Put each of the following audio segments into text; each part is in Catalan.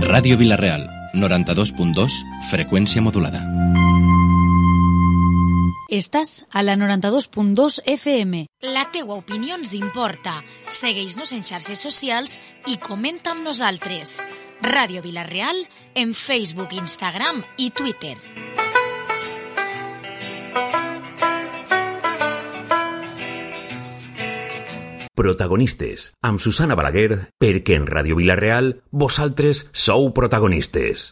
Ràdio Vila-real, 92.2, freqüència modulada. Estàs a la 92.2 FM. La teua opinió ens importa. Segueix-nos en xarxes socials i comenta amb nosaltres. Ràdio Vila-real en Facebook, Instagram i Twitter. Protagonistes, amb Susana Balaguer, perquè en Ràdio Vila-real vosaltres sou protagonistes.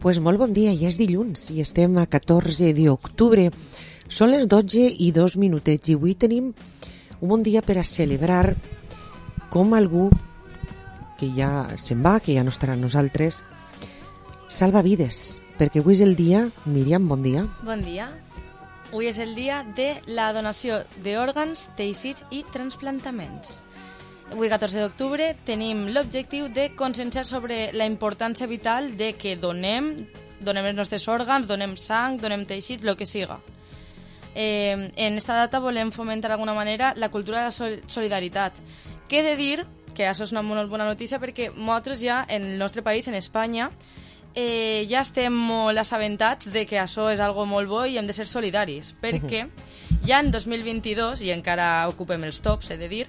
Pues molt bon dia, ja és dilluns i estem a 14 d'octubre. Són les 12:02 i avui tenim un bon dia per a celebrar com algú que ja se'n va, que ja no estarà amb nosaltres, salva vides, perquè avui és el dia, Míriam, bon dia. Bon dia. Avui és el dia de la donació d'òrgans, teixits i transplantaments. Avui, 14 d'octubre, tenim l'objectiu de conscienciar sobre la importància vital de que donem els nostres òrgans, donem sang, donem teixits, el que siga. En esta data volem fomentar d'alguna manera la cultura de la solidaritat. Que he de dir que això és una molt bona notícia perquè nosaltres ja, en el nostre país, en Espanya, ja estem molt assabentats de que això és algo molt bo i hem de ser solidaris, perquè ja en 2022, i encara ocupem els tops, he de dir,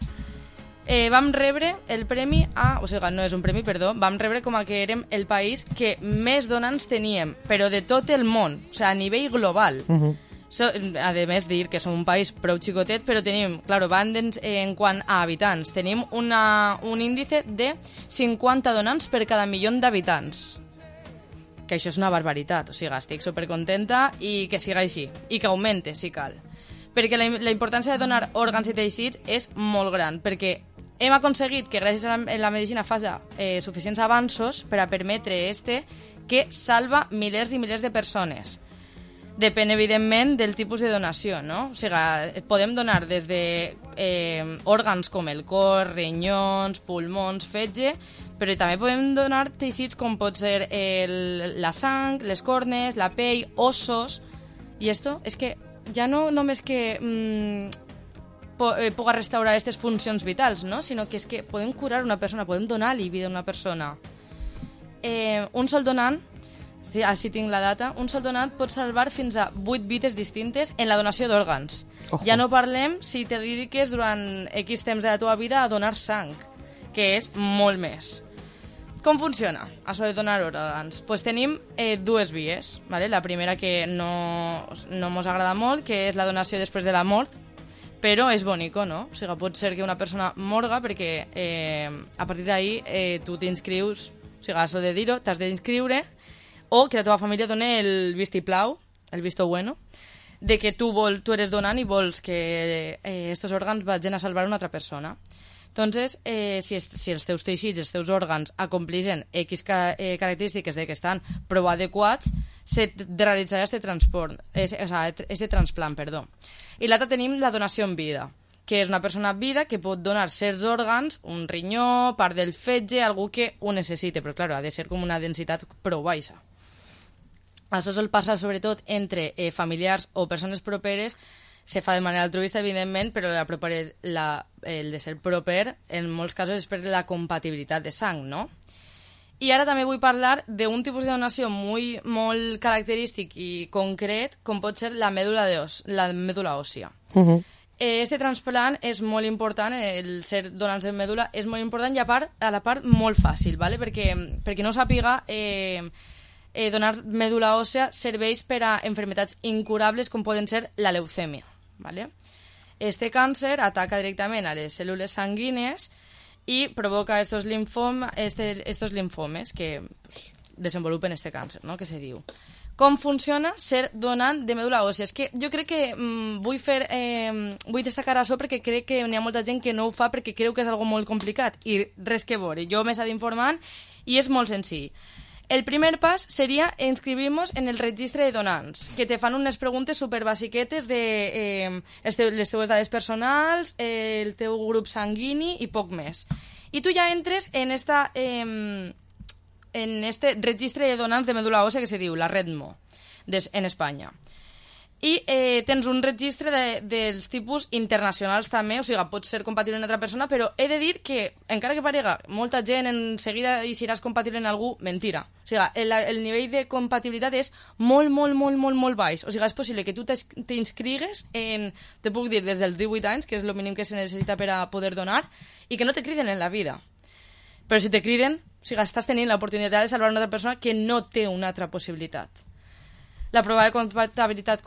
vam rebre el premi no és un premi, perdó, vam rebre com a que érem el país que més donants teníem, però de tot el món, o sigui, a nivell global. A més, dir que som un país prou xicotet, però tenim, en quant a habitants, tenim un índice de 50 donants per cada milió d'habitants. Que això és una barbaritat, o sigui, estic supercontenta i que siga així, i que augmente, si cal. Perquè la importància de donar òrgans i teixits és molt gran, perquè hem aconseguit que gràcies a la medicina faci suficients avanços per a permetre que salva milers i milers de persones. Depèn, evidentment, del tipus de donació, no? O sigui, podem donar des de òrgans com el cor, rinyons, pulmons, fetge, però també podem donar teixits com pot ser la sang, les cornes, la pell, ossos, i esto és que ja no només que puga restaurar aquestes funcions vitals, no? Sinó que és que podem curar una persona, podem donar-li vida a una persona. Un sol donant, sí, així tinc la data, un sol donant pot salvar fins a 8 vides distintes en la donació d'òrgans. Ja no parlem si te dediques durant X temps de la teva vida a donar sang, que és molt més. Com funciona això de donar òrgans? Pues tenim dues vies, ¿vale? La primera que no mos agrada molt, que és la donació després de la mort, però és bonico, no? O sigui, pot ser que una persona morga perquè a partir d'ahir tu t'inscrius, o sigui, això de dir-ho, t'has d'inscriure, o que la teva família doni el vistiplau, el visto bueno, de que tu eres donant i vols que estos òrgans vagin a salvar una altra persona. Entonces, si els teus teixits, els teus òrgans acomplixen X característiques de que estan prou adequats, se realitzarà este transplant, perdó. I l'altre tenim la donació en vida, que és una persona en vida que pot donar certs òrgans, un rinyó, part del fetge, algú que ho necessite, però clar, ha de ser com una densitat prou baixa. Això sol passar sobretot entre familiars o persones properes. Se fa de manera altruista, evidentment, però el de ser proper, en molts casos, és per la compatibilitat de sang, no? I ara també vull parlar d'un tipus de donació molt característic i concret, com pot ser la mèdula òssia. Este transplant és molt important, el ser donants de mèdula és molt important i a la part molt fàcil, ¿vale? perquè no ho sàpiga, donar mèdula òssia serveix per a enfermetats incurables com poden ser la leucèmia, ¿vale? Este càncer ataca directament a les cèl·lules sanguínies y provoca estos linfomes que desenvolupen este càncer, ¿no? que se diu. Com funciona ser donant de mèdula òssia? És que jo crec que vull destacar això perquè crec que n'hi ha molta gent que no ho fa perquè creu que és algo molt complicat i res que veure. Jo m'he estat informant i és molt senzill. El primer pas seria inscribir-nos en el registre de donants, que te fan unes preguntes superbasiquetes de les teues dades personals, el teu grup sanguini i poc més. I tu ja entres en este registre de donants de mèdula òssia que se diu la REDMO en Espanya. I tens un registre dels tipus internacionals també, o sigui, pots ser compatible amb una altra persona, però he de dir que, encara que parega molta gent en seguida i seràs compatible amb algú, mentira. O sigui, el nivell de compatibilitat és molt baix. O sigui, és possible que tu t'inscrigues te puc dir, des dels 18 anys, que és el mínim que se necessita per a poder donar, i que no te criden en la vida. Però si te criden, o sigui, estàs tenint l'oportunitat de salvar una altra persona que no té una altra possibilitat. La prova de compatibilitat,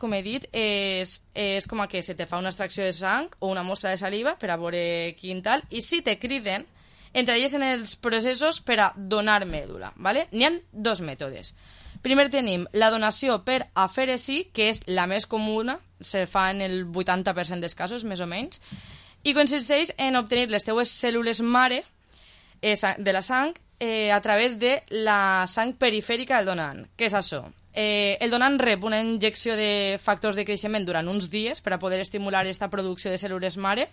com he dit, és com que se te fa una extracció de sang o una mostra de saliva per a veure quin tal, i si te criden, entraries en els processos per a donar mèdula, ¿vale? N'hi ha dos mètodes. Primer tenim la donació per afèresi, que és la més comuna, se fa en el 80% dels casos, més o menys, i consisteix en obtenir les teues cèl·lules mare de la sang a través de la sang perifèrica del donant. Què és això? El donant rep una injecció de factors de creixement durant uns dies per a poder estimular aquesta producció de cèl·lules mare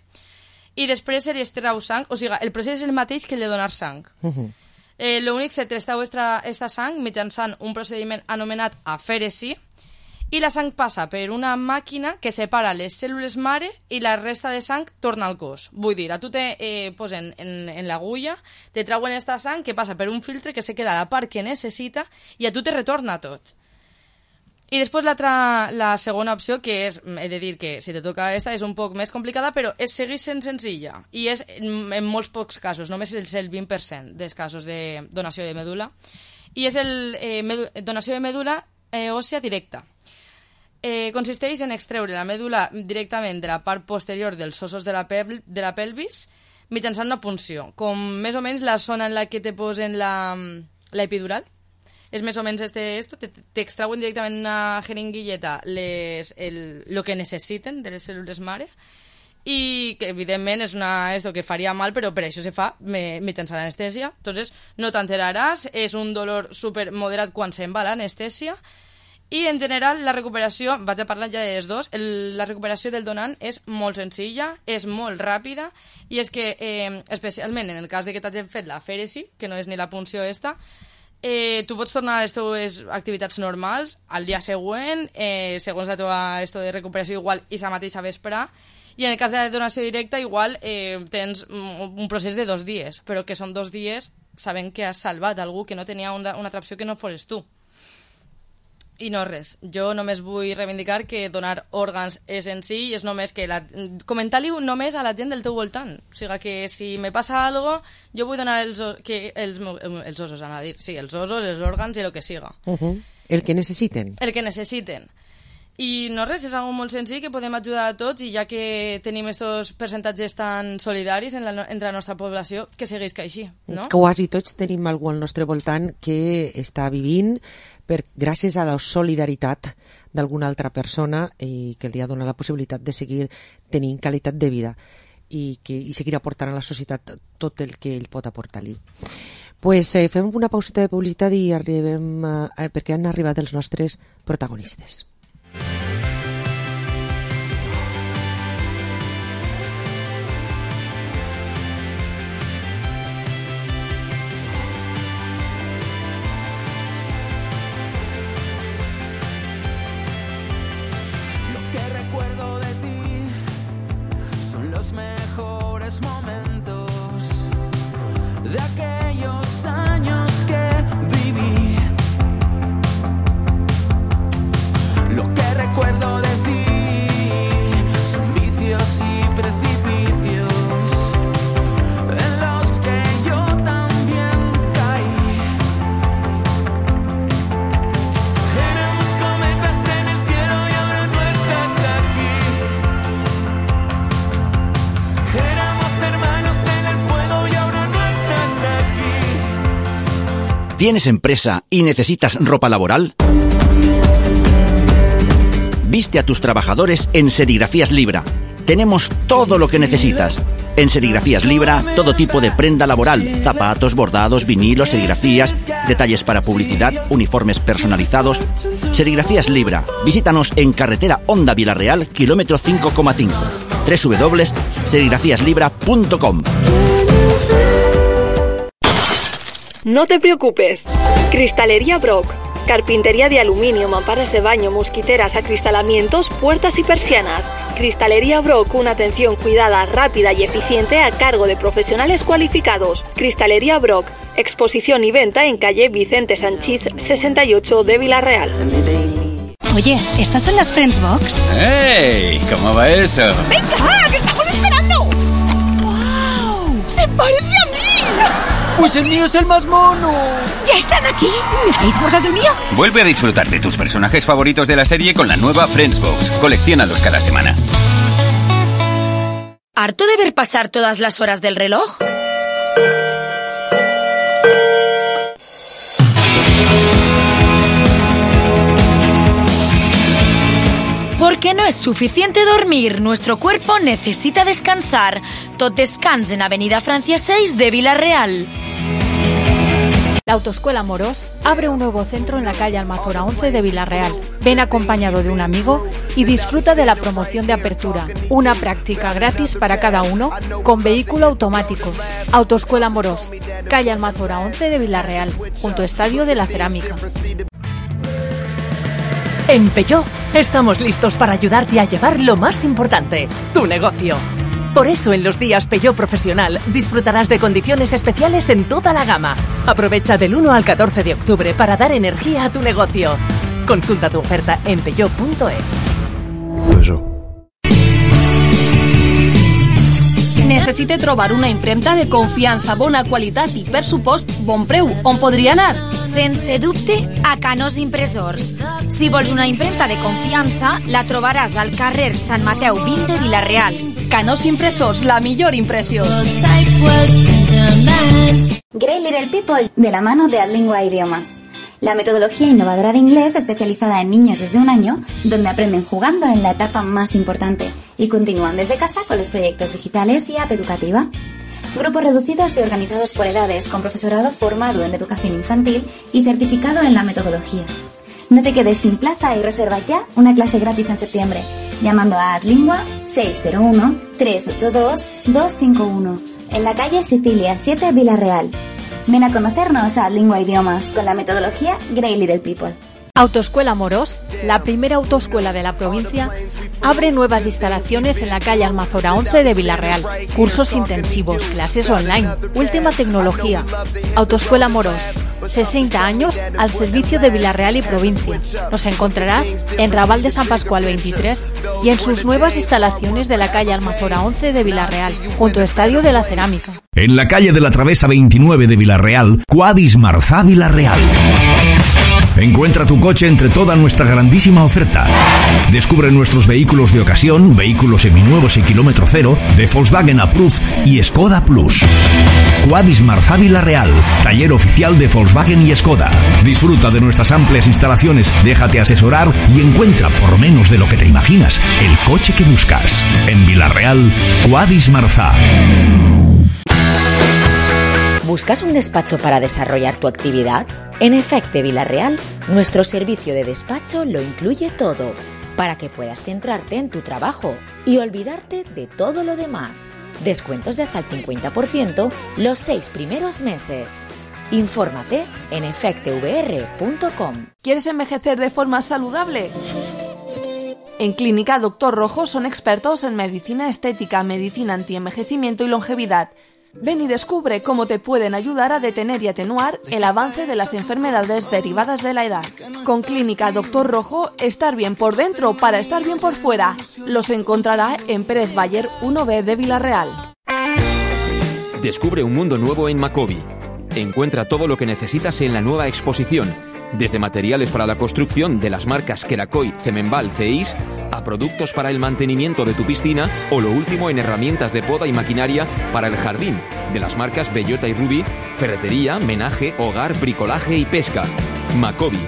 i després se li extrau sang, o sigui, el procés és el mateix que el de donar sang. L'únic se t'extrau aquesta sang mitjançant un procediment anomenat afèresi i la sang passa per una màquina que separa les cèl·lules mare i la resta de sang torna al cos. Vull dir, a tu te posen en l'agulla, te trauen aquesta sang que passa per un filtre que se queda a la part que necessita i a tu te retorna tot. I després la segona opció, que és, he de dir que si te toca esta és un poc més complicada, però segueix sent senzilla i és en molts pocs casos, només és el 20% dels casos de donació de mèdula, i és donació de mèdula òssia directa. Consisteix en extreure la mèdula directament de la part posterior dels ossos de la pelvis mitjançant una punció, com més o menys la zona en la que te posen la epidural. És més o menys t'extrauen directament una jeringuilleta el que necessiten de les cèl·lules mare i que evidentment és esto que faria mal, però per això se fa mitjançant l'anestèsia. Entonces no t'enteraràs, és un dolor super moderat quan se'n va l'anestèsia. I, en general, la recuperació, vaig a parlar ja de les dos, la recuperació del donant és molt senzilla, és molt ràpida, i és que, especialment en el cas de que t'hagin fet l'afèresi, que no és ni la punció esta, tu pots tornar a les teves activitats normals al dia següent, segons la teva de recuperació, igual i la mateixa vesprà, i en el cas de la donació directa, igual tens un procés de 2 dies, però que són 2 dies sabent que has salvat algú que no tenia una altra opció que no fos tu. I no res, jo només vull reivindicar que donar òrgans és senzill, és només que comentar-li només a la gent del teu voltant. O sigui que si me passa algo, jo vull donar els ossos, anava a dir. Sí, els ossos, els òrgans i el que siga. El que necessiten. El que necessiten. I no res, és algo molt senzill que podem ajudar a tots i ja que tenim aquests percentatges tan solidaris entre la nostra població, que segueix que així, no? Quasi tots tenim algú al nostre voltant que està vivint gràcies a la solidaritat d'alguna altra persona i que li ha donat la possibilitat de seguir tenint qualitat de vida i seguir aportant a la societat tot el que ell pot aportar-li. Pues fem una pauseta de publicitat i arribem perquè han arribat els nostres protagonistes. Mejores momentos de aquellos ¿Tienes empresa y necesitas ropa laboral? Viste a tus trabajadores en Serigrafías Libra. Tenemos todo lo que necesitas. En Serigrafías Libra, todo tipo de prenda laboral, zapatos, bordados, vinilos, serigrafías, detalles para publicidad, uniformes personalizados. Serigrafías Libra. Visítanos en carretera Honda Vilarreal, kilómetro 5,5. www.serigrafiaslibra.com. No te preocupes. Cristalería Brock. Carpintería de aluminio, mamparas de baño, mosquiteras, acristalamientos, puertas y persianas. Cristalería Brock, una atención cuidada, rápida y eficiente a cargo de profesionales cualificados. Cristalería Brock, exposición y venta en calle Vicente Sanchís 68 de Vilarreal. Oye, ¿estas son las Friends Box? ¡Hey! ¿Cómo va eso? ¡Venga, que estamos esperando! ¡Wow! ¡Se parece a mí! ¡Pues el mío es el más mono! ¿Ya están aquí? ¿Me habéis guardado el mío? Vuelve a disfrutar de tus personajes favoritos de la serie con la nueva Friends Box. Colecciónalos cada semana. ¿Harto de ver pasar todas las horas del reloj? Porque no es suficiente dormir, nuestro cuerpo necesita descansar. Tot descans en Avenida Francia 6 de Vilarreal. La Autoescuela Morós abre un nuevo centro en la calle Almazora 11 de Vilarreal. Ven acompañado de un amigo y disfruta de la promoción de apertura. Una práctica gratis para cada uno con vehículo automático. Autoescuela Morós, calle Almazora 11 de Vilarreal, junto a Estadio de la Cerámica. En Peugeot estamos listos para ayudarte a llevar lo más importante, tu negocio. Por eso en los días Peugeot Profesional disfrutarás de condiciones especiales en toda la gama. Aprovecha del 1 al 14 de octubre para dar energía a tu negocio. Consulta tu oferta en peugeot.es. Necessite trobar una impremta de confiança, bona qualitat i, per supost, bon preu. On podria anar? Sense dubte, a Canós Impressors. Si vols una impremta de confiança, la trobaràs al carrer Sant Mateu 20 de Vilarreal. Canós Impressors, la millor impressió. Great Little People, de la mano de Adlingua Idiomas. La metodología innovadora de inglés especializada en niños desde 1 año, donde aprenden jugando en la etapa más importante y continúan desde casa con los proyectos digitales y app educativa. Grupos reducidos y organizados por edades, con profesorado formado en educación infantil y certificado en la metodología. No te quedes sin plaza y reserva ya una clase gratis en septiembre, llamando a Adlingua 601-382-251, en la calle Sicilia 7, Vilarreal. Ven a conocernos a Lingua Idiomas con la metodología Great Little People. Autoescuela Morós, la primera autoescuela de la provincia, abre nuevas instalaciones en la calle Almazora 11 de Vilarreal. Cursos intensivos, clases online, última tecnología. Autoescuela Morós, 60 años al servicio de Vilarreal y provincia. Nos encontrarás en Raval de San Pascual 23 y en sus nuevas instalaciones de la calle Almazora 11 de Vilarreal, junto a Estadio de la Cerámica. En la calle de la Travesa 29 de Vilarreal, Quadis Marzá Vilarreal. Encuentra tu coche entre toda nuestra grandísima oferta. Descubre nuestros vehículos de ocasión, vehículos seminuevos y kilómetro cero, de Volkswagen Approved y Skoda Plus. Quadis Marzá Vilarreal, taller oficial de Volkswagen y Skoda. Disfruta de nuestras amplias instalaciones, déjate asesorar y encuentra, por menos de lo que te imaginas, el coche que buscas. En Vilarreal, Quadis Marzá. ¿Buscas un despacho para desarrollar tu actividad? En Efecte Vilarreal, nuestro servicio de despacho lo incluye todo, para que puedas centrarte en tu trabajo y olvidarte de todo lo demás. Descuentos de hasta el 50% los 6 primeros meses. Infórmate en efectevr.com. ¿Quieres envejecer de forma saludable? En Clínica Doctor Rojo son expertos en medicina estética, medicina antienvejecimiento y longevidad. Ven y descubre cómo te pueden ayudar a detener y atenuar el avance de las enfermedades derivadas de la edad. Con Clínica Doctor Rojo, estar bien por dentro para estar bien por fuera. Los encontrará en Pérez Bayer 1B de Vilarreal. Descubre un mundo nuevo en Macobi. Encuentra todo lo que necesitas en la nueva exposición, desde materiales para la construcción de las marcas Kerakoy, Cemenbal, CEIS, a productos para el mantenimiento de tu piscina o lo último en herramientas de poda y maquinaria para el jardín, de las marcas Bellota y Ruby, ferretería, menaje, hogar, bricolaje y pesca. Macobi.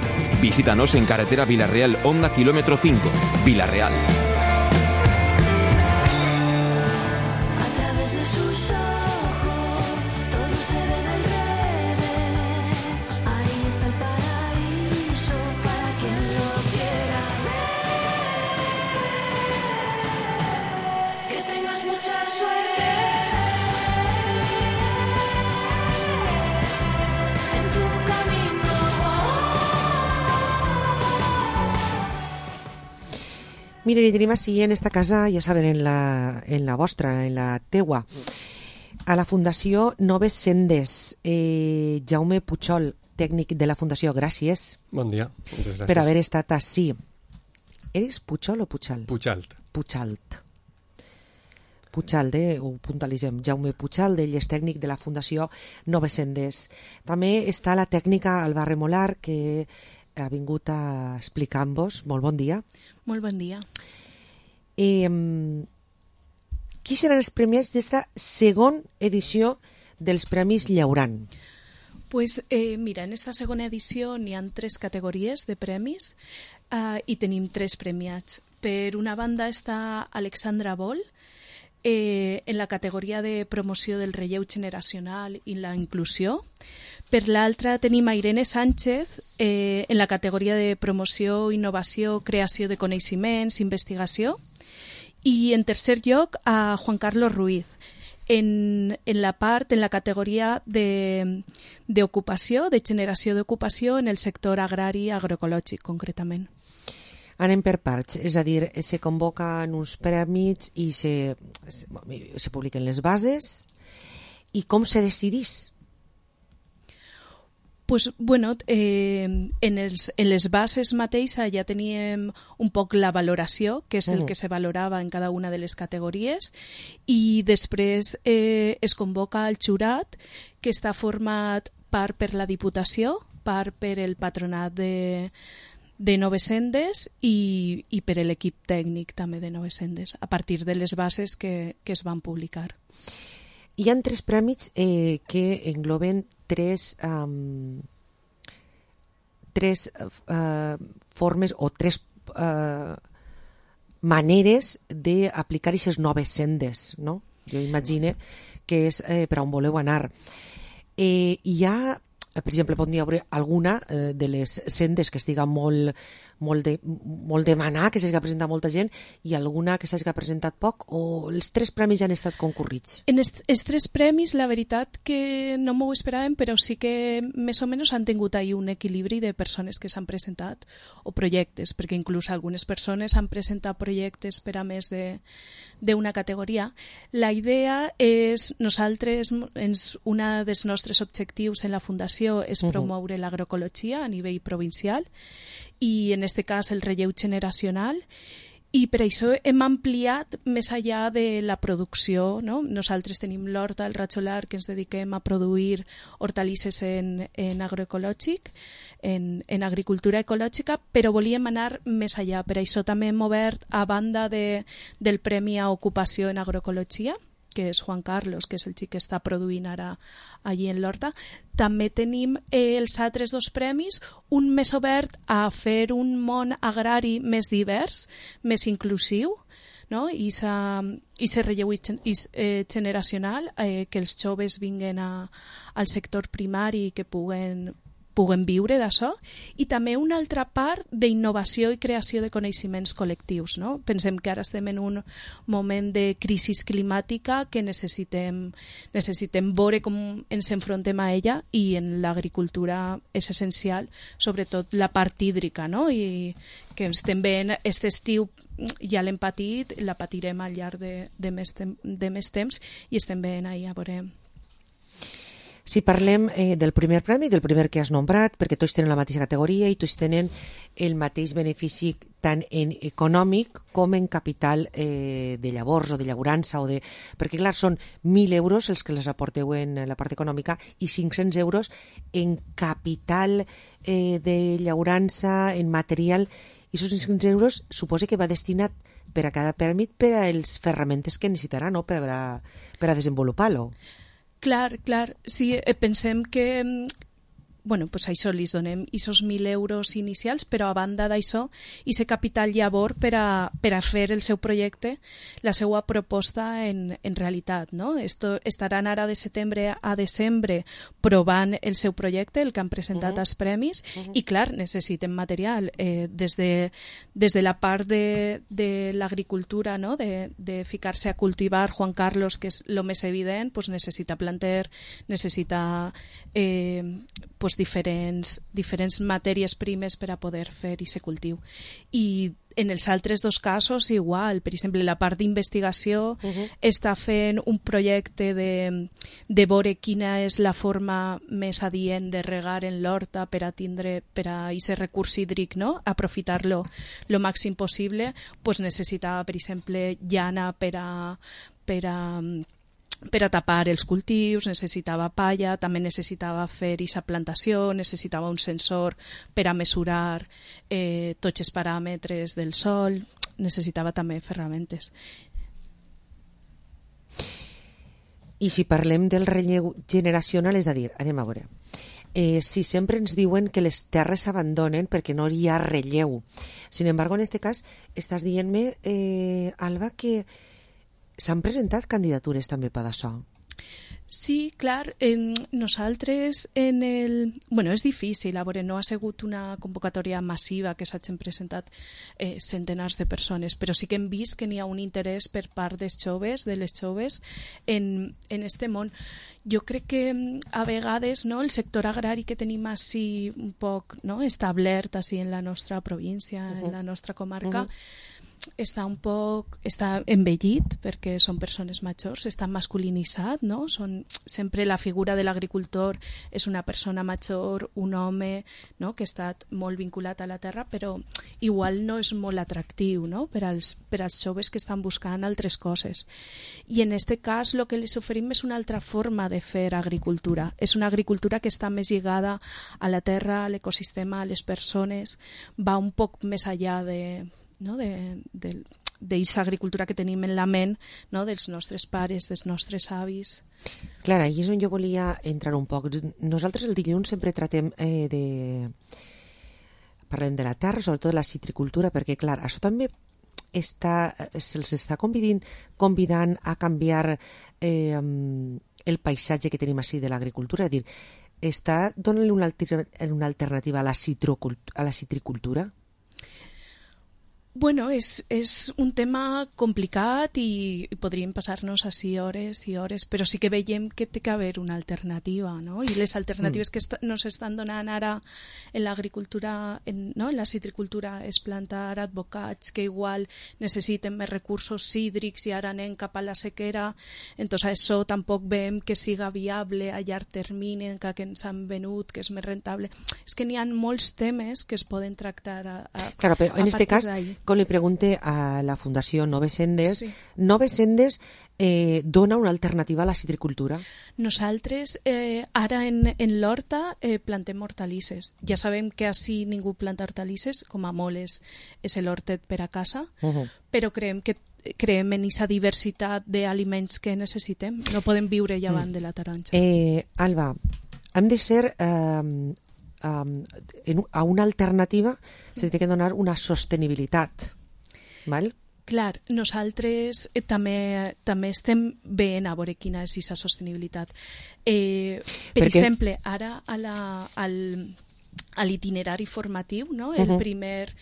Visítanos en carretera Villarreal, Honda, kilómetro 5, Villarreal. Miren, i tenim així en esta casa, ja saben, en la vostra, en la teua, a la Fundació Noves Sendes. Jaume Puchol, tècnic de la Fundació, gràcies. Bon dia, moltes gràcies. Per haver estat així. Eres Puchol o Puchal? Puchalt. Puchalt. Puchalt, ho puntualitzem. Jaume Puchalt, ell és tècnic de la Fundació Noves Sendes. També està la tècnica Alba Remolar, que ha vingut a explicar-vos. Molt bon dia. Molt bon dia. Qui seran els premiats d'esta segona edició dels Premis Llauran? Pues, mira, en esta segona edició n'hi ha 3 categories de premis i tenim 3 premiats. Per una banda està Alexandra Boll, en la categoria de promoció del relleu generacional i la inclusió. Per l'altra tenim a Irene Sánchez en la categoria de promoció, innovació, creació de coneixements, investigació. I en tercer lloc a Juan Carlos Ruiz en la categoria d'ocupació, de generació d'ocupació en el sector agrari agroecològic concretament. Anem per parts, és a dir, se convoquen uns premis i se publiquen les bases. I com se decidís? Pues, bueno, en les bases mateixes ja teníem un poc la valoració, que és el que se valorava en cada una de les categories, i després es convoca el jurat, que està format part per la Diputació, part per el Patronat de Noves Sendes i per l'equip tècnic també de Noves Sendes, a partir de les bases que es van publicar. Hi ha 3 premis que engloben 3 formes o 3 maneres d'aplicar aquestes noves sendes, no? Jo imagino que és per on voleu anar. Hi ha, per exemple, pot haver alguna de les sendes que estiga molt demanar, que s'hagi presentat molta gent, i alguna que s'hagi presentat poc, o els 3 premis ja han estat concurrits? En els 3 premis, la veritat que no m'ho esperàvem, però sí que més o menys han tingut ahí un equilibri de persones que s'han presentat, o projectes, perquè inclús algunes persones han presentat projectes per a més d'una categoria. La idea és, nosaltres, un dels nostres objectius en la Fundació és promoure l'agroecologia a nivell provincial, i en aquest cas el relleu generacional, i per això hem ampliat més enllà de la producció, no? Nosaltres tenim l'horta, el ratxolar, que ens dediquem a produir hortalisses en agroecològic, en agricultura ecològica, però volíem anar més enllà. Per això també hem obert, a banda del Premi a Ocupació en Agroecologia, que és Juan Carlos, que és el xic que està produint ara allí en l'horta. També tenim els altres 2 premis, un més obert a fer un món agrari més divers, més inclusiu, no? I se relleu generacional, que els joves vinguen al sector primari i que puguen viure d'això, i també una altra part d'innovació i creació de coneixements col·lectius, no? Pensem que ara estem en un moment de crisi climàtica que necessitem veure com ens enfrontem a ella, i en l'agricultura és essencial, sobretot la part hídrica, no? I que estem veient aquest estiu, ja l'hem patit, la patirem al llarg de més temps, i estem veient ahir a veure. Si parlem del primer premi, del primer que has nombrat, perquè tots tenen la mateixa categoria i tots tenen el mateix benefici tant en econòmic com en capital de llavors o de llaurança, perquè clar, són 1.000 euros els que les aporteu en la part econòmica i 500 euros en capital de llaurança, en material I aquests 500 euros suposa que va destinat per a cada pèrmit per a les ferramentes que necessitarà, no? per a desenvolupar-lo. Clar. Si pensem que pues això, li donem aquests 1.000 euros inicials, però a banda d'això, aquest capital llavor per a fer el seu projecte, la seva proposta en realitat. No? Estaran ara de setembre a desembre provant el seu projecte, el que han presentat als premis, i clar, necessiten material. Des de la part de l'agricultura, no? de ficar-se a cultivar, Juan Carlos, que és el més evident, pues necessita planter, necessita diferents matèries primes per a poder fer aquest cultiu. I en els altres dos casos igual, per exemple, la part d'investigació està fent un projecte de veure quina és la forma més adient de regar en l'horta per a aquest recurs hídric, no? Aprofitar-lo lo màxim possible, pues necessitava, per exemple, llana per a tapar els cultius, necessitava palla, també necessitava fer aquesta plantació, necessitava un sensor per a mesurar tots els paràmetres del sòl, necessitava també ferramentes. I si parlem del relleu generacional, és a dir, anem a veure, si sempre ens diuen que les terres s'abandonen perquè no hi ha relleu. Sin embargo, en este cas, estàs dient-me, Alba, que s'han presentat candidatures també per això? Sí, clar. Nosaltres és difícil, a veure, no ha sigut una convocatòria massiva que s'hagin presentat centenars de persones, però sí que hem vist que n'hi ha un interès per part dels joves, de les joves, en este món. Jo crec que a vegades, no, el sector agrari que tenim així un poc, no, establert així en la nostra província, en la nostra comarca, està envellit perquè són persones majors, està masculinitzat, no? Sempre la figura de l'agricultor és una persona major, un home, no? Que ha estat molt vinculat a la terra, però igual no és molt atractiu, no? per als joves que estan buscant altres coses. I en aquest cas el que els oferim és una altra forma de fer agricultura. És una agricultura que està més lligada a la terra, a l'ecosistema, a les persones, va un poc més enllà d'aquesta agricultura que tenim en la ment, no? Dels nostres pares, dels nostres avis. Clara, i és on jo volia entrar un poc. Nosaltres el dilluns sempre tratem parlem de la terra, sobretot de la citricultura, perquè clar, això també se'ls està convidant a canviar el paisatge que tenim així de l'agricultura, és a dir, està donant-li una alternativa a la citricultura? Bueno, és un tema complicat i podríem passar-nos així hores i hores, però sí que veiem que té que haver una alternativa, no? I les alternatives que nos estan donant ara en l'agricultura, no? En la citricultura, és plantar advocats que igual necessiten més recursos hídrics i ara anem cap a la sequera, entonces això tampoc veiem que siga viable a llarg termini, que ens han venut, que és més rentable. És que n'hi ha molts temes que es poden tractar claro, però en este cas, com li pregunte a la Fundació Noves Sendes, sí. Noves Sendes dona una alternativa a la citricultura? Nosaltres ara en l'horta plantem hortalisses. Ja sabem que així ningú planta hortalisses, com a molt és l'hortet per a casa, però creiem en aquesta diversitat d'aliments que necessitem. No podem viure llevant de la taronja. Alba, hem de ser... a una alternativa se té que donar una sostenibilitat, val? Clar, nosaltres també estem veient a veure quina és aquesta sostenibilitat. Per exemple, ara a l'itinerari formatiu, no? El primer...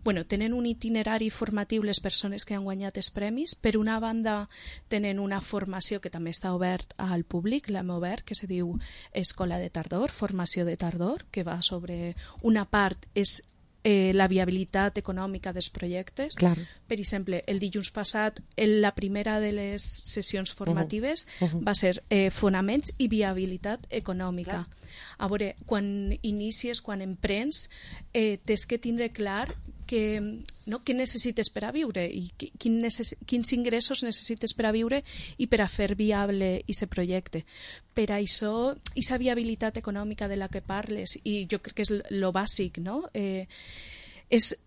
Bueno, tenen un itinerari formatiu les persones que han guanyat els premis. Per una banda, tenen una formació que també està obert al públic, l'hem obert, que se diu Escola de Tardor, formació de tardor, que va sobre una part és la viabilitat econòmica dels projectes. Clar. Per exemple, el dilluns passat, la primera de les sessions formatives va ser fonaments i viabilitat econòmica. A veure, quan inicies, quan emprens, tens que tindre clar què necessites per a viure i quins ingressos necessites per a viure i per a fer viable aquest projecte. Per això, aquesta viabilitat econòmica de la que parles, i jo crec que és lo bàsic, no?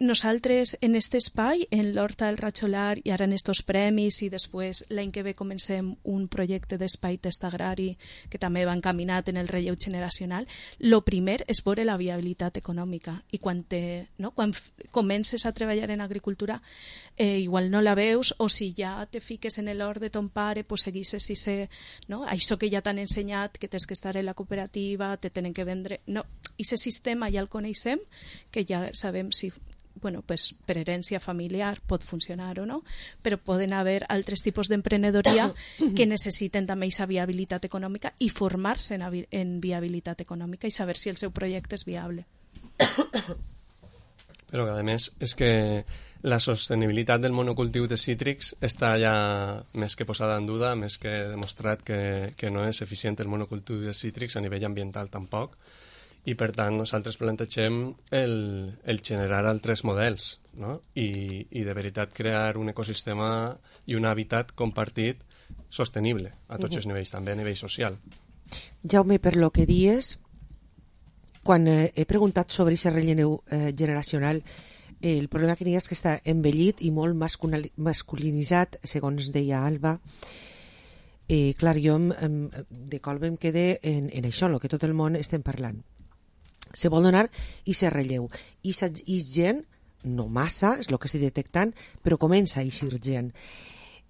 Nosaltres en este espai, en l'Horta del Ratxolar, i ara en estos premis, i després l'any que ve comencem un projecte d'espai test agrari que també va encaminat en el relleu generacional, lo primer és veure la viabilitat econòmica. I quan comences a treballar en agricultura, igual no la veus, o si ja te fiques en l'hort de ton pare, pues seguisses això que ja t'han ensenyat, que tens que estar en la cooperativa, te tenen que vendre... No, aquest sistema ja el coneixem, que ja sabem si per herència familiar pot funcionar o no, però poden haver altres tipus d'emprenedoria que necessiten també aquesta viabilitat econòmica i formar-se en viabilitat econòmica i saber si el seu projecte és viable. Però a més és que la sostenibilitat del monocultiu de cítrics està ja més que posada en duda, més que demostrat que no és eficient el monocultiu de cítrics a nivell ambiental tampoc. I per tant nosaltres plantegem el generar altres models, no? I de veritat crear un ecosistema i un hàbitat compartit sostenible a tots els nivells, també a nivell social. Jaume, per lo que dies, quan he preguntat sobre aquest relleu generacional, el problema que n'hi ha és que està envellit i molt masculinitzat, segons deia Alba. Clar, jo de col em quedé en això, el que tot el món estem parlant. Se vol donar i se relleu. I gent, no massa, és el que estic detectant, però comença a eixir gent.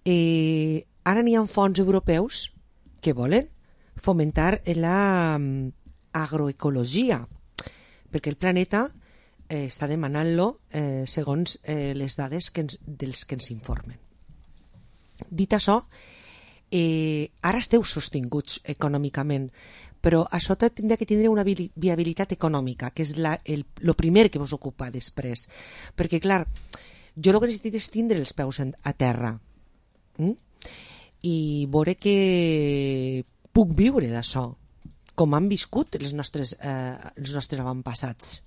Ara n'hi ha fons europeus que volen fomentar l'agroecologia, perquè el planeta està demanant-lo segons les dades dels que ens informen. Dit això, ara esteu sostinguts econòmicament, però això tindria que tindre una viabilitat econòmica, que és el primer que vos ocupa després. Perquè, clar, jo el que necessito és tindre els peus a terra i veure que puc viure d'això, com han viscut els nostres avantpassats.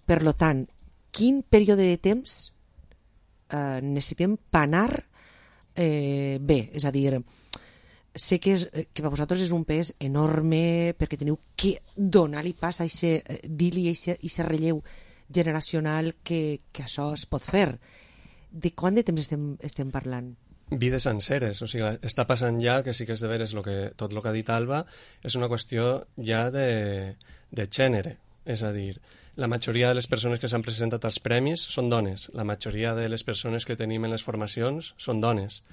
Per tant, quin període de temps necessitem panar bé? És a dir, sé que per vosaltres és un pes enorme perquè teniu que donar-li pas a dir-li a aquest relleu generacional que això es pot fer. De quant de temps estem parlant? Vides senceres, o sigui, està passant ja que sí que és de veres tot el que ha dit Alba és una qüestió ja de gènere, és a dir, la majoria de les persones que s'han presentat als premis són dones, la majoria de les persones que tenim en les formacions són dones.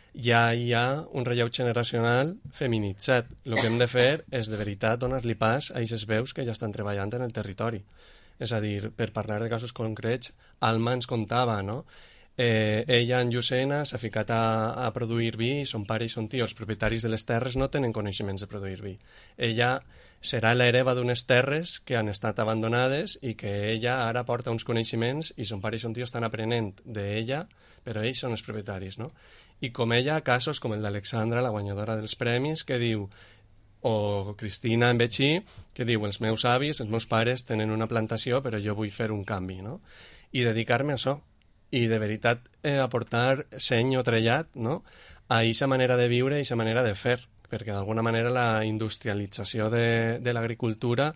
Ja hi ha un relleu generacional feminitzat. El que hem de fer és de veritat donar-li pas a aquestes veus que ja estan treballant en el territori. És a dir, per parlar de casos concrets, Alma ens contava, no? Ella en Llucena s'ha ficat a produir vi, son pare i son tio, els propietaris de les terres no tenen coneixements de produir vi. Ella serà l'hereva d'unes terres que han estat abandonades i que ella ara porta uns coneixements i son pare i son tio estan aprenent d'ella, però ells són els propietaris, no? I com ella, casos com el d'Alexandra, la guanyadora dels premis, que diu, o Cristina en Betxí, que diu, els meus avis, els meus pares tenen una plantació, però jo vull fer un canvi, no? I dedicar-me a això. I de veritat aportar seny o trellat, no? A aquesta manera de viure i aquesta manera de fer, perquè d'alguna manera la industrialització de l'agricultura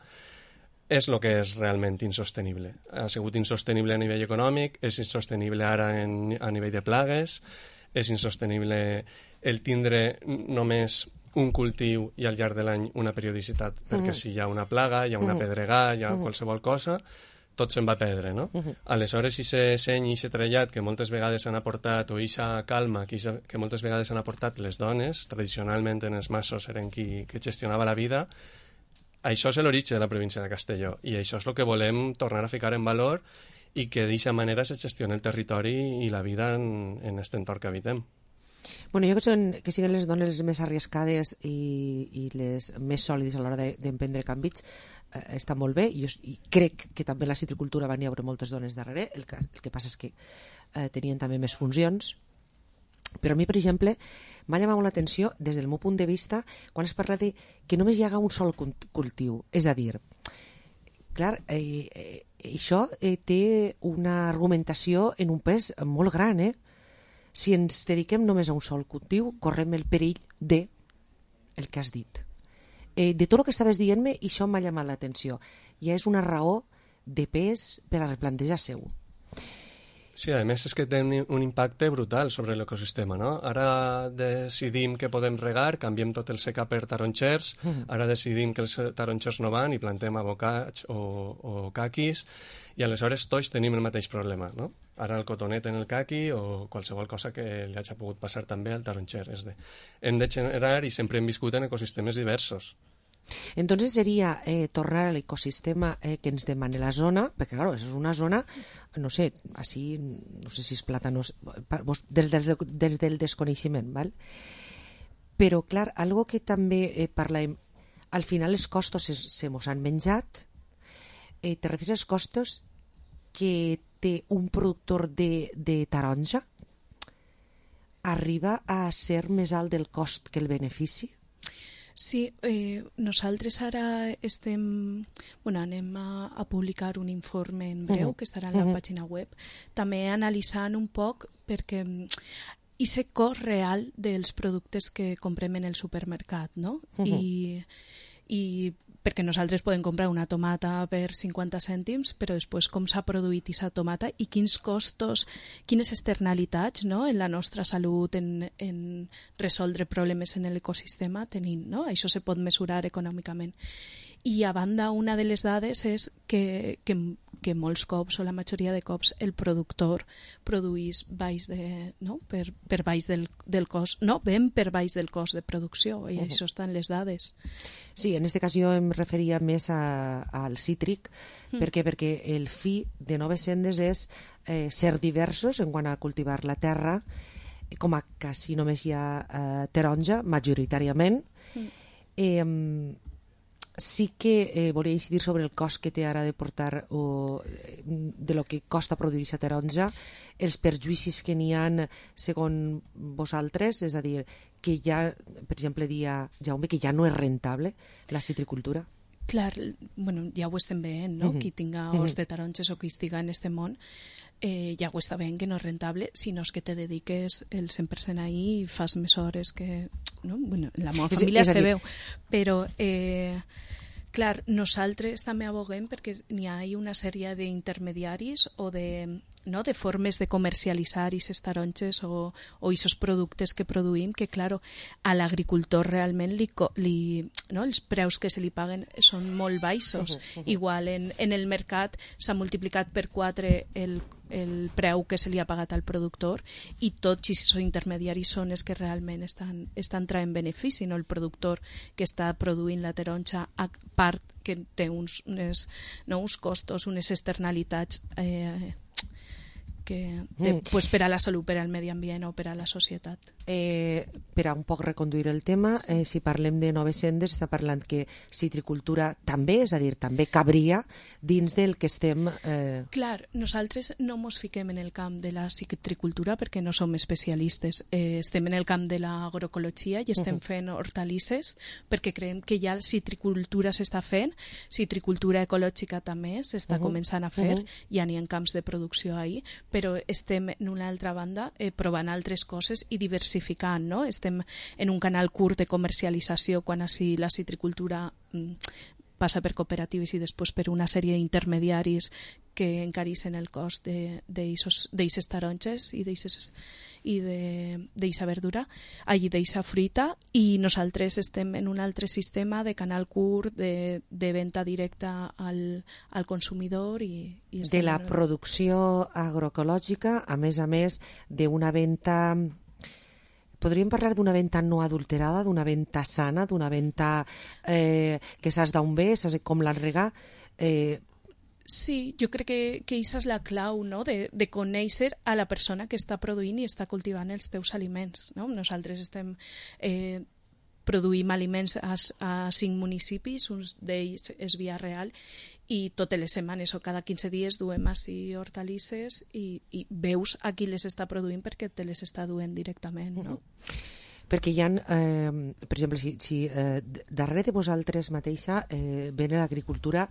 és el que és realment insostenible. Ha sigut insostenible a nivell econòmic, és insostenible ara a nivell de plagues, és insostenible el tindre només un cultiu i al llarg de l'any una periodicitat, perquè si hi ha una plaga, hi ha una pedregada, hi ha qualsevol cosa, tot se'n va perdre, no? Aleshores, aquest seny i aquest trellat que moltes vegades han aportat, o aquesta calma que moltes vegades han aportat les dones, tradicionalment en els massos eren qui gestionava la vida, això és l'origen de la província de Castelló, i això és el que volem tornar a ficar en valor i que d'aquesta manera se gestiona el territori i la vida en aquest entorn que habitem. Bueno, jo que siguin les dones les més arriscades i les més sòlides a l'hora d'emprendre canvis està molt bé, i crec que també la citricultura van hi haure moltes dones darrere, el que passa és que tenien també més funcions, però a mi, per exemple, m'ha llamat molt l'atenció des del meu punt de vista quan es parla de que només hi haga un sol cultiu, és a dir, clar, això té una argumentació en un pes molt gran, Si ens dediquem només a un sol cultiu, correm el perill de el que has dit. De tot el que estaves dient-me, això m'ha llamat l'atenció. Ja és una raó de pes per a replantejar seu. Sí, a més és que té un impacte brutal sobre l'ecosistema, no? Ara decidim que podem regar, canviem tot el secà per taronxers, ara decidim que els taronxers no van i plantem abocats o caquis, i aleshores tots tenim el mateix problema, no? Ara el cotonet en el caqui o qualsevol cosa que li hagi pogut passar també al taronxer. Hem de generar, i sempre hem viscut en ecosistemes diversos. Entonces sería tornar al ecosistema que ens demana la zona, perquè claro, és una zona, no sé, així, no sé si és plàtanos, des del desconeixement, val? Però clar, algo que també parlem, al final els costos se mos han menjat, te refieres als costos que té un productor de taronja? Arriba a ser més alt del cost que el benefici? Sí, nosaltres ara anem a publicar un informe en breu que estarà en la pàgina web, també analitzant un poc perquè aquest cost real dels productes que comprem en el supermercat, no? I perquè nosaltres podem comprar una tomata per 50 cèntims, però després com s'ha produït aquesta tomata i quins costos, quines externalitats, no?, en la nostra salut, en resoldre problemes en l'ecosistema tenim, no? Això se pot mesurar econòmicament. I a banda, una de les dades és que molts cops, o la majoria de cops, el productor produís baix per baix del cost, no, ben per baix del cost de producció, i això estan les dades. Sí, en aquest cas jo em referia més al cítric, perquè el fi de Noves Sendes és ser diversos en quant a cultivar la terra, com a quasi només hi ha taronja, majoritàriament. Sí que volia incidir sobre el cost que té ara de portar de lo que costa produir aquesta taronja, els perjuïcis que n'hi ha segons vosaltres, és a dir, que ja, per exemple, dia Jaume, que ja no és rentable la citricultura. Clar, bueno, ja ho estem veient, no? Qui tinga horts de taronges o qui estiga en este món, ja ho està veient que no és rentable, sinó que te dediques el 100% ahí i fas més hores que... No? Bueno, en la meva família se veu, però clar, nosaltres també aboguem perquè n'hi ha una sèrie d'intermediaris o de formes de comercialitzar aquestes taronges o aquests productes que produïm, que claro, a l'agricultor realment els preus que se li paguen són molt baixos. Igual en el mercat s'ha multiplicat per 4 el preu que se li ha pagat al productor, i tots aquests intermediaris són els que realment estan traient benefici, no el productor que està produint la taronja, a part que té uns costos, unes externalitats que té, pues, per a la salut, per al medi ambient o per a la societat. Per a un poc reconduir el tema, si parlem de Noves Sendes, està parlant que citricultura també, és a dir, també cabria dins del que estem... Clar, nosaltres no ens fiquem en el camp de la citricultura perquè no som especialistes. Estem en el camp de l'agroecologia i estem fent hortalisses perquè creiem que ja la citricultura s'està fent, citricultura ecològica també s'està començant a fer, ja n'hi ha camps de producció ahí, però estem en una altra banda provant altres coses i diversificant, no? Estem en un canal curt de comercialització quan així la citricultura passa per cooperatives i després per una sèrie d'intermediaris que encareixen el cost d'eixes taronges i d'eixa verdura, allí d'eixa fruita, i nosaltres estem en un altre sistema de canal curt de venda directa al consumidor. De la producció agroecològica, a més d'una venda... Podríem parlar d'una venda no adulterada, d'una venda sana, d'una venda que saps d'on ve, saps com l'enregar... Sí, jo crec que aquesta és la clau, no?, de conèixer a la persona que està produint i està cultivant els teus aliments, no? Nosaltres produïm aliments a 5 municipis, un d'ells és Vila Real, i totes les setmanes o cada 15 dies duem així hortalisses i veus a qui les està produint perquè te les està duent directament, no? Perquè hi ha, per exemple, si darrere de vosaltres mateixa ven l'agricultura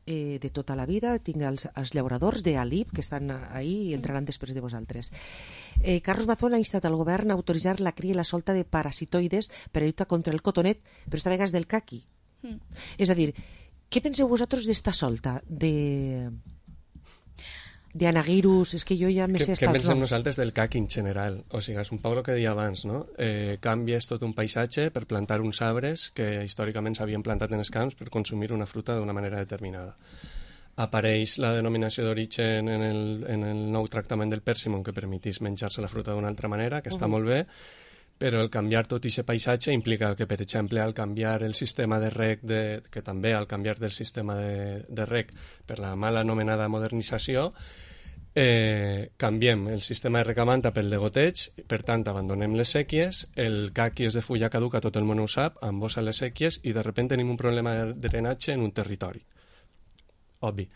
de tota la vida, tinc els llauradors d'Alip que estan ahí i entraran després de vosaltres. Carlos Mazón ha instat al govern a autoritzar la cria i la solta de parasitoides per a lluitar contra el cotonet, però esta vegada és del caqui. És a dir, Què penseu vosaltres d'esta solta de anaguirus? És que jo ja me sé Què pensem nosaltres del CAC en general? O sigui, és un poc el que deia abans, no? Canvies tot un paisatge per plantar uns arbres que històricament s'havien plantat en els camps per consumir una fruta d'una manera determinada. Apareix la denominació d'origen en el nou tractament del pèrsimon que permetís menjar-se la fruta d'una altra manera, que està molt bé, però el canviar tot aquest paisatge implica que, per exemple, al canviar el sistema de reg, que també al canviar del sistema de reg per la mal anomenada modernització, canviem el sistema de recamanta pel de goteig, per tant abandonem les sèquies, el caqui és de fulla caduca, tot el món ho sap, embossa les sèquies i de sobte tenim un problema de drenatge en un territori. Obvi.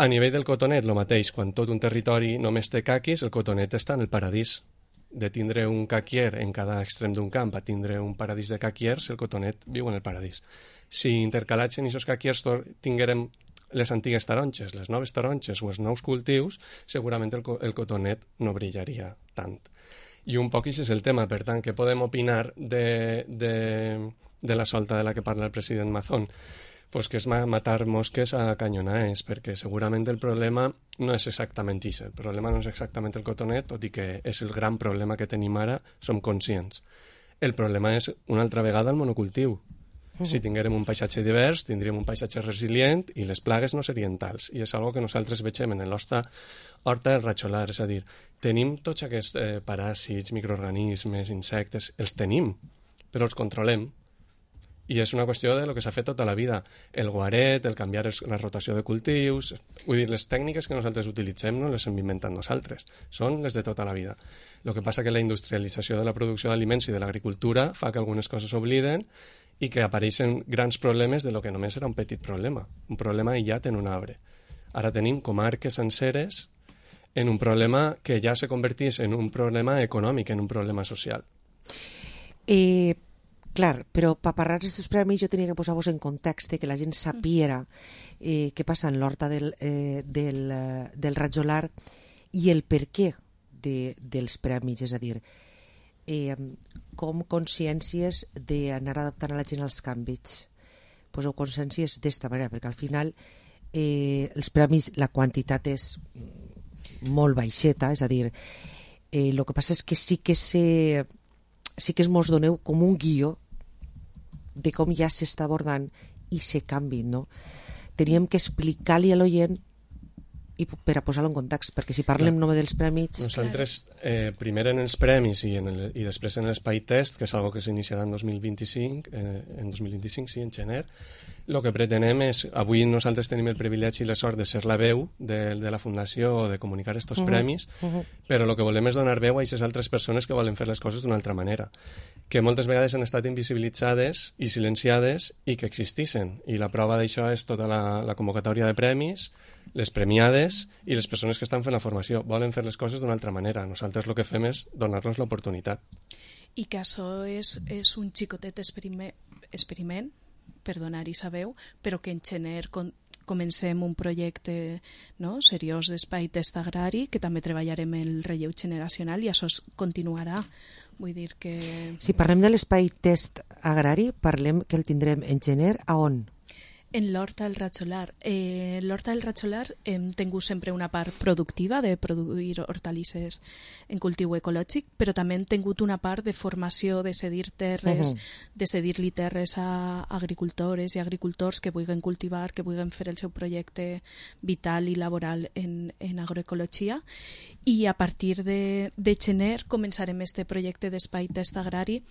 A nivell del cotonet, el mateix, quan tot un territori només té caquis, el cotonet està en el paradís. De tindre un caquier en cada extrem d'un camp a tindre un paradís de caquiers, el cotonet viu en el paradís. Si intercalats en aquests caquiers tinguérem les antigues taronges, les noves taronges o els nous cultius, segurament el cotonet no brillaria tant. I un poc això és el tema, per tant, què podem opinar de la solta de la que parla el president Mazón? Pues que és matar mosques a canyonades, perquè segurament el problema no és exactament això. El problema no és exactament el cotonet, tot i que és el gran problema que tenim ara, som conscients. El problema és, una altra vegada, el monocultiu. Si tinguérem un paisatge divers, tindríem un paisatge resilient i les plagues no serien tals. I és una que nosaltres veiem en l'horta del ratxolar. És a dir, tenim tots aquests paràsits, microorganismes, insectes, els tenim, però els controlem. I és una qüestió de lo que s'ha fet tota la vida. El guaret, el canviar la rotació de cultius... Vull dir, les tècniques que nosaltres utilitzem no les hem inventat nosaltres, són les de tota la vida. El que passa que la industrialització de la producció d'aliments i de l'agricultura fa que algunes coses s'obliden i que apareixen grans problemes de lo que només era un petit problema, un problema aïllat en un arbre. Ara tenim comarques senceres en un problema que ja se convertís en un problema econòmic, en un problema social. Clar, però per parlar d'aquests premis jo tenia que posar-vos en context que la gent sapiera què passa en l'horta del ratjolar i el per què dels premis, és a dir, com consciències d'anar adaptant a la gent als canvis. Poseu consciències d'esta manera, perquè al final els premis, la quantitat és molt baixeta, és a dir, el que passa és que sí que mos doneu com un guió de com ja s'està abordant i se canvi, no? Teníem que explicar-li a l'oient i per a posar-lo en context, perquè si parlem només dels premis... Nosaltres, primer en els premis i després en l'espai test, que és algo que s'iniciarà en 2025, sí, en gener, el que pretenem és... Avui nosaltres tenim el privilegi i la sort de ser la veu de la Fundació o de comunicar aquests premis, però el que volem és donar veu a aquestes altres persones que volen fer les coses d'una altra manera, que moltes vegades han estat invisibilitzades i silenciades i que existissin. I la prova d'això és tota la convocatòria de premis, les premiades i les persones que estan fent la formació. Volen fer les coses d'una altra manera. Nosaltres el que fem és donar-los l'oportunitat. I que això és un xicotet experiment, per donar-hi sa veu, però que en gener comencem un projecte seriós d'espai test agrari, que també treballarem el relleu generacional i això continuarà. Vull dir que... Si parlem de l'espai test agrari, parlem que el tindrem en gener a on? En l'horta del ratxolar. L'horta del ratxolar hem tingut sempre una part productiva de produir hortalisses en cultiu ecològic, però també hem tingut una part de formació, de cedir terres, de cedir-li terres a agricultores i agricultors que vulguin cultivar, que vulguin fer el seu projecte vital i laboral en agroecologia. I a partir de gener començarem este projecte d'espai test agrari,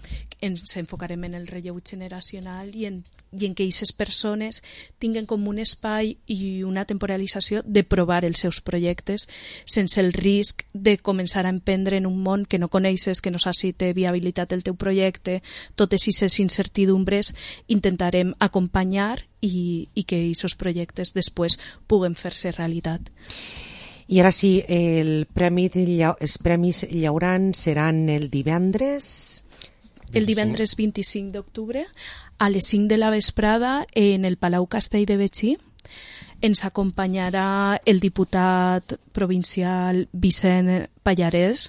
ens enfocarem en el relleu generacional i en què aquestes persones tinguen com un espai i una temporalització de provar els seus projectes sense el risc de començar a emprendre en un món que no coneixes, que no saps si té viabilitat el teu projecte. Totes aquestes incertidumbres intentarem acompanyar i que aquests projectes després puguen fer-se realitat. I ara sí, els premis llaurant seran el divendres... El divendres 25 d'octubre a les 5 de la vesprada en el Palau Castell de Betxí. Ens acompanyarà el diputat provincial Vicent Pallarès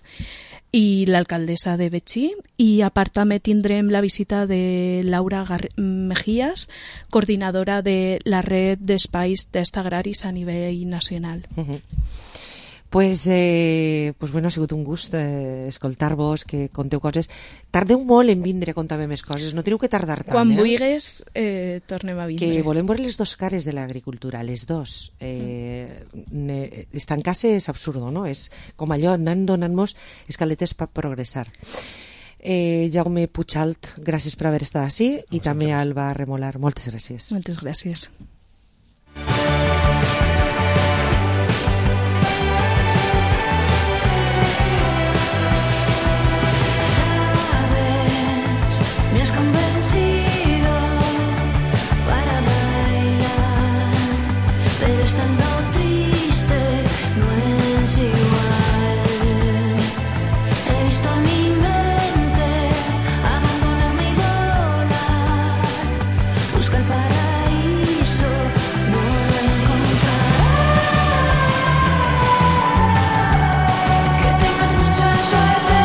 i l'alcaldessa de Betxí, i a part també tindrem la visita de Laura Mejías, coordinadora de la red d'espais test agraris a nivell nacional. Pues bueno, ha sigut un gust escoltar-vos, que conteu coses. Tardeu molt en vindre a contar-me més coses, no teniu que tardar tant. Quan vulguis, tornem a vindre. Que volem veure les dos cares de l'agricultura, les dos. Estancar-se és absurdo, no? És com allò, anant donant-nos escaletes per progressar. Jaume Puigalt, gràcies per haver estat ací, i també Alba Remolar, moltes gràcies. Moltes gràcies. Me has convencido para bailar, pero estando triste no es igual. He visto mi mente abandonarme y volar, busca el paraíso, no lo encontrarás. Que tengas mucha suerte.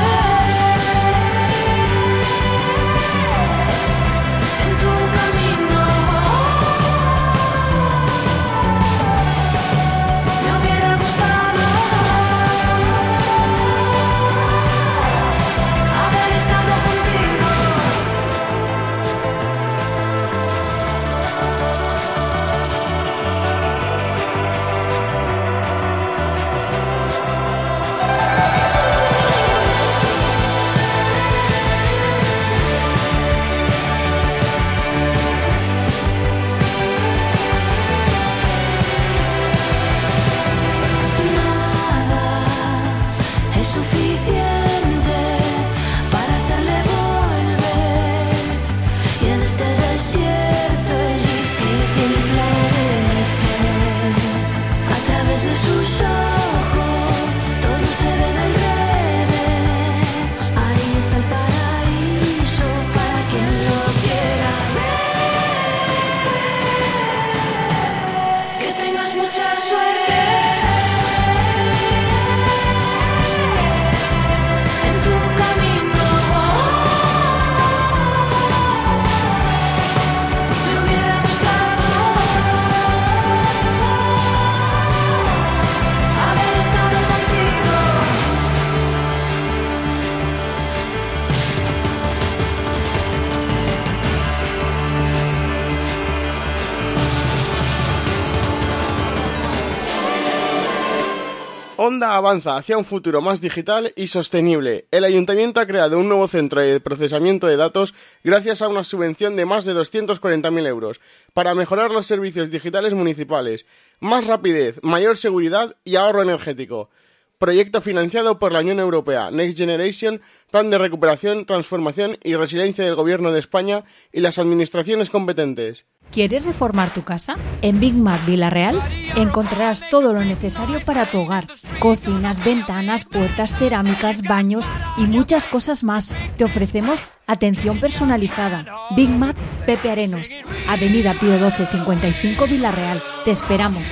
Onda avanza hacia un futuro más digital y sostenible. El Ayuntamiento ha creado un nuevo centro de procesamiento de datos gracias a una subvención de más de 240.000 euros para mejorar los servicios digitales municipales, más rapidez, mayor seguridad y ahorro energético. Proyecto financiado por la Unión Europea, Next Generation, Plan de Recuperación, Transformación y Resiliencia del Gobierno de España y las administraciones competentes. ¿Quieres reformar tu casa? En Big Mac Villarreal encontrarás todo lo necesario para tu hogar. Cocinas, ventanas, puertas, cerámicas, baños y muchas cosas más. Te ofrecemos atención personalizada. Big Mac Pepe Arenos, Avenida Pío 12 55 Villarreal. Te esperamos.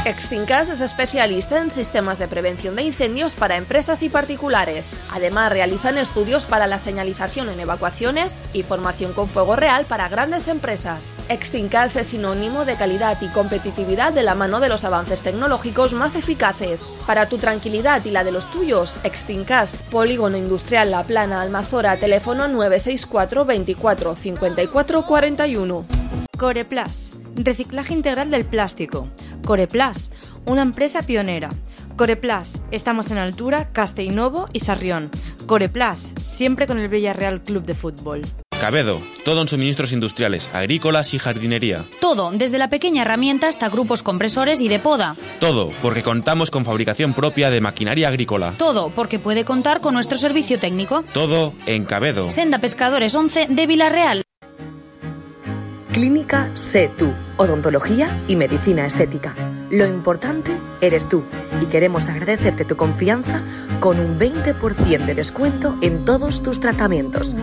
Extincas es especialista en sistemas de prevención de incendios para empresas y particulares. Además, realizan estudios para la señalización en evacuaciones y formación con fuego real para grandes empresas. Extincas es sinónimo de calidad y competitividad de la mano de los avances tecnológicos más eficaces. Para tu tranquilidad y la de los tuyos, Extincas, Polígono Industrial La Plana, Almazora, teléfono 964 24 54 41. Coreplas, reciclaje integral del plástico. Coreplas, una empresa pionera. Coreplas, estamos en Altura, Castellnovo y Sarrión. Coreplas, siempre con el Villarreal Club de Fútbol. Cabedo, todo en suministros industriales, agrícolas y jardinería. Todo, desde la pequeña herramienta hasta grupos compresores y de poda. Todo, porque contamos con fabricación propia de maquinaria agrícola. Todo, porque puede contar con nuestro servicio técnico. Todo en Cabedo. Senda Pescadores 11 de Villarreal. Clínica Sé Tú, odontología y medicina estética. Lo importante eres tú y queremos agradecerte tu confianza con un 20% de descuento en todos tus tratamientos.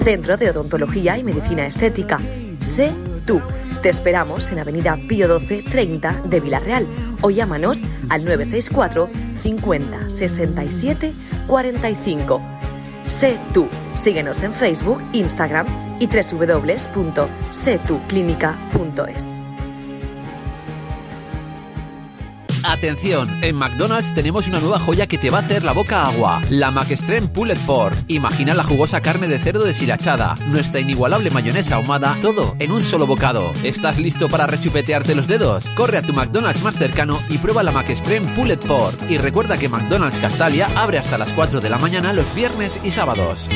Centro de Odontología y Medicina Estética. Sé tú. Te esperamos en Avenida Pío 12 30 de Villarreal o llámanos al 964 50 67 45. Sé tú. Síguenos en Facebook, Instagram y www.setuclínica.es. Atención, en McDonald's tenemos una nueva joya que te va a hacer la boca agua. La McExtreme Pulled Pork. Imagina la jugosa carne de cerdo deshilachada, nuestra inigualable mayonesa ahumada, todo en un solo bocado. ¿Estás listo para rechupetearte los dedos? Corre a tu McDonald's más cercano y prueba la McExtreme Pulled Pork. Y recuerda que McDonald's Castalia abre hasta las 4 de la mañana los viernes y sábados.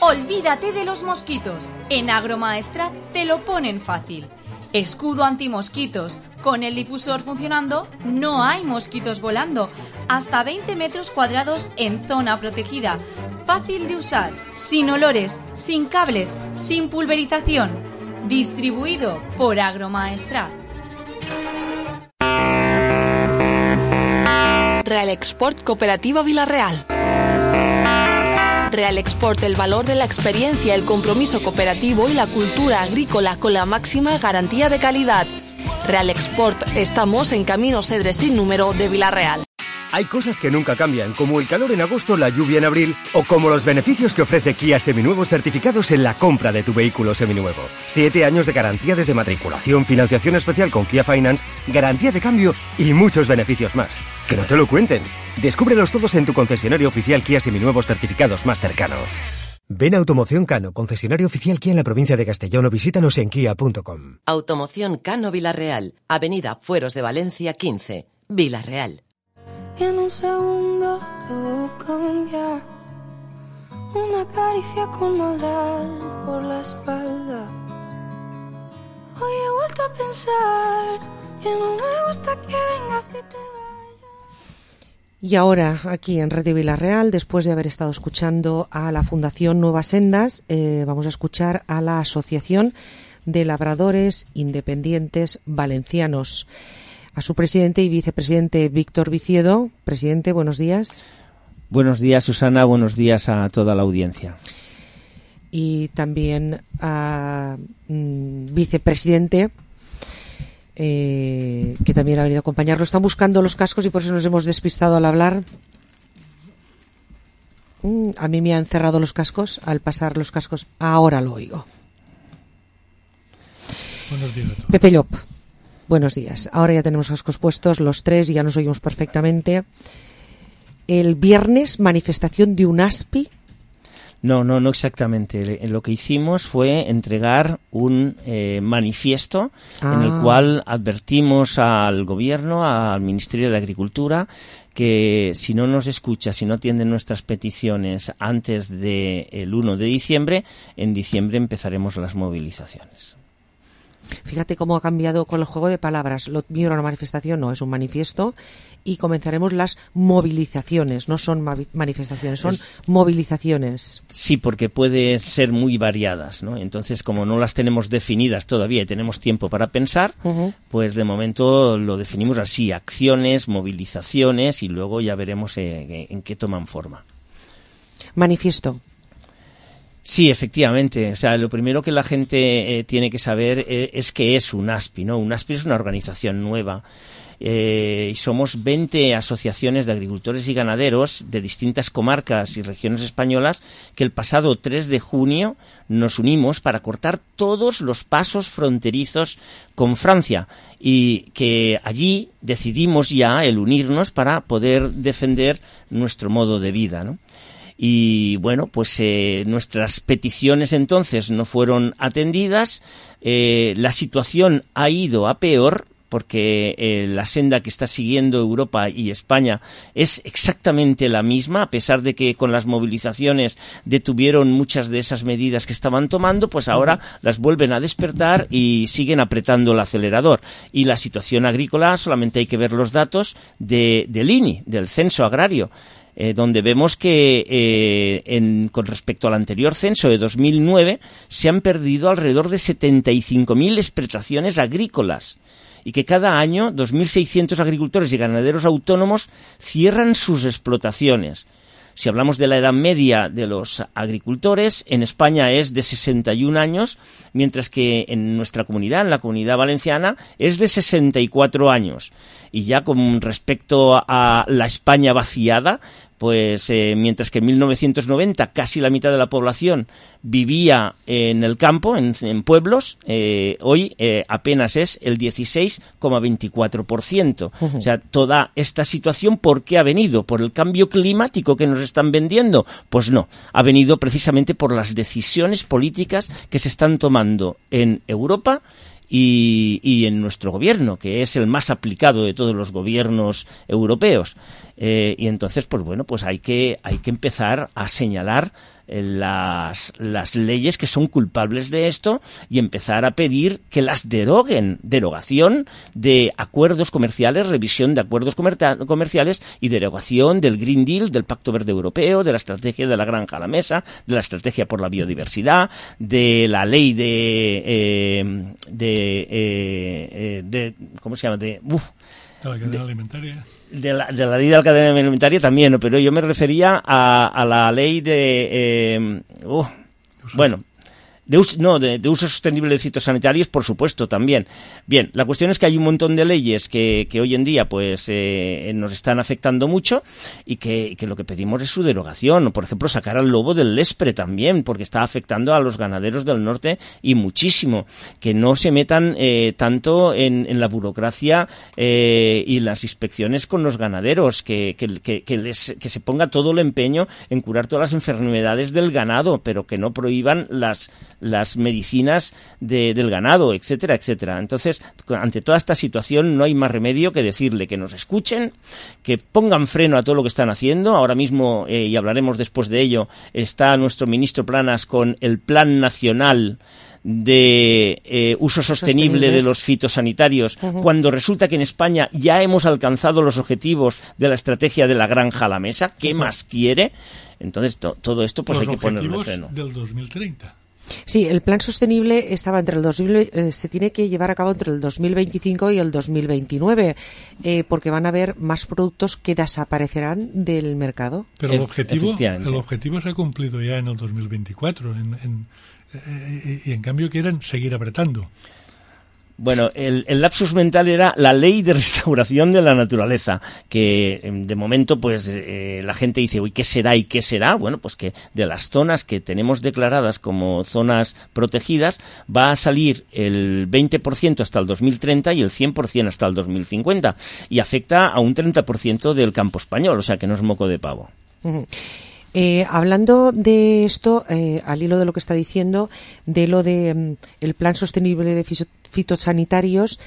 Olvídate de los mosquitos. En Agromaestrat te lo ponen fácil. Escudo antimosquitos. Con el difusor funcionando, no hay mosquitos volando. Hasta 20 metros cuadrados en zona protegida. Fácil de usar, sin olores, sin cables, sin pulverización. Distribuido por Agromaestrat. Real Export Cooperativa Villarreal. Real Export, el valor de la experiencia, el compromiso cooperativo y la cultura agrícola con la máxima garantía de calidad. Real Export, estamos en Camino Cedres sin número de Villarreal. Hay cosas que nunca cambian, como el calor en agosto, la lluvia en abril, o como los beneficios que ofrece Kia Seminuevos certificados en la compra de tu vehículo seminuevo. 7 años de garantía desde matriculación, financiación especial con Kia Finance, garantía de cambio y muchos beneficios más. ¡Que no te lo cuenten! Descúbrelos todos en tu concesionario oficial Kia Seminuevos certificados más cercano. Ven a Automoción Cano, concesionario oficial Kia en la provincia de Castellón, o visítanos en kia.com. Automoción Cano Villarreal, Avenida Fueros de Valencia 15, Villarreal. Y en un segundo todo cambia. Una caricia con maldad por la espalda. Hoy he vuelto a pensar que no me gusta que vengas y te vayas. Y ahora, aquí en Radio Villarreal, después de haber estado escuchando a la Fundación Nuevas Sendas, vamos a escuchar a la Asociación de Labradores Independientes Valencianos. A su presidente y vicepresidente Víctor Viciedo. Presidente, buenos días. Buenos días, Susana. Buenos días a toda la audiencia. Y también a vicepresidente, que también ha venido a acompañarlo. Están buscando los cascos y por eso nos hemos despistado al hablar. A mí me han cerrado los cascos al pasar los cascos. Ahora lo oigo. Buenos días a todos. Pepe Llop. Buenos días. Ahora ya tenemos cascos puestos los tres y ya nos oímos perfectamente. El viernes, manifestación de UNASPI. No exactamente. Lo que hicimos fue entregar un manifiesto en el cual advertimos al Gobierno, al Ministerio de Agricultura, que si no nos escucha, si no atienden nuestras peticiones antes del 1 de diciembre, en diciembre empezaremos las movilizaciones. Fíjate cómo ha cambiado con el juego de palabras. Lo mío era una manifestación, no, es un manifiesto. Y comenzaremos las movilizaciones. No son manifestaciones, son movilizaciones. Sí, porque pueden ser muy variadas, ¿no? Entonces, como no las tenemos definidas todavía y tenemos tiempo para pensar, pues de momento lo definimos así: acciones, movilizaciones, y luego ya veremos en qué toman forma. Manifiesto. Sí, efectivamente. O sea, lo primero que la gente tiene que saber es qué es UNASPI, ¿no? UNASPI es una organización nueva. Y somos 20 asociaciones de agricultores y ganaderos de distintas comarcas y regiones españolas que el pasado 3 de junio nos unimos para cortar todos los pasos fronterizos con Francia, y que allí decidimos ya el unirnos para poder defender nuestro modo de vida, ¿no? Y bueno, pues nuestras peticiones entonces no fueron atendidas. La situación ha ido a peor, porque la senda que está siguiendo Europa y España es exactamente la misma, a pesar de que con las movilizaciones detuvieron muchas de esas medidas que estaban tomando, pues ahora las vuelven a despertar y siguen apretando el acelerador. Y la situación agrícola, solamente hay que ver los datos del INI, del Censo Agrario, donde vemos que con respecto al anterior censo de 2009 se han perdido alrededor de 75.000 explotaciones agrícolas, y que cada año 2.600 agricultores y ganaderos autónomos cierran sus explotaciones. Si hablamos de la edad media de los agricultores, en España es de 61 años, mientras que en nuestra comunidad, en la Comunidad Valenciana, es de 64 años. Y ya con respecto a la España vaciada, pues mientras que en 1990 casi la mitad de la población vivía en el campo, en pueblos, hoy apenas es el 16,24%. O sea, toda esta situación, ¿por qué ha venido? ¿Por el cambio climático que nos están vendiendo? Pues no, ha venido precisamente por las decisiones políticas que se están tomando en Europa y en nuestro gobierno, que es el más aplicado de todos los gobiernos europeos. Y entonces, pues bueno, pues hay que empezar a señalar las leyes que son culpables de esto y empezar a pedir que las deroguen. Derogación de acuerdos comerciales, revisión de acuerdos comerciales y derogación del Green Deal, del Pacto Verde Europeo, de la estrategia de la granja a la mesa, de la estrategia por la biodiversidad, de la ley de ¿cómo se llama? De la cadena alimentaria. De la ley de la cadena alimentaria también, ¿no? Pero yo me refería a la ley de de uso sostenible de fitosanitarios, por supuesto, también. Bien, la cuestión es que hay un montón de leyes que hoy en día pues nos están afectando mucho y que lo que pedimos es su derogación. Por ejemplo, sacar al lobo del Lespre también, porque está afectando a los ganaderos del norte y muchísimo. Que no se metan tanto en la burocracia y las inspecciones con los ganaderos, que se ponga todo el empeño en curar todas las enfermedades del ganado, pero que no prohíban las medicinas del ganado, etcétera, etcétera. Entonces, ante toda esta situación no hay más remedio que decirle que nos escuchen, que pongan freno a todo lo que están haciendo. Ahora mismo, y hablaremos después de ello, está nuestro ministro Planas con el Plan Nacional de uso sostenible de los fitosanitarios, cuando resulta que en España ya hemos alcanzado los objetivos de la estrategia de la granja a la mesa. ¿Qué más quiere? Entonces, todo esto pues hay que ponerle freno. Del 2030. Sí, el plan sostenible estaba se tiene que llevar a cabo entre el 2025 y el 2029, porque van a haber más productos que desaparecerán del mercado. Pero el objetivo se ha cumplido ya en el 2024 y en cambio quieren seguir apretando. Bueno, el lapsus mental era la ley de restauración de la naturaleza, que de momento pues la gente dice, uy, ¿qué será y qué será? Bueno, pues que de las zonas que tenemos declaradas como zonas protegidas va a salir el 20% hasta el 2030 y el 100% hasta el 2050, y afecta a un 30% del campo español, o sea que no es moco de pavo. Hablando de esto, al hilo de lo que está diciendo, de lo de el plan sostenible de fitosanitarios,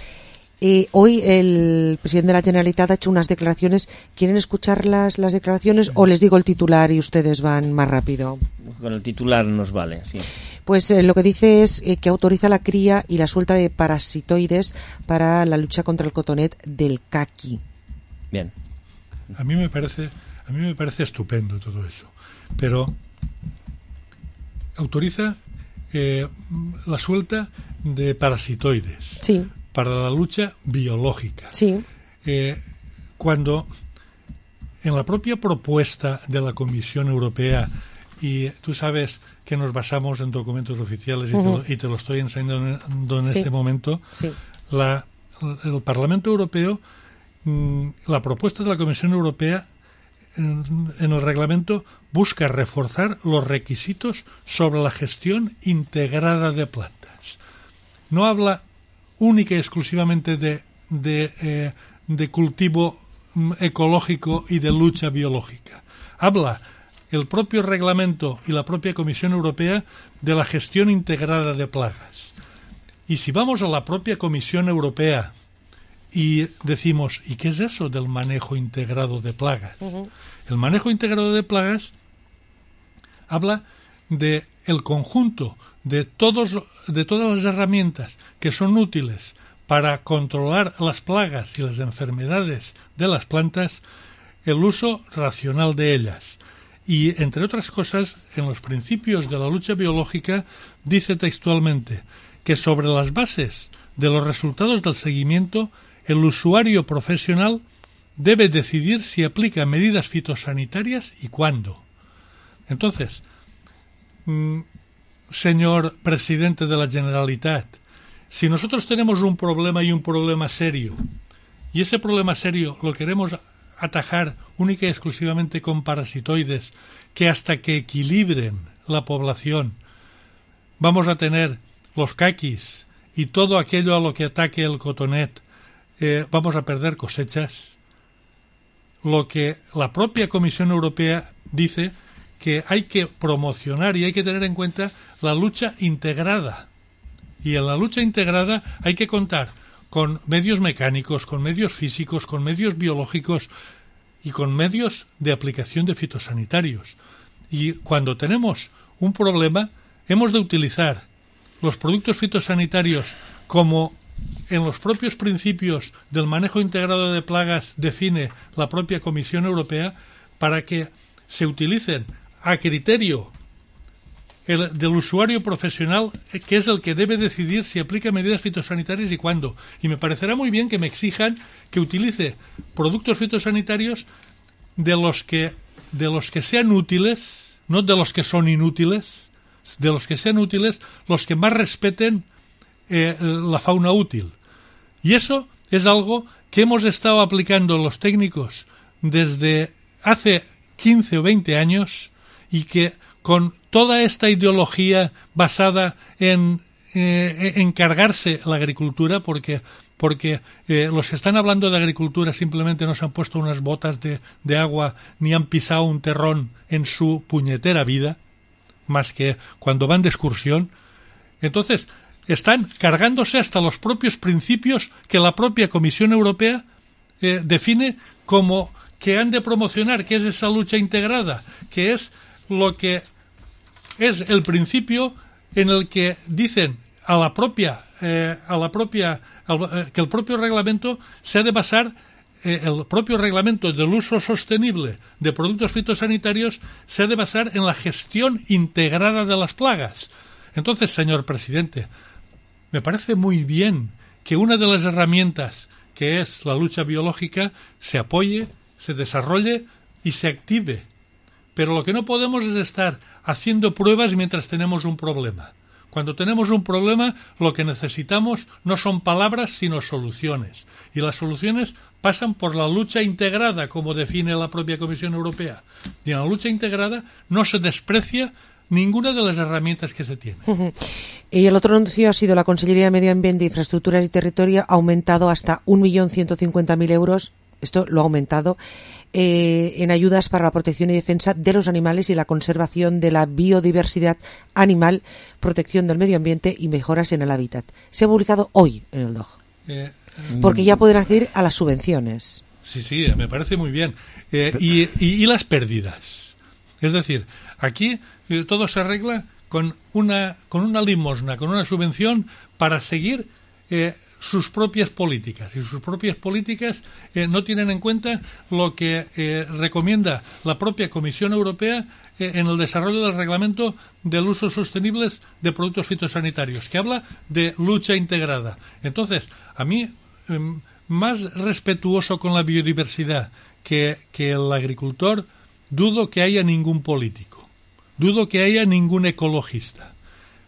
hoy el presidente de la Generalitat ha hecho unas declaraciones. ¿Quieren escuchar las declaraciones o les digo el titular y ustedes van más rápido? Con el titular nos vale, sí. Pues lo que dice es que autoriza la cría y la suelta de parasitoides para la lucha contra el cotonet del caqui. Bien. A mí me parece estupendo todo eso, pero autoriza la suelta de parasitoides para la lucha biológica. Cuando en la propia propuesta de la Comisión Europea, y tú sabes que nos basamos en documentos oficiales y te lo estoy enseñando en este momento, el Parlamento Europeo, la propuesta de la Comisión Europea en el reglamento busca reforzar los requisitos sobre la gestión integrada de plantas. No habla única y exclusivamente de cultivo ecológico y de lucha biológica. Habla el propio reglamento y la propia Comisión Europea de la gestión integrada de plagas. Y si vamos a la propia Comisión Europea y decimos, ¿y qué es eso del manejo integrado de plagas? El manejo integrado de plagas habla de el conjunto de todas las herramientas que son útiles para controlar las plagas y las enfermedades de las plantas, el uso racional de ellas. Y, entre otras cosas, en los principios de la lucha biológica dice textualmente que sobre las bases de los resultados del seguimiento, el usuario profesional debe decidir si aplica medidas fitosanitarias y cuándo. Entonces, señor presidente de la Generalitat, si nosotros tenemos un problema y un problema serio, y ese problema serio lo queremos atajar única y exclusivamente con parasitoides que hasta que equilibren la población vamos a tener los caquis y todo aquello a lo que ataque el cotonet, vamos a perder cosechas. Lo que la propia Comisión Europea dice que hay que promocionar y hay que tener en cuenta la lucha integrada. Y en la lucha integrada hay que contar con medios mecánicos, con medios físicos, con medios biológicos y con medios de aplicación de fitosanitarios. Y cuando tenemos un problema, hemos de utilizar los productos fitosanitarios como en los propios principios del manejo integrado de plagas define la propia Comisión Europea, para que se utilicen a criterio del usuario profesional, que es el que debe decidir si aplica medidas fitosanitarias y cuándo. Y me parecerá muy bien que me exijan que utilice productos fitosanitarios de los que sean útiles, no de los que son inútiles, de los que sean útiles, los que más respeten la fauna útil. Y eso es algo que hemos estado aplicando los técnicos desde hace 15 o 20 años y que con toda esta ideología basada en cargarse la agricultura, porque los que están hablando de agricultura simplemente no se han puesto unas botas de agua ni han pisado un terrón en su puñetera vida, más que cuando van de excursión. Entonces, están cargándose hasta los propios principios que la propia Comisión Europea define como que han de promocionar, que es esa lucha integrada, que es lo que es el principio en el que dicen que el propio reglamento se ha de basar, el propio reglamento del uso sostenible de productos fitosanitarios se ha de basar en la gestión integrada de las plagas. Entonces, señor presidente, me parece muy bien que una de las herramientas, que es la lucha biológica, se apoye, se desarrolle y se active. Pero lo que no podemos es estar haciendo pruebas mientras tenemos un problema. Cuando tenemos un problema, lo que necesitamos no son palabras, sino soluciones. Y las soluciones pasan por la lucha integrada, como define la propia Comisión Europea. Y en la lucha integrada no se desprecia ninguna de las herramientas que se tiene. Y el otro anuncio ha sido la Consellería de Medio Ambiente, Infraestructuras y Territorio ha aumentado hasta 1.150.000 euros, esto lo ha aumentado, en ayudas para la protección y defensa de los animales y la conservación de la biodiversidad animal, protección del medio ambiente y mejoras en el hábitat. Se ha publicado hoy en el DOG. Porque ya pueden acceder a las subvenciones. Sí, me parece muy bien. Y las pérdidas. Es decir, aquí todo se arregla con una limosna, con una subvención para seguir sus propias políticas. Y sus propias políticas no tienen en cuenta lo que recomienda la propia Comisión Europea en el desarrollo del reglamento del uso sostenible de productos fitosanitarios, que habla de lucha integrada. Entonces, a mí, más respetuoso con la biodiversidad que el agricultor, dudo que haya ningún político, dudo que haya ningún ecologista.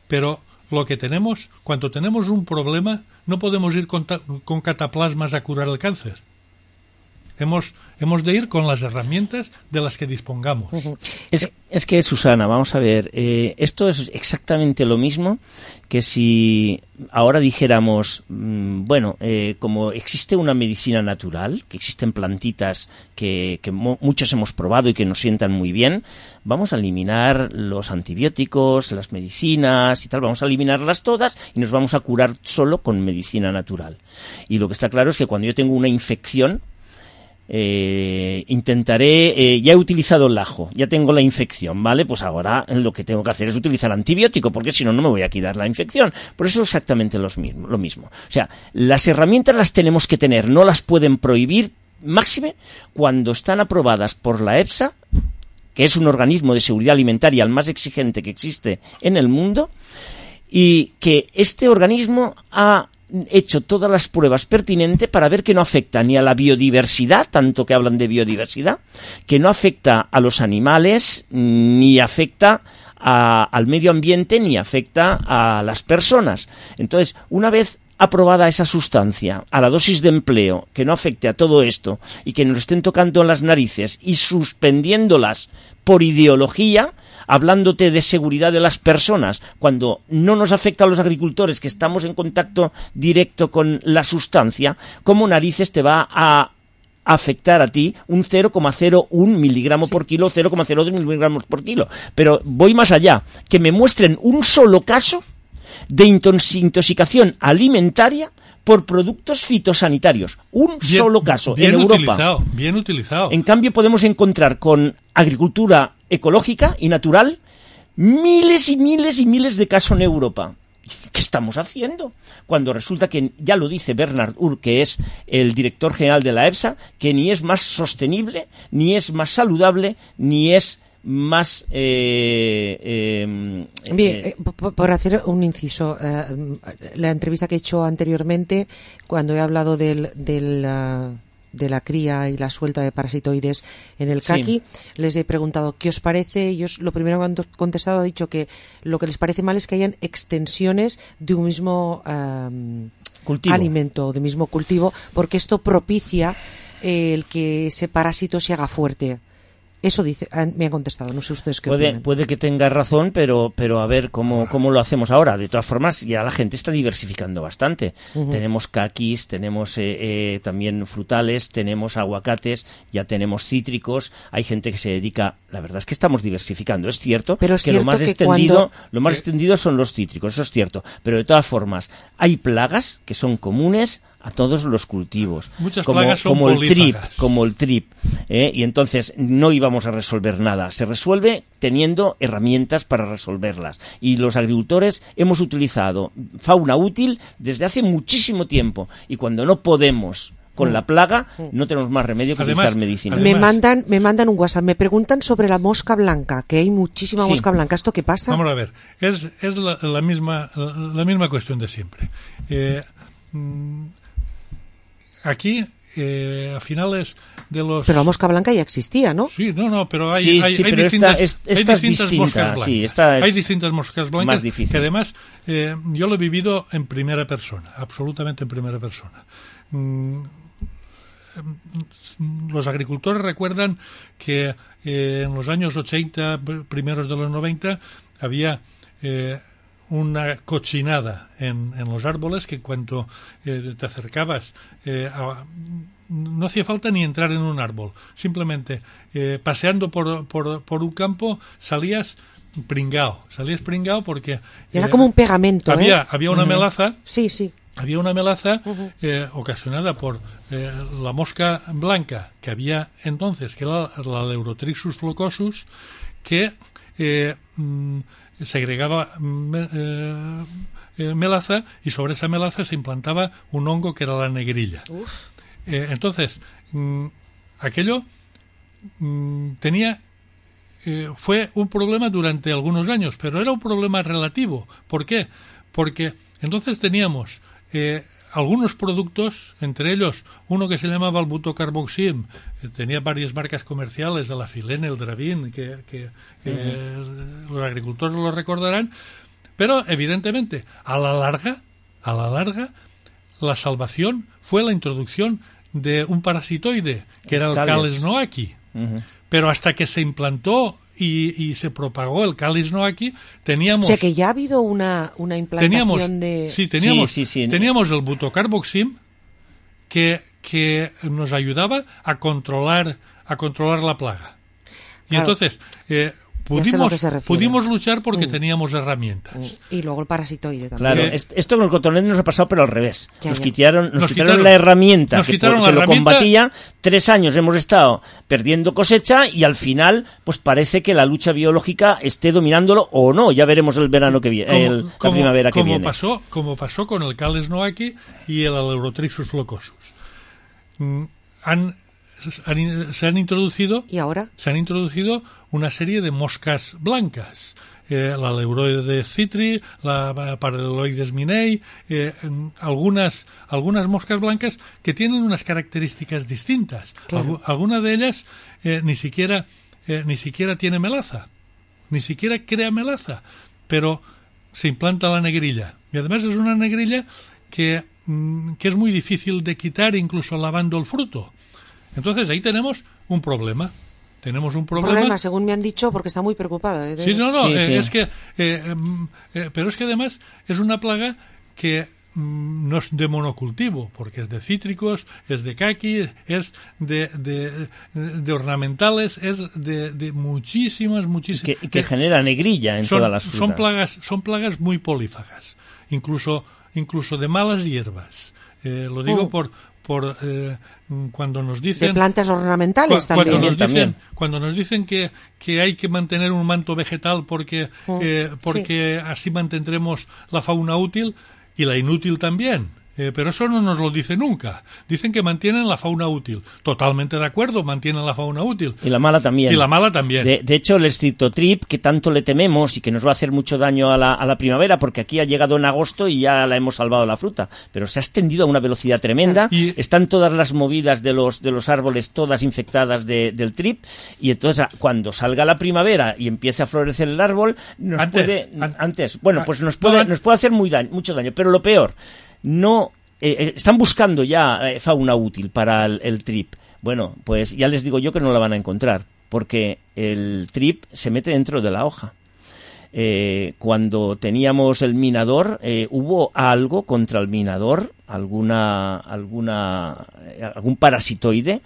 Pero lo que tenemos, cuando tenemos un problema, no podemos ir con cataplasmas a curar el cáncer. Hemos de ir con las herramientas de las que dispongamos. Es que, Susana, vamos a ver, esto es exactamente lo mismo que si ahora dijéramos, como existe una medicina natural, que existen plantitas que muchos hemos probado y que nos sientan muy bien, vamos a eliminar los antibióticos, las medicinas y tal, vamos a eliminarlas todas y nos vamos a curar solo con medicina natural. Y lo que está claro es que cuando yo tengo una infección, intentaré, ya he utilizado el ajo, ya tengo la infección, ¿vale? Pues ahora lo que tengo que hacer es utilizar antibiótico, porque si no, no me voy a quitar la infección. Por eso es exactamente lo mismo. O sea, las herramientas las tenemos que tener, no las pueden prohibir, máxime cuando están aprobadas por la EFSA, que es un organismo de seguridad alimentaria el más exigente que existe en el mundo, y que este organismo ha hecho todas las pruebas pertinentes para ver que no afecta ni a la biodiversidad, tanto que hablan de biodiversidad, que no afecta a los animales, ni afecta al medio ambiente, ni afecta a las personas. Entonces, una vez aprobada esa sustancia a la dosis de empleo, que no afecte a todo esto y que nos estén tocando en las narices y suspendiéndolas por ideología, hablándote de seguridad de las personas, cuando no nos afecta a los agricultores que estamos en contacto directo con la sustancia, ¿cómo narices te va a afectar a ti un 0,01 miligramo por kilo, 0,02 miligramos por kilo? Pero voy más allá, que me muestren un solo caso de intoxicación alimentaria por productos fitosanitarios. Solo caso en Europa. Bien utilizado. En cambio, podemos encontrar con agricultura ecológica y natural miles y miles y miles de casos en Europa. ¿Qué estamos haciendo? Cuando resulta que, ya lo dice Bernard Urk, que es el director general de la EFSA, que ni es más sostenible, ni es más saludable, ni es más por hacer un inciso, la entrevista que he hecho anteriormente, cuando he hablado de la cría y la suelta de parasitoides en el caqui, les he preguntado qué os parece. Ellos lo primero que han contestado ha dicho que lo que les parece mal es que hayan extensiones de un mismo alimento, de mismo cultivo, porque esto propicia el que ese parásito se haga fuerte. Eso dice, me han contestado, no sé ustedes qué opinan. Puede que tenga razón, pero a ver cómo lo hacemos ahora. De todas formas, ya la gente está diversificando bastante. Tenemos caquis, tenemos también frutales, tenemos aguacates, ya tenemos cítricos, hay gente que se dedica... La verdad es que estamos diversificando, es cierto, pero es que lo más extendido son los cítricos, eso es cierto. Pero de todas formas, hay plagas que son comunes a todos los cultivos, muchas plagas son como el trip, y entonces no íbamos a resolver nada. Se resuelve teniendo herramientas para resolverlas, y los agricultores hemos utilizado fauna útil desde hace muchísimo tiempo, y cuando no podemos con la plaga, no tenemos más remedio que utilizar medicina. Me mandan un WhatsApp, me preguntan sobre la mosca blanca, que hay muchísima mosca blanca. ¿Esto qué pasa? Vamos a ver, es la misma cuestión de siempre. Aquí, a finales de los... Pero la mosca blanca ya existía, ¿no? Sí, pero hay distintas moscas blancas. Hay distintas moscas blancas que además yo lo he vivido en primera persona, absolutamente en primera persona. Los agricultores recuerdan que en los años 80, primeros de los 90, había... una cochinada en los árboles que cuando te acercabas no hacía falta ni entrar en un árbol, simplemente paseando por un campo salías pringao porque era como un pegamento. Había una melaza. Sí. Había una melaza ocasionada por la mosca blanca que había entonces, que era la Leurotrixus flocosus, que segregaba melaza, y sobre esa melaza se implantaba un hongo que era la negrilla. Entonces, aquello fue un problema durante algunos años, pero era un problema relativo. ¿Por qué? Porque entonces teníamos algunos productos, entre ellos uno que se llamaba el butocarboxim, tenía varias marcas comerciales, de la Filene, el Dravin, que los agricultores lo recordarán, pero evidentemente a la larga la salvación fue la introducción de un parasitoide que era el Cales noachi. Pero hasta que se implantó y se propagó el Cales noachi, teníamos... O sea que ya ha habido una implantación teníamos el butocarboxim que nos ayudaba a controlar la plaga. Y entonces pudimos luchar porque teníamos herramientas. Y luego el parasitoide también. Claro, esto con el cotonete nos ha pasado, pero al revés. Nos quitaron la herramienta que lo combatía. 3 años hemos estado perdiendo cosecha y al final pues parece que la lucha biológica esté dominándolo o no. Ya veremos el verano que viene, la primavera que viene. Como pasó con el Cales noachi y el Leurotrixus flocosus. Se han introducido una serie de moscas blancas. la Leuroides citri, la Paraleloides minei, algunas moscas blancas que tienen unas características distintas. Claro. Alguna de ellas ni siquiera tiene melaza, ni siquiera crea melaza, pero se implanta la negrilla. Y además es una negrilla que es muy difícil de quitar incluso lavando el fruto. Entonces ahí tenemos un problema. Según me han dicho, porque está muy preocupada. Sí, es que pero es que además es una plaga que no es de monocultivo, porque es de cítricos, es de caqui, es de ornamentales, es de muchísimas. Y que genera negrilla en todas las frutas. Son plagas muy polífagas, incluso de malas hierbas. Lo digo por cuando nos dicen de plantas ornamentales cuando nos dicen que hay que mantener un manto vegetal porque así mantendremos la fauna útil y la inútil también. Pero eso no nos lo dice nunca. Dicen que mantienen la fauna útil. Totalmente de acuerdo, mantienen la fauna útil. Y la mala también. De hecho, el Streptotrip, que tanto le tememos y que nos va a hacer mucho daño a la primavera, porque aquí ha llegado en agosto y ya la hemos salvado la fruta, pero se ha extendido a una velocidad tremenda. Están todas las movidas de los árboles todas infectadas del trip, y entonces cuando salga la primavera y empiece a florecer el árbol, nos puede hacer mucho daño. Pero lo peor, están buscando ya fauna útil para el trip. Bueno, pues ya les digo yo que no la van a encontrar, porque el trip se mete dentro de la hoja. Cuando teníamos el minador, hubo algo contra el minador, algún parasitoide,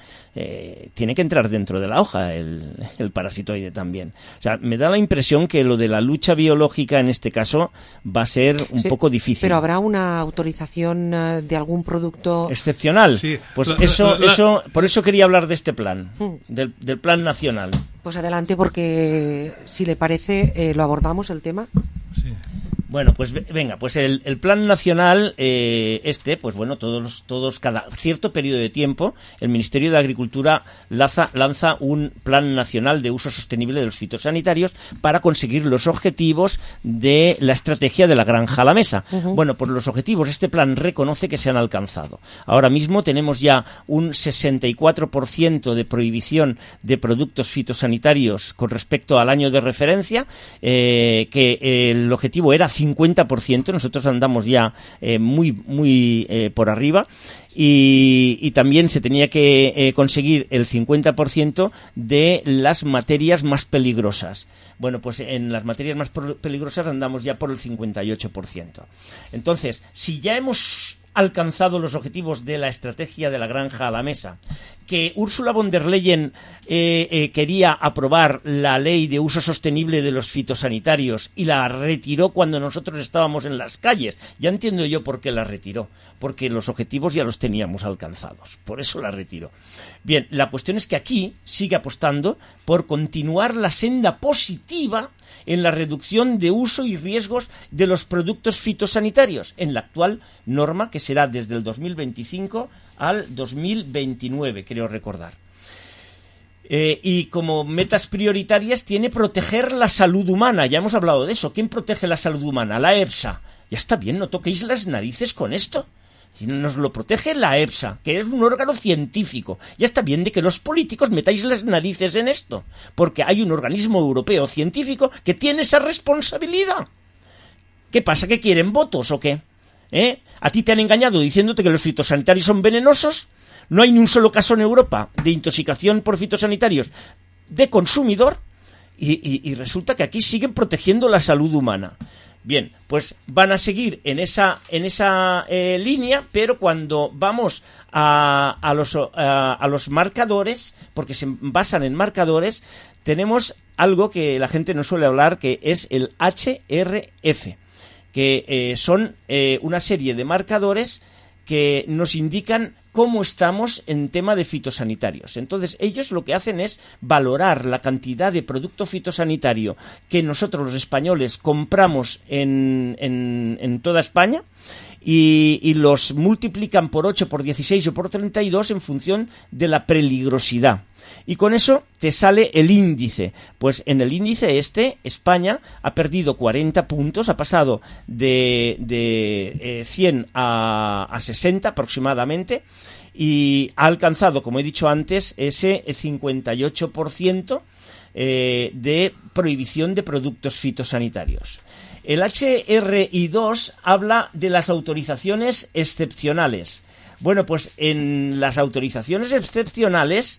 tiene que entrar dentro de la hoja el parasitoide también. O sea, me da la impresión que lo de la lucha biológica en este caso va a ser un poco difícil. Pero habrá una autorización de algún producto excepcional. Sí. Pues eso, por eso quería hablar de este plan, del plan nacional. Pues adelante, porque si le parece lo abordamos el tema. Sí. Bueno, pues venga, pues el plan nacional, pues bueno, todos cada cierto periodo de tiempo, el Ministerio de Agricultura lanza un plan nacional de uso sostenible de los fitosanitarios para conseguir los objetivos de la estrategia de la granja a la mesa. Bueno, pues los objetivos, este plan reconoce que se han alcanzado. Ahora mismo tenemos ya un 64% de prohibición de productos fitosanitarios con respecto al año de referencia, que el objetivo era 50%, nosotros andamos ya muy por arriba, y también se tenía que conseguir el 50% de las materias más peligrosas. Bueno, pues en las materias más peligrosas andamos ya por el 58%. Entonces, si ya hemos alcanzado los objetivos de la estrategia de la granja a la mesa, que Ursula von der Leyen quería aprobar la ley de uso sostenible de los fitosanitarios y la retiró cuando nosotros estábamos en las calles. Ya entiendo yo por qué la retiró, porque los objetivos ya los teníamos alcanzados, por eso la retiró. Bien, la cuestión es que aquí sigue apostando por continuar la senda positiva en la reducción de uso y riesgos de los productos fitosanitarios, en la actual norma que será desde el 2025 al 2029, creo recordar. Y como metas prioritarias tiene proteger la salud humana. Ya hemos hablado de eso. ¿Quién protege la salud humana? La EFSA. Ya está bien, no toquéis las narices con esto. Nos lo protege la EFSA, que es un órgano científico. Ya está bien de que los políticos metáis las narices en esto, porque hay un organismo europeo científico que tiene esa responsabilidad. ¿Qué pasa? ¿Que quieren votos o qué? ¿A ti te han engañado diciéndote que los fitosanitarios son venenosos? No hay ni un solo caso en Europa de intoxicación por fitosanitarios de consumidor y resulta que aquí siguen protegiendo la salud humana. Bien, pues van a seguir en esa línea, pero cuando vamos a los marcadores, porque se basan en marcadores, tenemos algo que la gente no suele hablar, que es el HRF, que son una serie de marcadores que nos indican cómo estamos en tema de fitosanitarios. Entonces, ellos lo que hacen es valorar la cantidad de producto fitosanitario que nosotros los españoles compramos en toda España y los multiplican por 8, por 16 o por 32 en función de la peligrosidad. Y con eso te sale el índice. Pues en el índice España ha perdido 40 puntos, ha pasado de 100 a 60 aproximadamente, y ha alcanzado, como he dicho antes, ese 58% de prohibición de productos fitosanitarios. El HRI2 habla de las autorizaciones excepcionales. Bueno, pues en las autorizaciones excepcionales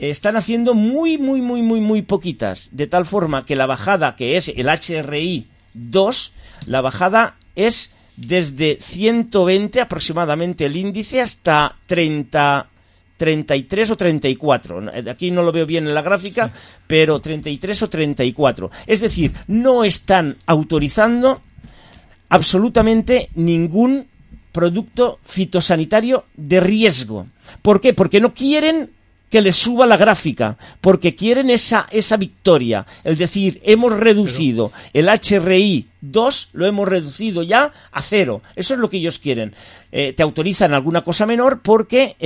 están haciendo muy poquitas, de tal forma que la bajada, que es el HRI2, la bajada es desde 120 aproximadamente el índice hasta 33 o 34. Aquí no lo veo bien en la gráfica, pero 33 o 34. Es decir, no están autorizando absolutamente ningún producto fitosanitario de riesgo. ¿Por qué? Porque no quieren que les suba la gráfica, porque quieren esa victoria, es decir, hemos reducido el HRI2, lo hemos reducido ya a 0, eso es lo que ellos quieren. Te autorizan alguna cosa menor porque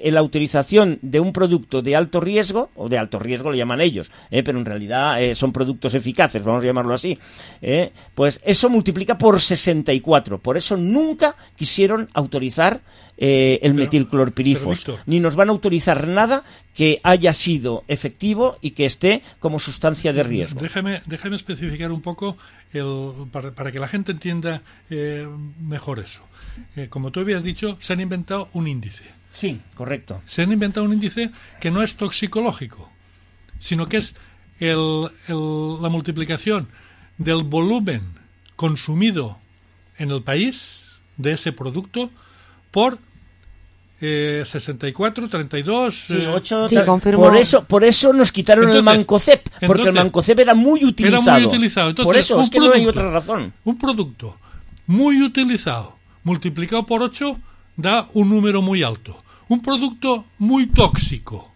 la autorización de un producto de alto riesgo, o de alto riesgo le llaman ellos, pero en realidad son productos eficaces, vamos a llamarlo así, pues eso multiplica por 64, por eso nunca quisieron autorizar el metilclorpirifos, ni nos van a autorizar nada que haya sido efectivo y que esté como sustancia de riesgo. Déjame especificar un poco para que la gente entienda mejor eso. Como tú habías dicho, se han inventado un índice. Sí, correcto. Se han inventado un índice que no es toxicológico, sino que es la multiplicación del volumen consumido en el país de ese producto por 64, 32... Sí, 8, sí, por eso nos quitaron el Mancozeb, porque el Mancozeb era muy utilizado. Entonces, por eso, es que no hay otra razón. Un producto muy utilizado, multiplicado por 8, da un número muy alto. Un producto muy tóxico,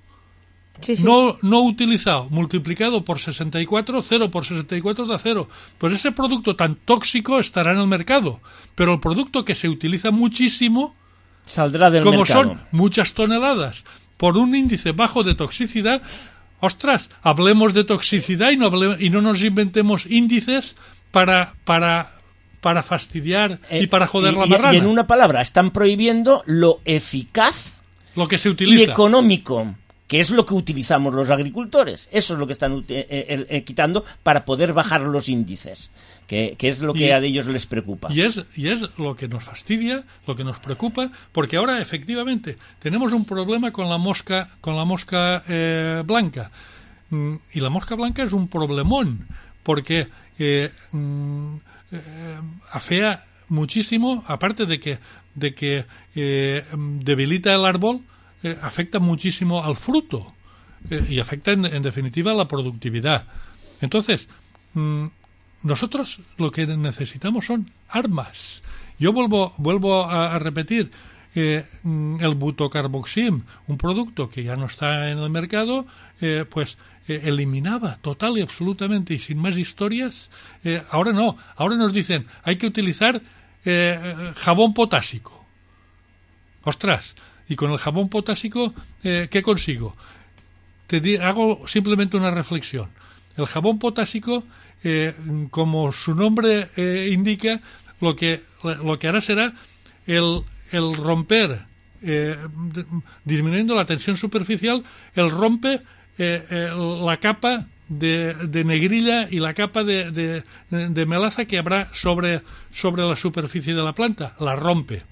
no utilizado, multiplicado por 64, 0 por 64 da 0. Pues ese producto tan tóxico estará en el mercado, pero el producto que se utiliza muchísimo saldrá del mercado. Como son muchas toneladas por un índice bajo de toxicidad, ostras, hablemos de toxicidad y no nos inventemos índices para fastidiar y para joder la marrana. Y en una palabra, están prohibiendo lo eficaz, lo que se utiliza, y económico, que es lo que utilizamos los agricultores. Eso es lo que están quitando para poder bajar los índices, que es lo que a ellos les preocupa. Y es lo que nos fastidia, lo que nos preocupa, porque ahora efectivamente tenemos un problema con la mosca blanca. Y la mosca blanca es un problemón, porque afea muchísimo, aparte de que debilita el árbol, afecta muchísimo al fruto y afecta en definitiva a la productividad. Entonces, nosotros lo que necesitamos son armas. Yo vuelvo a repetir, el butocarboxim, un producto que ya no está en el mercado, eliminaba total y absolutamente y sin más historias. Ahora no, ahora nos dicen hay que utilizar jabón potásico. Ostras, y con el jabón potásico, ¿qué consigo? Hago simplemente una reflexión. El jabón potásico, como su nombre indica, lo que hará será el romper, disminuyendo la tensión superficial, el rompe la capa de negrilla y la capa de melaza que habrá sobre la superficie de la planta. La rompe.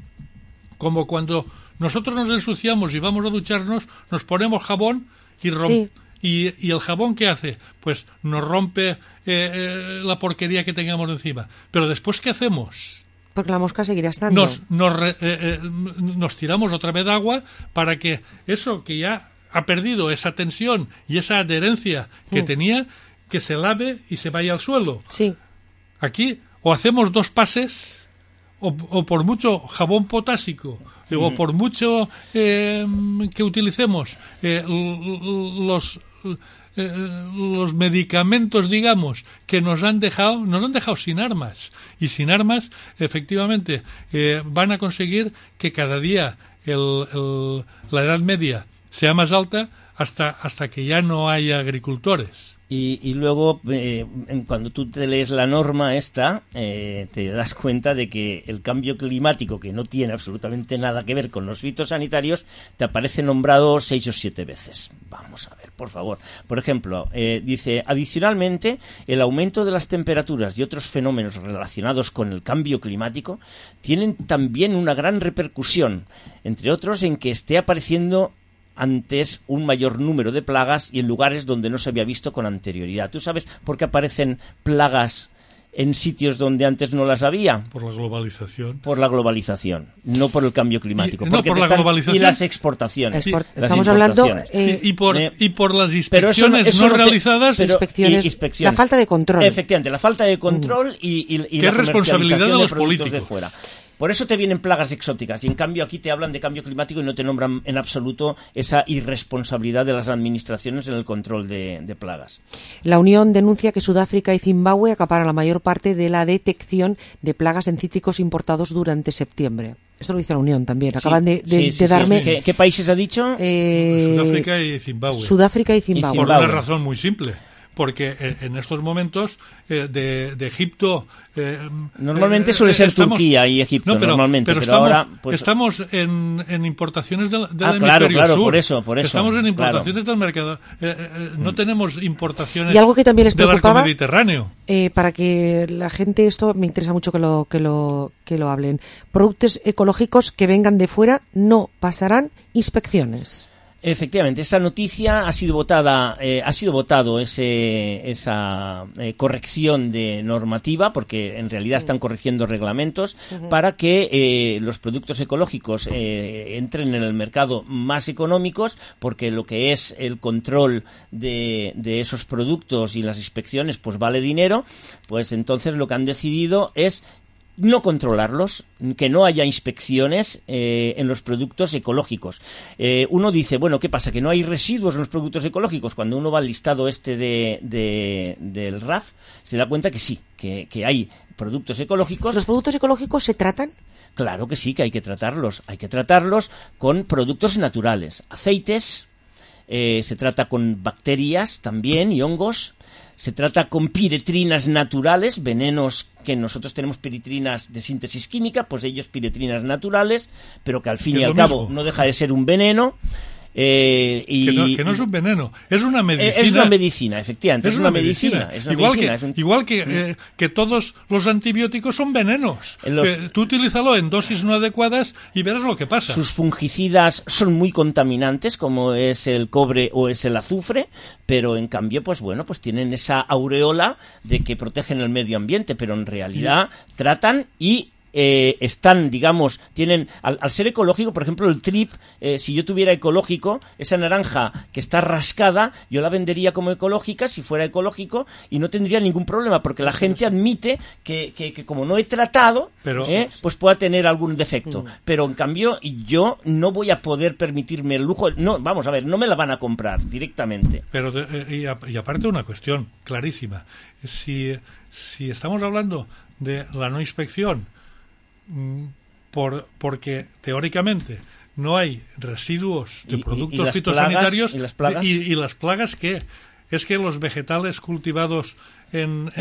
Como cuando nosotros nos ensuciamos y vamos a ducharnos, nos ponemos jabón y el jabón, ¿qué hace? Pues nos rompe la porquería que tengamos encima. Pero después, ¿qué hacemos? Porque la mosca seguirá estando. Nos tiramos otra vez de agua para que eso que ya ha perdido esa tensión y esa adherencia que tenía, que se lave y se vaya al suelo. Sí. Aquí o hacemos dos pases o por mucho jabón potásico o por mucho que utilicemos los medicamentos, digamos, que nos han dejado sin armas. Y sin armas, efectivamente, van a conseguir que cada día la edad media sea más alta hasta que ya no haya agricultores. Y luego, cuando tú te lees la norma esta, te das cuenta de que el cambio climático, que no tiene absolutamente nada que ver con los fitosanitarios, te aparece nombrado 6 o 7 veces. Vamos a ver, por favor. Por ejemplo, dice, adicionalmente, el aumento de las temperaturas y otros fenómenos relacionados con el cambio climático tienen también una gran repercusión, entre otros en que esté apareciendo antes un mayor número de plagas y en lugares donde no se había visto con anterioridad. ¿Tú sabes por qué aparecen plagas en sitios donde antes no las había? Por la globalización. Por la globalización, no por el cambio climático. Globalización. Y las exportaciones. Estamos hablando... y por las inspecciones no realizadas. Inspecciones. La falta de control. Efectivamente, la falta de control y la responsabilidad de los productos políticos de fuera. Por eso te vienen plagas exóticas y en cambio aquí te hablan de cambio climático y no te nombran en absoluto esa irresponsabilidad de las administraciones en el control de plagas. La Unión denuncia que Sudáfrica y Zimbabue acaparan la mayor parte de la detección de plagas en cítricos importados durante septiembre. Esto lo dice la Unión también. Acaban de darme... Sí. ¿Qué países ha dicho? Sudáfrica y Zimbabue. Sudáfrica y Zimbabue. Por una razón muy simple. Porque en estos momentos de Egipto... normalmente suele ser Turquía y Egipto, pero estamos, ahora... Pues... Estamos en importaciones del hemisferio sur. Por eso. Estamos en importaciones del mercado. No tenemos importaciones y algo que también les preocupaba, del arco mediterráneo. Para que la gente, esto me interesa mucho que lo hablen. Productos ecológicos que vengan de fuera no pasarán inspecciones. Efectivamente, esa noticia ha sido votado esa corrección de normativa, porque en realidad están corrigiendo reglamentos para que los productos ecológicos entren en el mercado más económicos, porque lo que es el control de esos productos y las inspecciones pues vale dinero. Pues entonces lo que han decidido es no controlarlos, que no haya inspecciones en los productos ecológicos. Uno dice, bueno, ¿qué pasa? ¿Que no hay residuos en los productos ecológicos? Cuando uno va al listado del RAF, se da cuenta que sí, que hay productos ecológicos. ¿Los productos ecológicos se tratan? Claro que sí, que hay que tratarlos. Hay que tratarlos con productos naturales. Aceites, se trata con bacterias también y hongos. Se trata con piretrinas naturales, venenos que nosotros tenemos piretrinas de síntesis química, pues ellos piretrinas naturales, pero que al fin y al cabo no deja de ser un veneno. Que no es un veneno, es una medicina. Es una medicina, efectivamente, es una medicina. Igual que todos los antibióticos son venenos. Tú utilízalo en dosis no adecuadas y verás lo que pasa. Sus fungicidas son muy contaminantes, como es el cobre o es el azufre, pero en cambio, pues tienen esa aureola de que protegen el medio ambiente, pero en realidad tratan y están, digamos, tienen, al ser ecológico, por ejemplo, el trip, si yo tuviera ecológico, esa naranja que está rascada, yo la vendería como ecológica si fuera ecológico y no tendría ningún problema, porque la gente admite que como no he tratado, pues pueda tener algún defecto. Pero en cambio, yo no voy a poder permitirme el lujo, no, vamos a ver, no me la van a comprar directamente. Pero, y aparte una cuestión clarísima, si estamos hablando de la no inspección, porque teóricamente no hay residuos de productos fitosanitarios y las plagas que es que los vegetales cultivados en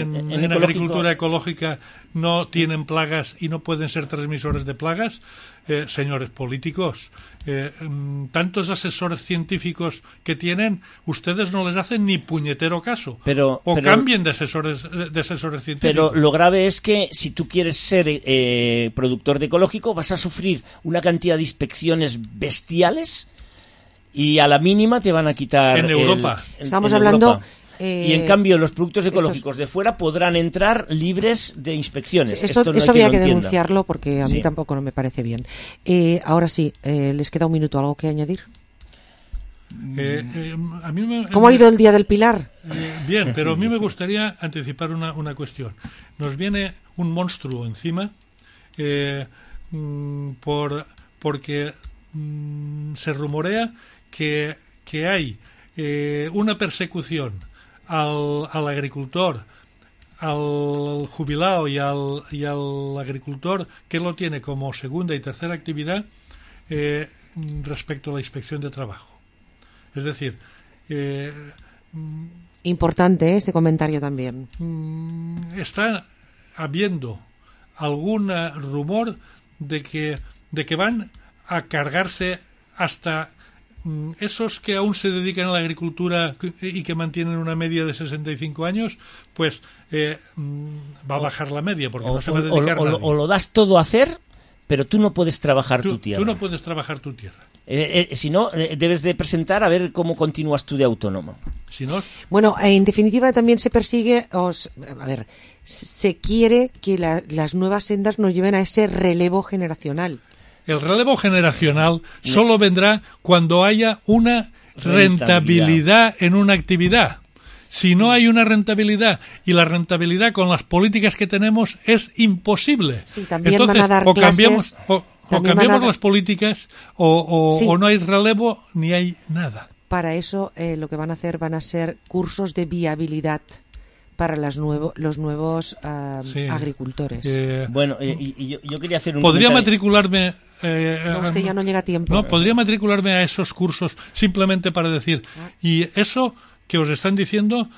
agricultura ecológica no tienen plagas y no pueden ser transmisores de plagas. Señores políticos, tantos asesores científicos que tienen, ustedes no les hacen ni puñetero caso. Pero cambien de asesores científicos. Pero lo grave es que si tú quieres ser productor de ecológico, vas a sufrir una cantidad de inspecciones bestiales y a la mínima te van a quitar. En Europa. Estamos hablando. Europa. Y en cambio los productos ecológicos de fuera podrán entrar libres de inspecciones. Esto había que denunciarlo porque a mí tampoco no me parece bien. Ahora sí, les queda un minuto. ¿Algo que añadir? ¿Cómo ha ido el Día del Pilar? Bien, pero a mí me gustaría anticipar una cuestión. Nos viene un monstruo encima porque se rumorea que hay una persecución al agricultor, al jubilado y al agricultor que lo tiene como segunda y tercera actividad respecto a la inspección de trabajo. Es decir, importante este comentario también. Está habiendo algún rumor de que van a cargarse hasta esos que aún se dedican a la agricultura y que mantienen una media de 65 años, pues va a bajar la media porque no se va a dedicar nadie. O lo das todo a hacer, pero tú no puedes trabajar tu tierra. Tú no puedes trabajar tu tierra. Si no, debes de presentar a ver cómo continúas tú de autónomo. Si no... Bueno, en definitiva también se persigue, se quiere que las nuevas sendas nos lleven a ese relevo generacional. El relevo generacional solo vendrá cuando haya una rentabilidad en una actividad. Si no hay una rentabilidad, y la rentabilidad con las políticas que tenemos es imposible. Sí, también entonces, van a dar cambiamos las políticas o no hay relevo ni hay nada. Para eso lo que van a ser cursos de viabilidad para los nuevos agricultores. Bueno, y yo quería hacer un ¿Podría comentario. matricularme? No, usted ya no llega a tiempo. No, podría matricularme a esos cursos simplemente para decir, y eso que os están diciendo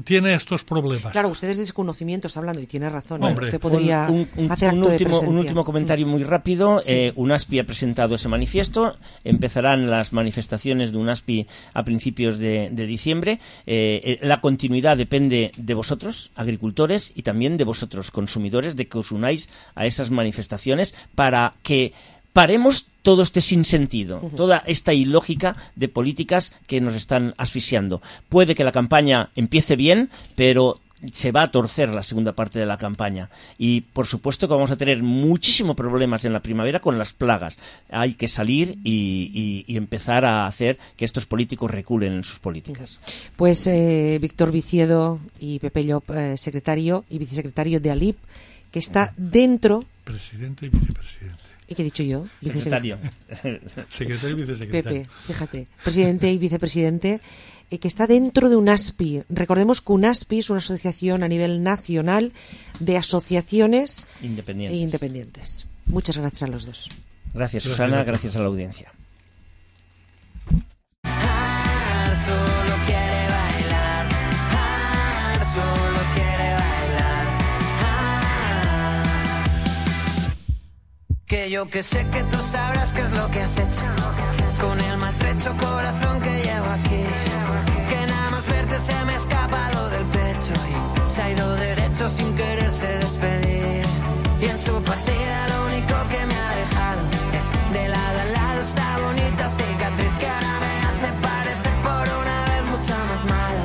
tiene estos problemas. Claro, usted es desconocimiento está hablando y tiene razón. Hombre, usted podría hacer acto de presencia. Un último comentario muy rápido. Sí. UNASPI ha presentado ese manifiesto. Empezarán las manifestaciones de UNASPI a principios de diciembre. La continuidad depende de vosotros, agricultores, y también de vosotros, consumidores, de que os unáis a esas manifestaciones para que paremos todo este sinsentido, toda esta ilógica de políticas que nos están asfixiando. Puede que la campaña empiece bien, pero se va a torcer la segunda parte de la campaña. Y, por supuesto, que vamos a tener muchísimos problemas en la primavera con las plagas. Hay que salir y empezar a hacer que estos políticos reculen en sus políticas. Pues Víctor Viciedo y Pepe Llop, secretario y vicesecretario de ALIP, que está dentro... Presidente y vicepresidente. ¿Y qué he dicho yo? Secretario. Secretario y vicesecretario. Pepe, fíjate, presidente y vicepresidente, que está dentro de UNASPI. Recordemos que UNASPI es una asociación a nivel nacional de asociaciones independientes. Muchas gracias a los dos. Gracias, Susana, gracias a la audiencia. Que yo que sé que tú sabrás qué es lo que has hecho con el maltrecho corazón que llevo aquí, que nada más verte se me ha escapado del pecho y se ha ido derecho sin quererse despedir, y en su partida lo único que me ha dejado es de lado a lado esta bonita cicatriz que ahora me hace parecer por una vez mucho más malo,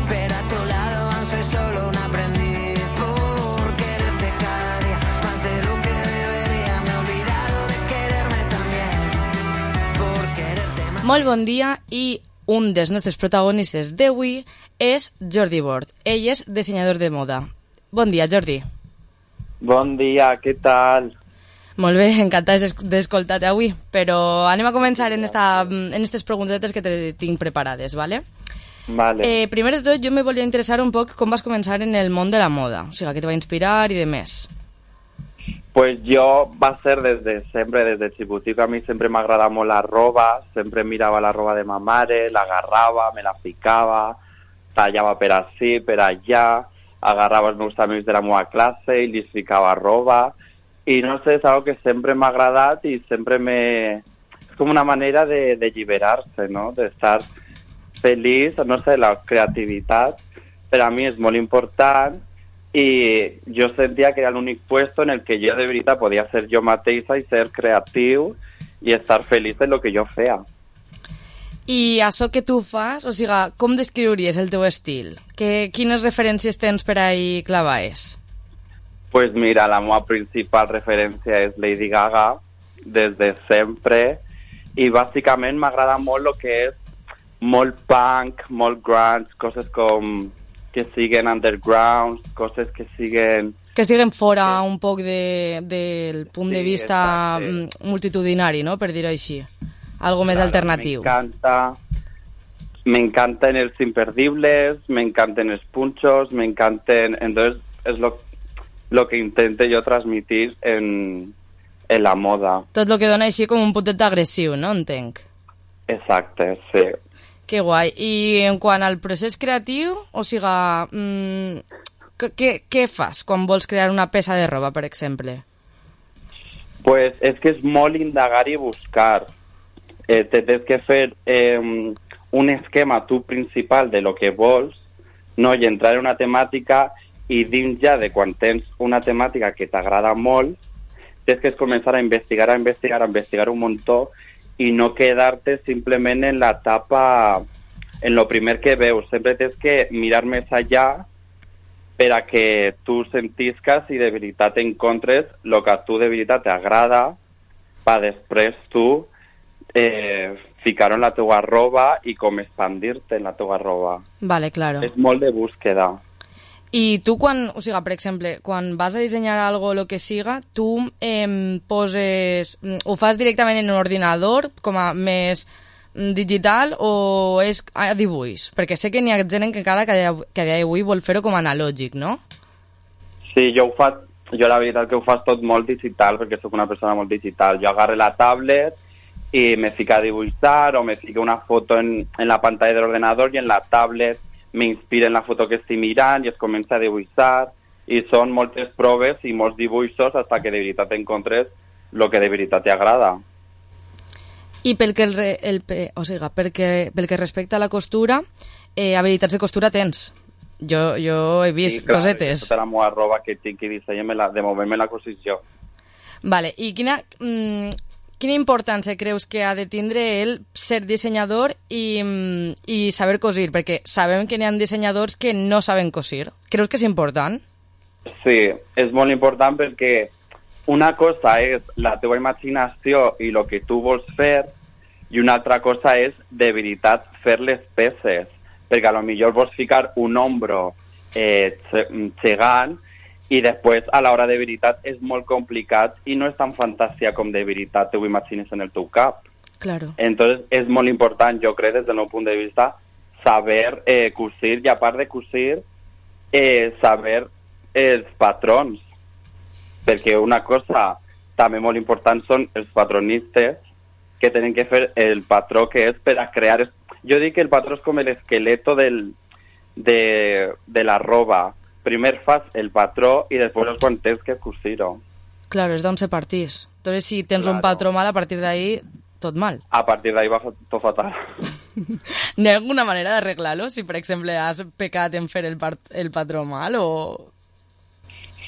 pero a tu lado aún soy solo un aprendiz por quererte cada día más de lo que debería. Molt bon dia, i un dels nostres protagonistes d'avui és Jordi Bord. Ell és dissenyador de moda. Bon dia, Jordi. Bon dia, què tal? Molt bé, encantats d'escoltar-te avui, però anem a començar en aquestes preguntetes que te tinc preparades, ¿vale? Vale. Primer de tot, jo me volia interessar un poc com vas començar en el món de la moda, o sigui, què te va inspirar i de més. Pues yo va a ser desde chiquitico, a mí siempre me agrada molt la roba, sempre mirava la roba de ma mare, la agarrava, me la ficava, tallava per ací, per allà, agarrava els meus amics de la meva classe i li ficava roba, i no sé, és algo que sempre m'ha agradat i sempre és com una manera de alliberar-se, no? D'estar feliç, no sé, la creativitat per a mi és molt important. Y yo sentía que era el único puesto en el que yo de veritat podía ser yo mateixa y ser creativo y estar feliz en lo que yo fea. I això que tu fas, o sigui, com descriuries el teu estil? Quines referències tens per ahí clavades? Pues mira, la meva principal referència és Lady Gaga, des de sempre, i bàsicament m'agrada molt el que és molt punk, molt grunge, coses com que siguen underground, coses que siguen... Que estiguen fora un poc del punt de vista multitudinari, no?, per dir-ho així. Algo més alternatiu. M'encanta me encantan los imperdibles, me encantan los punchos, me encantan... Entonces es lo que intento yo transmitir en la moda. Tot el que dona així com un puntet agressiu, no? Entenc. Exacte, sí. Que guai. I en quant al procés creatiu, o sigui, què fas quan vols crear una peça de roba, per exemple? Pues és que és molt indagar i buscar. Tens que fer un esquema tu principal de lo que vols, no? I entrar en una temàtica i dins ja de quan tens una temàtica que t'agrada molt, tens que començar a investigar un muntó i no quedar-te simplement en la etapa, en lo primer que veus. Sempre tens que mirar més allà per a que tu sentisques i de veritat encontres el que a tu de veritat t'agrada per després tu ficar-ho en la teua roba i com expandir-te en la teua roba. Vale, claro. És molt de búsqueda. I tu quan, o sigui, per exemple, quan vas a dissenyar algo o lo que siga, tu poses... Ho fas directament en un ordinador, com a més digital, o és a dibuix? Perquè sé que n'hi ha gent que encara que a dia d'avui vol fer-ho com a analògic, no? Sí, jo la veritat que ho faig tot molt digital, perquè sóc una persona molt digital. Jo agarro la tablet i me fico a dibuixar, o me fico una foto en la pantalla de l'ordenador i en la tablet m'inspira en la foto que estic mirant i es comença a dibuixar, i són moltes proves i molts dibuixos fins que de veritat encontres el que de veritat t'agrada. I pel que respecta a la costura, habilitats de costura tens. Jo he vist cosetes. Tota la meva roba que tinc i disseny, de moment me la cosís jo. Vale, i quina importància creus que ha de tindre el ser dissenyador i saber cosir? Perquè sabem que n'hi ha dissenyadors que no saben cosir. Creus que és important? Sí, és molt important perquè una cosa és la teva imaginació i el que tu vols fer, i una altra cosa és de veritat fer les peces, perquè a lo millor vols ficar un ombro gegant i després a l'hora de veritat és molt complicat i no és tan fantàsia com de veritat te ho imagines en el teu cap. Claro. Entonces és molt important, jo crec, des del meu punt de vista, saber cosir, i a part de cosir, saber els patrons, perquè una cosa també molt important són els patronistes que tenen que fer el patró que és per a crear... Jo dic que el patró és com l'esqueleto de la roba. Primer fas el patró i després és quan tens que cosir-ho. Claro, és d'on se partís. Entonces, si tens un patró mal, a partir d'ahí, tot mal. A partir d'ahí va tot fatal. ¿N'hi ha alguna manera d'arreglar-lo? Si, per exemple, has pecat en fer el patró mal o...?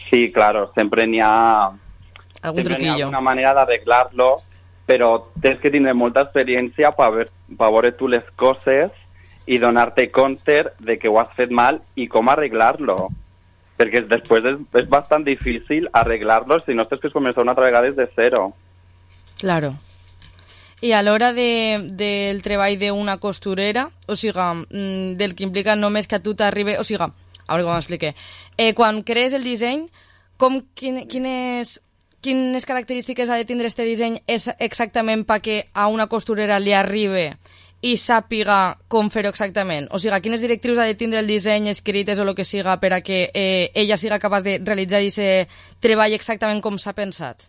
Sí, claro, sempre n'hi ha... Algun truquillo. N'hi ha alguna manera d'arreglar-lo, però tens que tindre molta experiència per veure tu les coses i donar-te compte de que ho has fet mal i com arreglar-lo. Perquè després és bastant difícil arreglar-lo si no tens que començar una altra vegada des de zero. Claro. I a l'hora del treball d'una costurera, o sigui, del que implica només que a tu t'arribi... O sigui, a veure com m'explique. Quan crees el disseny, quines característiques ha de tindre este disseny exactament perquè a una costurera li arribi i sàpiga com fer-ho exactament? O sigui, quines directrius ha de tindre el disseny escrites o el que siga per a que ella siga capaç de realitzar aquest treball exactament com s'ha pensat?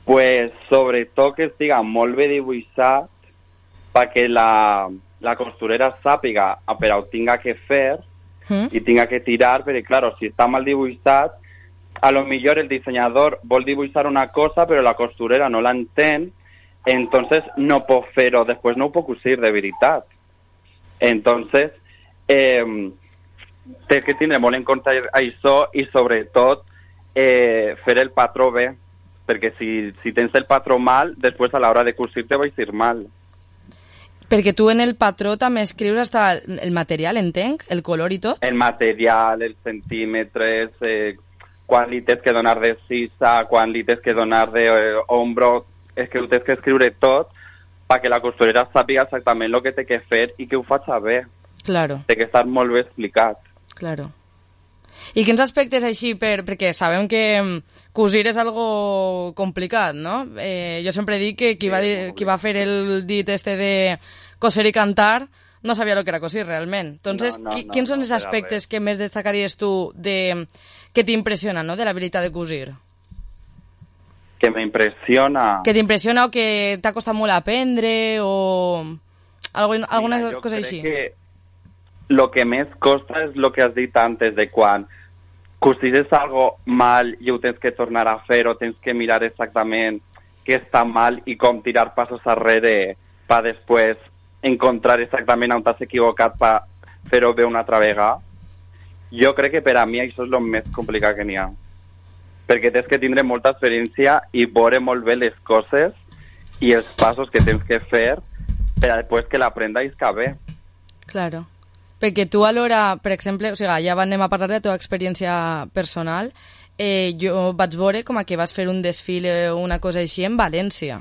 Pues sobretot que estiga molt bé dibuixat perquè la costurera sàpiga per a ho tinga que fer i tinga que tirar, perquè, claro, si està mal dibuixat, a lo millor el dissenyador vol dibuixar una cosa però la costurera no l'entén, entonces no pot fer-ho, després no ho pot cosir de veritat. Entonces, té que tindre molt en compte això i sobretot fer el patró bé, perquè si tens el patró mal, després a l'hora de cosir te va a ir mal. Perquè tu en el patró també escrius hasta el material, entenc? El color i tot? El material, els centímetres, quan li tens que donar de sisa, quan li tens que donar d'ombro, és que ho tens que escriure tot perquè la costurera sàpiga exactament el que té que fer i que ho faci bé. Claro. Té que estar molt bé explicat. Claro. I quins aspectes així, perquè sabem que cosir és algo complicat, no? Jo sempre dic que qui va fer el dit este de coser i cantar, no sabia lo que era cosir realment. Entonces, quins són els aspectes que més destacaries tu que t'impressiona, no?, de l'habilitat de cosir? Que m'impressiona... Que t'impressiona o que t'ha costat molt aprendre o alguna cosa així? Jo crec que lo que més costa és lo que has dit antes, de quan cosires algo mal i ho tens que tornar a fer o tens que mirar exactament què està mal i com tirar passos arrere per després encontrar exactament on t'has equivocat per fer-ho bé una altra vegada. Jo crec que per a mi això és el més complicat que n'hi ha. Perquè tens que tindre molta experiència i veure molt bé les coses i els passos que tens que fer per a després que l'aprenda i isca bé. Claro. Perquè tu alhora, per exemple, o sigui, ja anem a parlar de la teva experiència personal, jo vaig veure com que vas fer un desfile o una cosa així en València.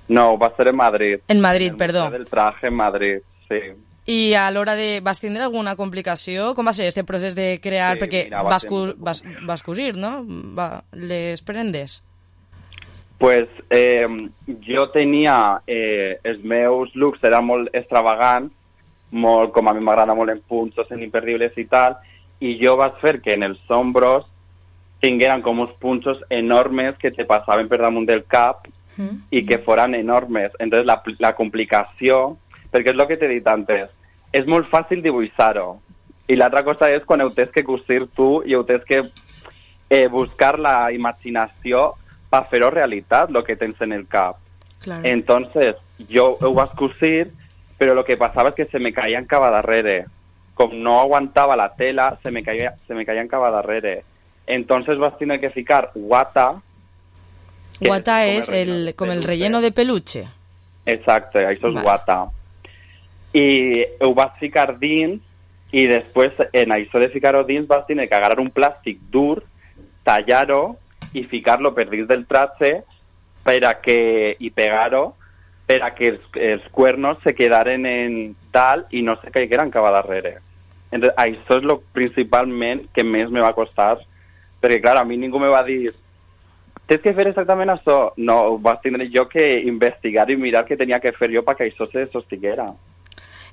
No, va ser en Madrid. En Madrid, perdó. El traje en Madrid, sí. I a l'hora de... Vas tindre alguna complicació? Com va ser este procés de crear? Sí, perquè mira, vas cosir, no? Les prendes? Pues jo tenia... els meus looks eren molt extravagants, molt, com a mi m'agrada molt en punxos, en imperdibles i tal, i jo vaig fer que en els ombros tingueren com uns punxos enormes que te passaven per damunt del cap i que foren enormes. Entonces la complicació, perquè és el que t'he dit antes, és molt fàcil dibuixar-ho. I l'altra cosa és quan ho tens que cosir tu i ho tens que buscar la imaginació per fer-ho realitat, el que tens en el cap. Claro. Entonces, jo ho vaig cosir, però el que passava és que se me caien cap a darrere. Com no aguantava la tela, se me caien cap a darrere. Entonces vas tener que ficar guata. Guata és com el relleno de peluche. Exacte, això és guata. I ho vas ficar dins i després en això de ficar-ho dins vas tenir que agarrar un plàstic dur, tallar-ho i ficar-lo per dins del traje i pegar-ho per a que els cuernos se quedaren en dalt i no se caigueren cap a darrere. Entonces, això és lo principalment que més me va costar, perquè, clar, a mi ningú me va dir tens que fer exactament això. No, vas tindre jo que investigar i mirar què tenia que fer jo perquè això se sostiguera.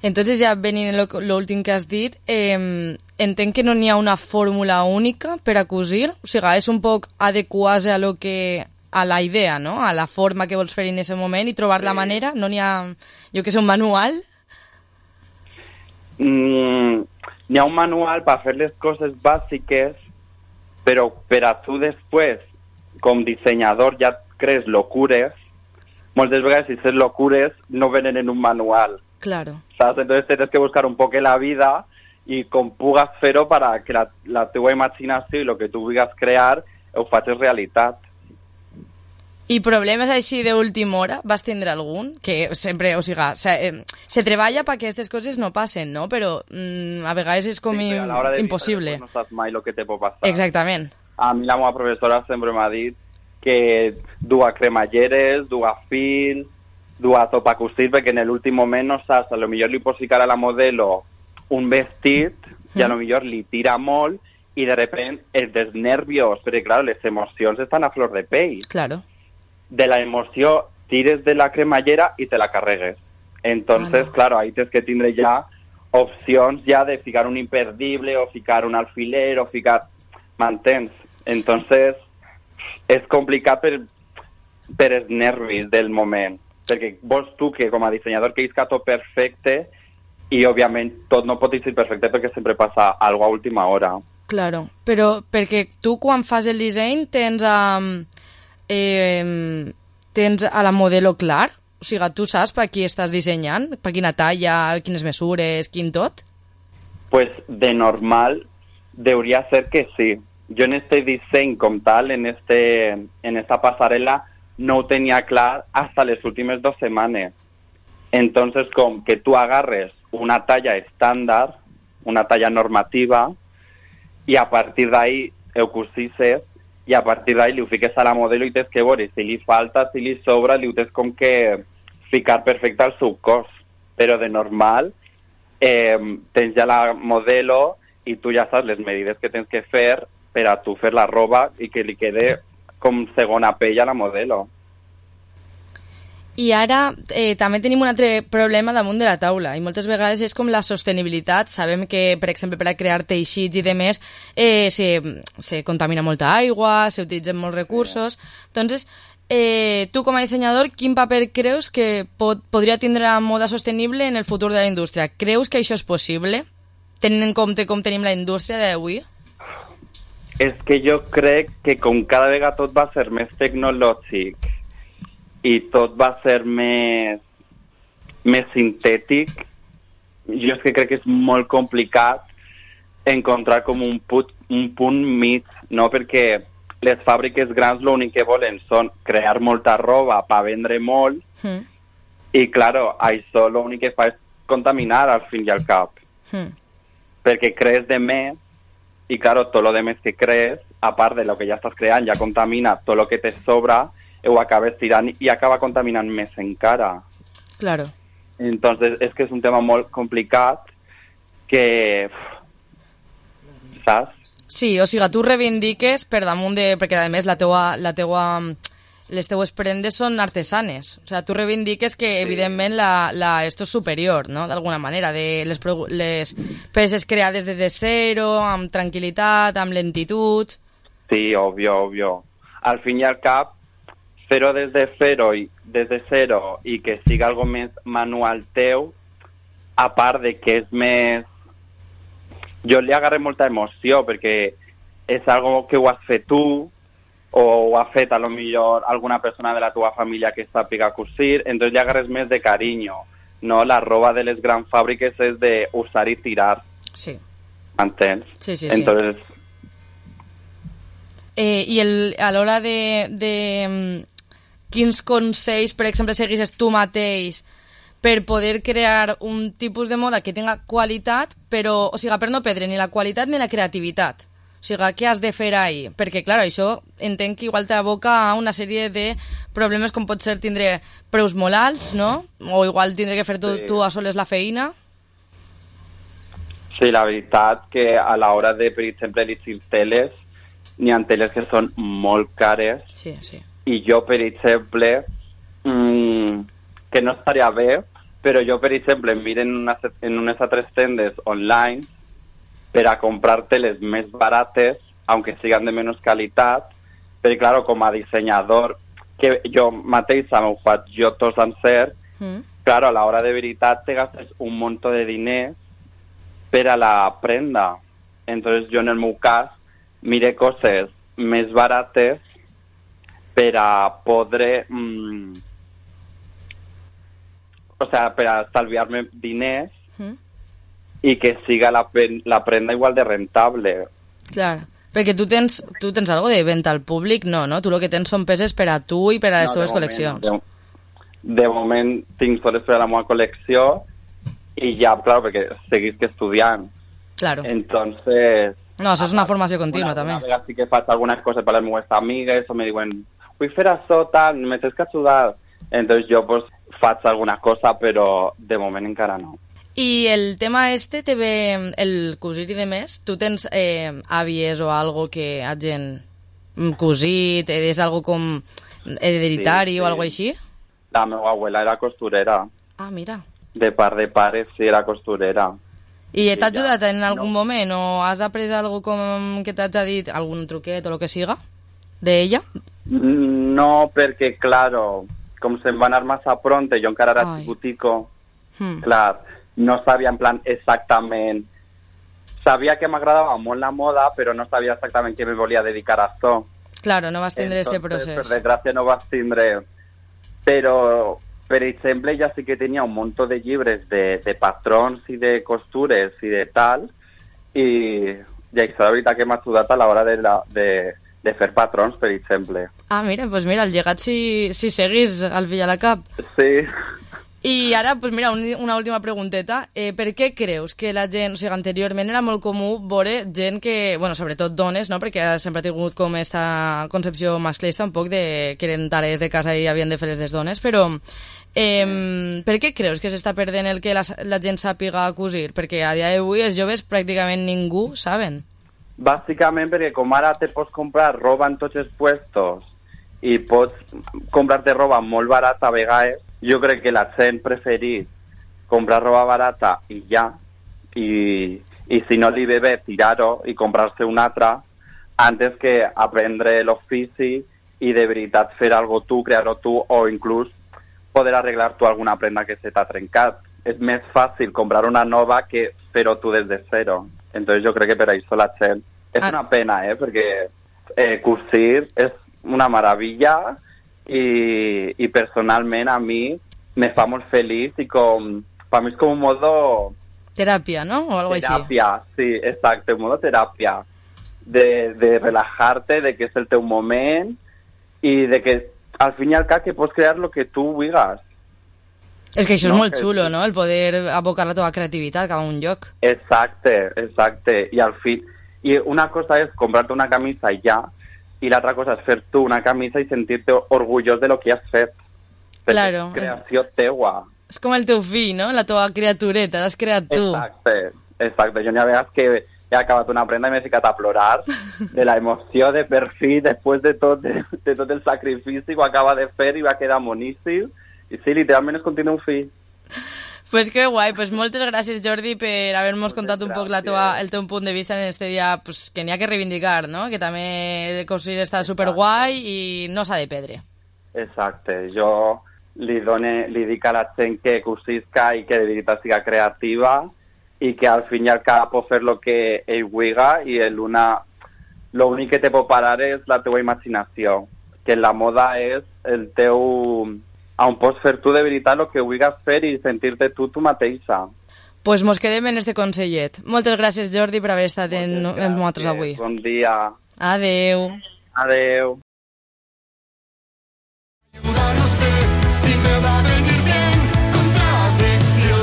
Entonces, ja venint l'últim que has dit, entenc que no n'hi ha una fórmula única per a cosir, o sigui, és un poc adequar-se a la idea, no? A la forma que vols fer en aquest moment i trobar la manera. No n'hi ha, jo que sé, un manual? N'hi ha un manual per fer les coses bàsiques, però per a tu després, com dissenyador, ja crees locures. Moltes vegades, si ces locures, no venen en un manual. Claro. ¿Sabes? Entonces tienes que buscar un poco la vida y com pugues fer-ho para que la teva imaginació i el que tu vulguis crear ho facis realitat. I problemes així d'última hora, vas tindre algun? Que sempre, o sigui, se treballa perquè aquestes coses no passen, no? Però a vegades és com impossible. No saps mai el que te pot passar. Exactament. A mi la meva professora sempre m'ha dit que dur cremalleres, dur fil, dur tot per cosir, perquè en l'últim moment no saps, a lo millor li pots ficar a la modelo un vestit i a lo millor li tira molt i de repente els nervios, perquè clar, les emocions estan a flor de pell. Claro. De la emoció tires de la cremallera i te la carregues. Entonces, claro, ahí tens que tindre ja opcions ja de ficar un imperdible o ficar un alfiler o ficar... M'entens? Entonces, és complicat per els nervis del moment. Perquè vols tu que com a dissenyador que isca tot perfecte i òbviament tot no pot ser perfecte perquè sempre passa alguna a última hora. Claro, però perquè tu quan fas el disseny tens a la modelo clar? O sigui, tu saps per qui estàs dissenyant? Per quina talla, quines mesures, quin tot? Pues de normal debería ser que sí. Yo en este disseny com tal, en esta pasarela, no ho tenia clar hasta les últimes 2 setmanes. Entonces, com que tu agarres una talla estándar, una talla normativa, i a partir d'ahí ho cosisses, i a partir d'ahí li ho fiques a la modelo i tens que veure si li falta, si li sobra, li ho tens com que ficar perfecte al seu cos. Però de normal tens ja la modelo i tu ja saps les medides que tens que fer per a tu fer la roba i que li quede com segona pell a la modelo. I ara també tenim un altre problema damunt de la taula, i moltes vegades és com la sostenibilitat. Sabem que, per exemple, per a crear teixits i demés se contamina molta aigua, s'utilitzen molts recursos. Entonces, tu com a dissenyador, quin paper creus que podria tindre la moda sostenible en el futur de la indústria? Creus que això és possible, tenint en compte com tenim la indústria d'avui? És que jo crec que com cada vegada tot va ser més tecnològic i tot va ser més sintètic, jo és que crec que és molt complicat encontrar com un punt mig, no? Perquè les fàbriques grans l'únic que volen són crear molta roba per vendre molt i, claro, això l'únic que fa és contaminar al fin i al cap. Perquè crees de més i, claro, tot lo de més que crees, a part de lo que ja estàs creant, ja contamina tot lo que te sobra, ho acabes tirant i acaba contaminant més encara. Claro. Entonces, és que és un tema molt complicat que... saps? Sí, o sigui, tu reivindiques per damunt de... Perquè, a més, les teues prendes són artesanes. O sigui, tu reivindiques que, evidentment, esto és superior, no?, d'alguna manera, de les peces creades des de zero, amb tranquil·litat, amb lentitud... Sí, obvio. Al fin i al cap, fer-ho des de zero i que siga algo més manual teu, a part de que és més... Jo li agarré molta emoció perquè és algo que ho has fet tu o ho ha fet a lo millor alguna persona de la teva família que sàpiga cosir, entonces li agarres més de carinyo, no? La roba de les grans fàbriques és de usar i tirar. Sí. Entens? Sí. Entonces... I a l'hora de quins consells, per exemple, seguisses tu mateix per poder crear un tipus de moda que tenga qualitat, però, o sigui, per no perdre ni la qualitat ni la creativitat. O sigui, què has de fer ahí? Perquè, clar, això entenc que igual t'aboca a una sèrie de problemes com pot ser tindre preus molt alts, no? O igual tindre que fer tu a soles la feina. Sí, la veritat que a l'hora de, per exemple, elegir teles, n'hi ha teles que són molt cares. Sí. I jo, per exemple, que no estaria bé, però jo, per exemple, miro en unes altres tendes online per a comprar teles més barates, aunque sigan de menys qualitat, perquè, clar, com a dissenyador, que jo mateixa m'ho faig jo tot sencer, clar, a l'hora de veritat te gastes un munt de diners per a la prenda. Entonces, jo, en el meu cas, mire coses més barates per a poder... o sea, per a estalviar-me diners i que siga la prenda igual de rentable. Clar, perquè tu tens algo de venda al públic, no? Tu el que tens són peces per a tu i per a les teves col·leccions. De moment tinc soles per a la meva col·lecció i ja, clar, perquè seguisc estudiant. Claro. Entonces... No, això és una formació contínua, també. Una vegada sí que faig algunes coses per les meves amigues o me diuen, vull fer això, tal, me tens que ajudar. Entonces jo pues faig alguna cosa, però de moment encara no. I el tema te ve el cosir i demés? Tu tens àvies o algo que hagin cosit? És algo com hereditari o algo així? La meva abuela era costurera. Ah, mira. De part de pares sí era costurera. I t'ha ajudat en algun moment o has après algo com que t'ha dit algun truquet o el que siga d'ella? No, perquè, claro, com se'n va anar massa pronte, jo encara era xicutico, clar, no sabia en plan exactament... Sabia que m'agradava molt la moda, però no sabia exactament que me volia dedicar a això. Claro, no vas tindre este procés. Per desgràcia no vas tindre... Però... Per exemple, ja sí que tenia un munt de llibres de patrons i de costures i de tal, i això la veritat que m'ha ajudat a l'hora de fer patrons, per exemple. Ah, mira, doncs mira, el llegat si seguís al fill a la cap. Sí. I ara, doncs mira, una última pregunteta. Per què creus que la gent, o sigui, anteriorment era molt comú veure gent que, bueno, sobretot dones, no?, perquè sempre ha tingut com esta concepció masclista un poc de que eren tares de casa i havien de fer les dones, però per què creus que s'està perdent el que la gent sàpiga cosir? Perquè a dia d'avui els joves pràcticament ningú saben. Bàsicament perquè com ara te pots comprar roba en tots els puestos i pots comprar-te roba molt barata a vegades. Jo crec que la gent preferís comprar roba barata i ja, i si no li ve bé tirar-ho i comprar-se una altra antes que aprendre l'ofici i de veritat fer algo tu, crear-ho tu o inclús poder arreglar tu alguna prenda que se t'ha trencat. És més fàcil comprar una nova que fer-ho tu des de zero. Entonces jo crec que per això la gent... És una pena, perquè cosir és una meravella i personalment a mi me fa molt feliç i per mi és com un modo... Teràpia, ¿no? O algo teràpia, així. Sí, exacte, un modo teràpia. De relajar-te, de que és el teu moment i de que al fin i al cap que pots crear el que tu vulguis. És que això és molt xulo, no? El poder abocar la teva creativitat cap a un lloc. Exacte. I al fi... I una cosa és comprar-te una camisa i ja, i l'altra cosa és fer tu una camisa i sentir-te orgullós de lo que has fet. Claro. Creació teua. És com el teu fill, no? La teva criatureta, l'has creat tu. Exacte. Jo n'hi ha vegades que he acabat una prenda i m'he ficat a plorar de la emoció de per fi, després de tot el sacrifici que ho acaba de fer i va quedar moníssim. I sí, literalment és com tenir un fill. Pues que guai, pues moltes gràcies Jordi per haver-nos contat un poc el teu punt de vista en este dia, pues, que n'hi ha que reivindicar, no? Que també cosir està superguai i no s'ha de perdre. Exacte, jo li dic a la gent que cosisca i que de veritat siga creativa i que al fin i al cap pot fer el que ell vulgui i l'únic que te pot parar és la teua imaginació, que la moda és el teu... on pots fer tu de veritat el que vulguis fer i sentir-te tu mateixa. Pues mos quedem en este consellet. Moltes gràcies, Jordi, per haver estat amb nosaltres avui. Bon dia. Adeu. Adeu. No sé si me va a venir bien contradicción.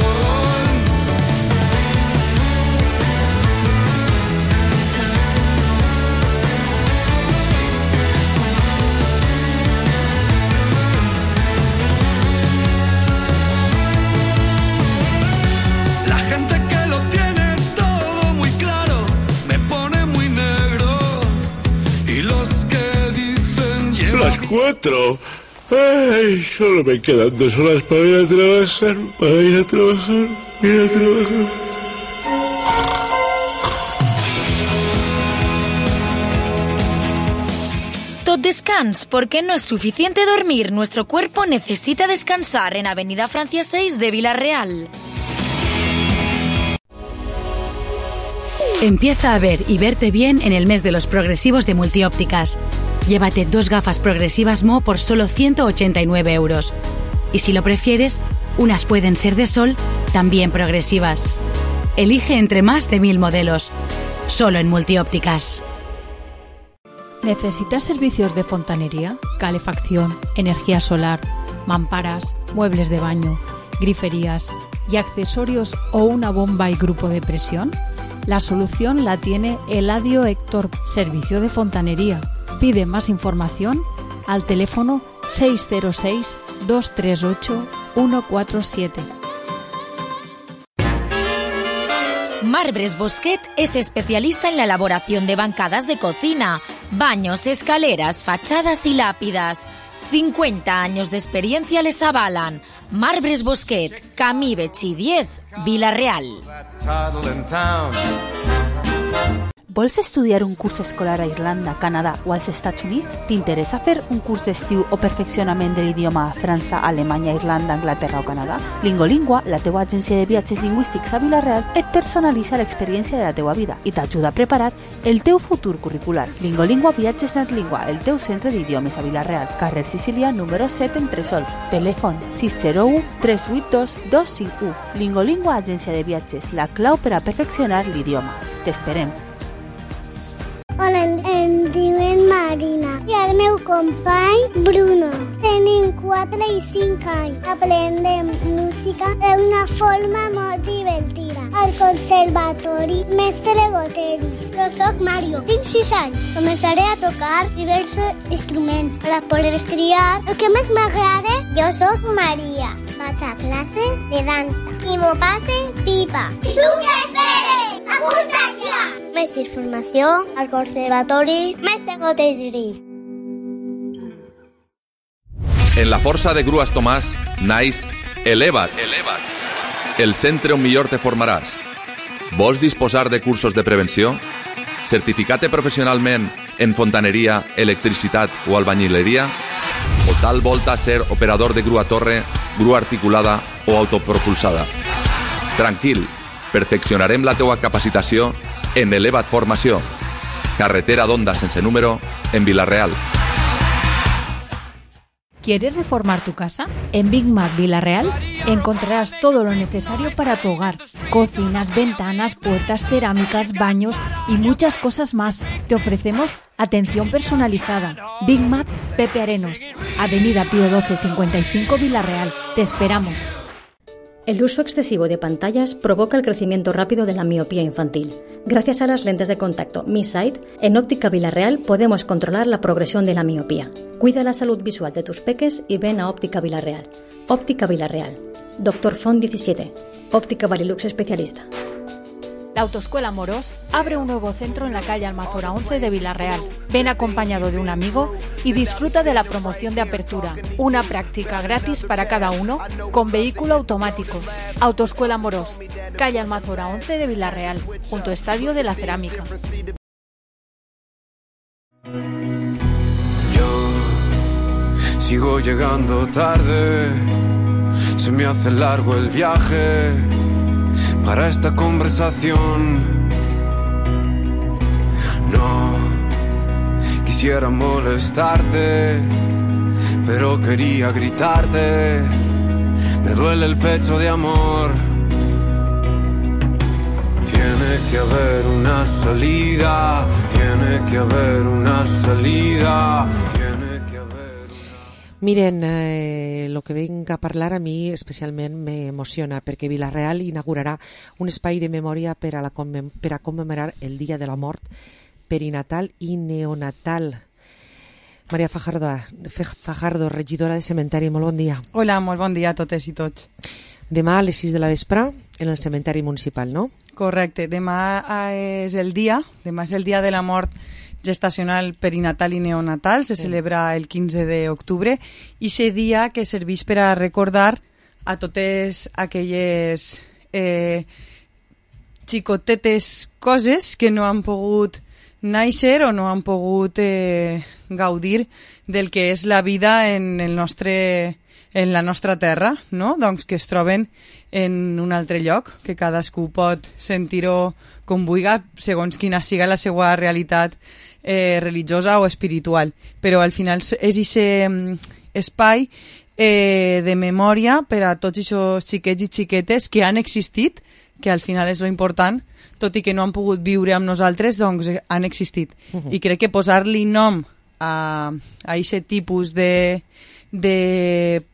La gente que lo tiene todo muy claro me pone muy negro y los que dicen lleva las 4. Ay, solo me quedan 2 horas para ir a trabajar, Tot descans, porque no es suficiente dormir. Nuestro cuerpo necesita descansar en Avenida Francia 6 de Villarreal. Empieza a ver y verte bien en el mes de los progresivos de Multiópticas. Llévate 2 gafas progresivas Mo por solo 189 euros. Y si lo prefieres, unas pueden ser de sol, también progresivas. Elige entre más de 1000 modelos. Solo en Multiópticas. ¿Necesitas servicios de fontanería, calefacción, energía solar, mamparas, muebles de baño, griferías y accesorios o una bomba y grupo de presión? La solución la tiene Eladio Héctor, servicio de fontanería. Pide más información al teléfono 606-238-147. Marbres Bosquet es especialista en la elaboración de bancadas de cocina, baños, escaleras, fachadas y lápidas. 50 años de experiencia les avalan. Marbres Bosquet, Camí Betxí 10, Vila-real. Vols estudiar un curs escolar a Irlanda, Canadà o als Estats Units? T'interessa fer un curs d'estiu o perfeccionament de l'idioma a França, Alemanya, Irlanda, Anglaterra o Canadà? Lingolingua, la teua agència de viatges lingüístics a Vila-real, et personalitza l'experiència de la teua vida i t'ajuda a preparar el teu futur curricular. Lingolingua Viatges Natlingua, el teu centre d'idiomes a Vila-real, carrer Sicília, número 7 en Tresol. Telèfon 601 382 251. Lingolingua Agència de Viatges, la clau per a perfeccionar l'idioma. T'esperem. Hola, em diuen Marina i el meu company Bruno. Tenim 4 i 5 anys. Aprendem música d'una forma molt divertida. Al conservatori Mestre Goteris. Jo soc Mario, tinc 6 anys. Començaré a tocar diversos instruments per poder triar el que més m'agrada. Jo soc Maria. Vaig a classes de dansa i m'ho passe pipa. I tu què esperes? Apunta't ja! Més informació al Conservatori Mestre Goteris. En la força de Grues Tomàs naix Eleva't, el centre on millor te formaràs. Vols disposar de cursos de prevenció? Certificar-te professionalment en fontaneria, electricitat o albañileria? O tal volta ser operador de grua torre, grua articulada o autopropulsada? Tranquil, perfeccionarem la teua capacitació en Eleva't Formació. Carretera d'Onda sense número, en Vila-real. ¿Quieres reformar tu casa? En Big Mac Vila-real encontrarás todo lo necesario para tu hogar. Cocinas, ventanas, puertas, cerámicas, baños y muchas cosas más. Te ofrecemos atención personalizada. Big Mac Pepe Arenos, Avenida Pío XII 55 Vila-real. Te esperamos. El uso excesivo de pantallas provoca el crecimiento rápido de la miopía infantil. Gracias a las lentes de contacto Mi Sight, en Óptica Vila-real podemos controlar la progresión de la miopía. Cuida la salud visual de tus peques y ven a Óptica Vila-real. Óptica Vila-real. Dr. Font 17. Óptica Varilux especialista. La Autoescuela Morós abre un nuevo centro en la calle Almazora 11 de Vila-real. Ven acompañado de un amigo y disfruta de la promoción de apertura. Una práctica gratis para cada uno con vehículo automático. Autoescuela Morós, calle Almazora 11 de Vila-real, junto a Estadio de la Cerámica. Yo sigo llegando tarde, se me hace largo el viaje para esta conversación. No quisiera molestarte, pero quería gritarte. Me duele el pecho de amor. Tiene que haber una salida, tiene que haber una salida. Miren, lo que venga a parlar a mi especialment m'emociona perquè Vila-real inaugurarà un espai de memòria per a commemorar el Dia de la Mort perinatal i neonatal. Maria Fajardo, regidora de Cementeri, molt bon dia. Hola, molt bon dia a totes i tots. Demà a les 6 de la vespre en el Cementeri Municipal, no? Correcte, demà és el dia de la mort gestacional perinatal i neonatal, se celebra el 15 d'octubre i és dia que serveix per a recordar a totes aquelles xicotetes coses que no han pogut néixer o no han pogut gaudir del que és la vida en la nostra terra, no? Doncs que es troben en un altre lloc, que cadascú pot sentir-ho com vulgui, segons quina siga la seva realitat religiosa o espiritual. Però al final és aquest espai de memòria per a tots aquests xiquets i xiquetes que han existit, que al final és lo important, tot i que no han pogut viure amb nosaltres, doncs han existit. I crec que posar-li nom a aquest tipus de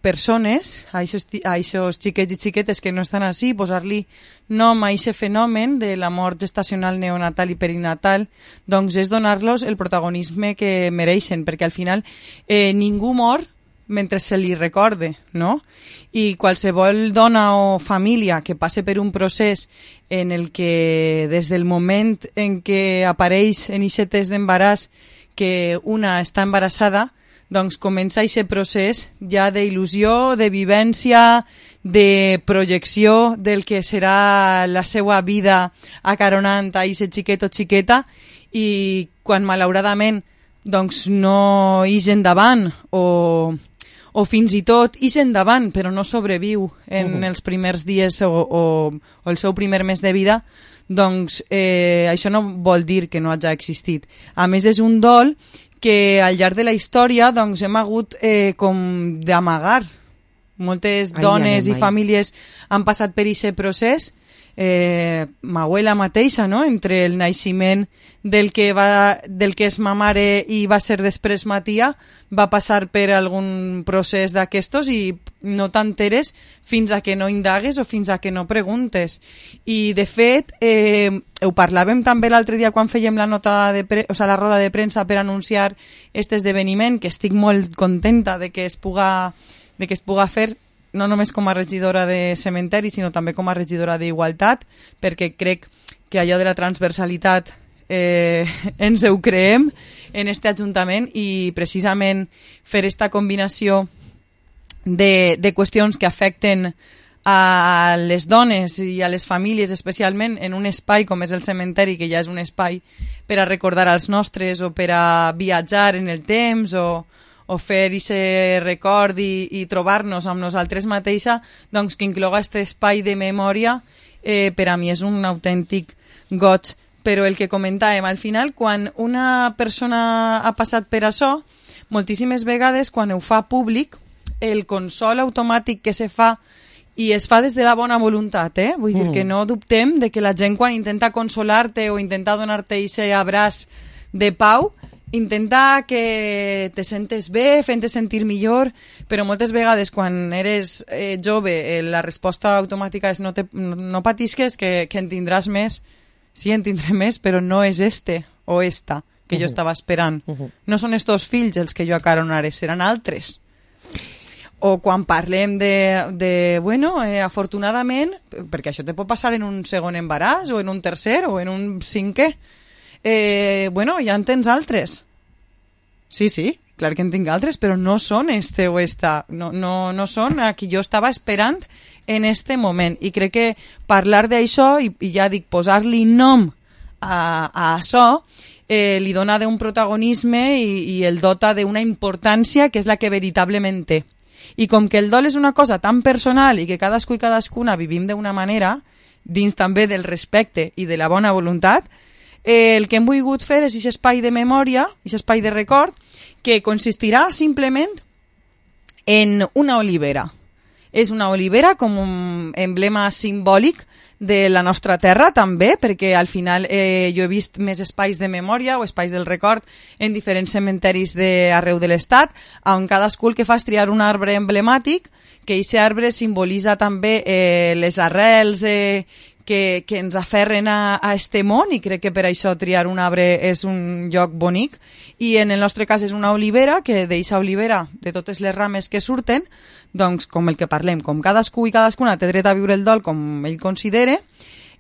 persones, a aquests xiquets i xiquetes que no estan així, posar-li nom a aquest fenomen de la mort gestacional, neonatal i perinatal, doncs és donar-los el protagonisme que mereixen, perquè al final ningú mor mentre se li recorde, no? I qualsevol dona o família que passe per un procés en el que des del moment en què apareix en aquest test d'embaràs que una està embarassada, doncs comença aquest procés ja d'il·lusió, de vivència, de projecció del que serà la seva vida acaronant a aquest xiquet o xiqueta, i quan malauradament doncs no ix endavant o fins i tot ix endavant però no sobreviu en els primers dies o el seu primer mes de vida, doncs això no vol dir que no hagi existit. A més, és un dol que al llarg de la història doncs, hem hagut com d'amagar. Moltes dones i famílies han passat per aquest procés. Ma abuela mateixa, no? Entre el naixement del que és ma mare i va ser després ma tia, va passar per algun procés d'aquestos i no t'enteres fins a que no indagues o fins a que no preguntes. I de fet ho parlàvem també l'altre dia quan fèiem la la roda de premsa per anunciar aquest esdeveniment, que estic molt contenta de que es puga fer, no només com a regidora de cementeri, sinó també com a regidora d'igualtat, perquè crec que allò de la transversalitat ens ho creem en este Ajuntament, i precisament fer esta combinació de qüestions que afecten a les dones i a les famílies, especialment en un espai com és el cementeri, que ja és un espai per a recordar als nostres o per a viatjar en el temps o fer aquest record i trobar-nos amb nosaltres mateixa, doncs que incloga aquest espai de memòria per a mi és un autèntic goig. Però el que comentàvem, al final, quan una persona ha passat per això, moltíssimes vegades, quan ho fa públic, el consol automàtic que se fa, i es fa des de la bona voluntat, vull dir que no dubtem de que la gent quan intenta consolar-te o intenta donar-te aquest abraç de pau, intenta que te sentes bé, fent-te sentir millor, però moltes vegades quan eres jove la resposta automàtica és no patisques, que en tindràs més. Sí, en tindré més, però no és este o esta que jo estava esperant. No són estos fills els que jo acaronaré, seran altres. O quan parlem afortunadament, perquè això te pot passar en un segon embaràs o en un tercer o en un cinquè, ja en tens altres. Sí, clar que en tinc altres, però no són este o esta, no són a qui jo estava esperant en este moment. I crec que parlar d'això, i ja dic, posar-li nom a això, li dona d'un protagonisme i el dota d'una importància que és la que veritablement té. I com que el dol és una cosa tan personal i que cadascú i cadascuna vivim d'una manera, dins també del respecte i de la bona voluntat, el que hem volgut fer és aquest espai de memòria, aquest espai de record, que consistirà simplement en una olivera. És una olivera com un emblema simbòlic de la nostra terra també, perquè al final jo he vist més espais de memòria o espais del record en diferents cementeris d'arreu de l'Estat, on cadascú el que fa és triar un arbre emblemàtic, que aquest arbre simbolitza també les arrels que ens aferren a este món, i crec que per això triar un arbre és un lloc bonic, i en el nostre cas és una olivera, que d'eixa olivera, de totes les rames que surten, doncs com el que parlem, com cadascú i cadascuna té dret a viure el dol com ell considere,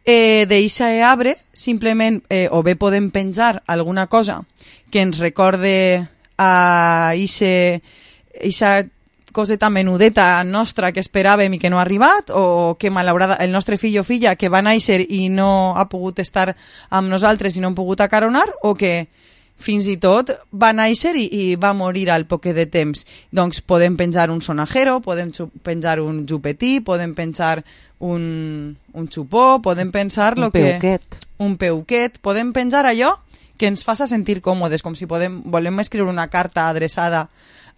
d'eixa arbre simplement o bé podem penjar alguna cosa que ens recorde a eixa coseta menudeta nostra que esperàvem i que no ha arribat, o que malaurada el nostre fill o filla que va néixer i no ha pogut estar amb nosaltres i no hem pogut acaronar, o que fins i tot va néixer i va morir al poc de temps. Doncs podem penjar un sonajero, podem penjar un jupetí, podem penjar un xupó, podem pensar un peuquet, podem penjar allò que ens faça sentir còmodes, com si volem escriure una carta adreçada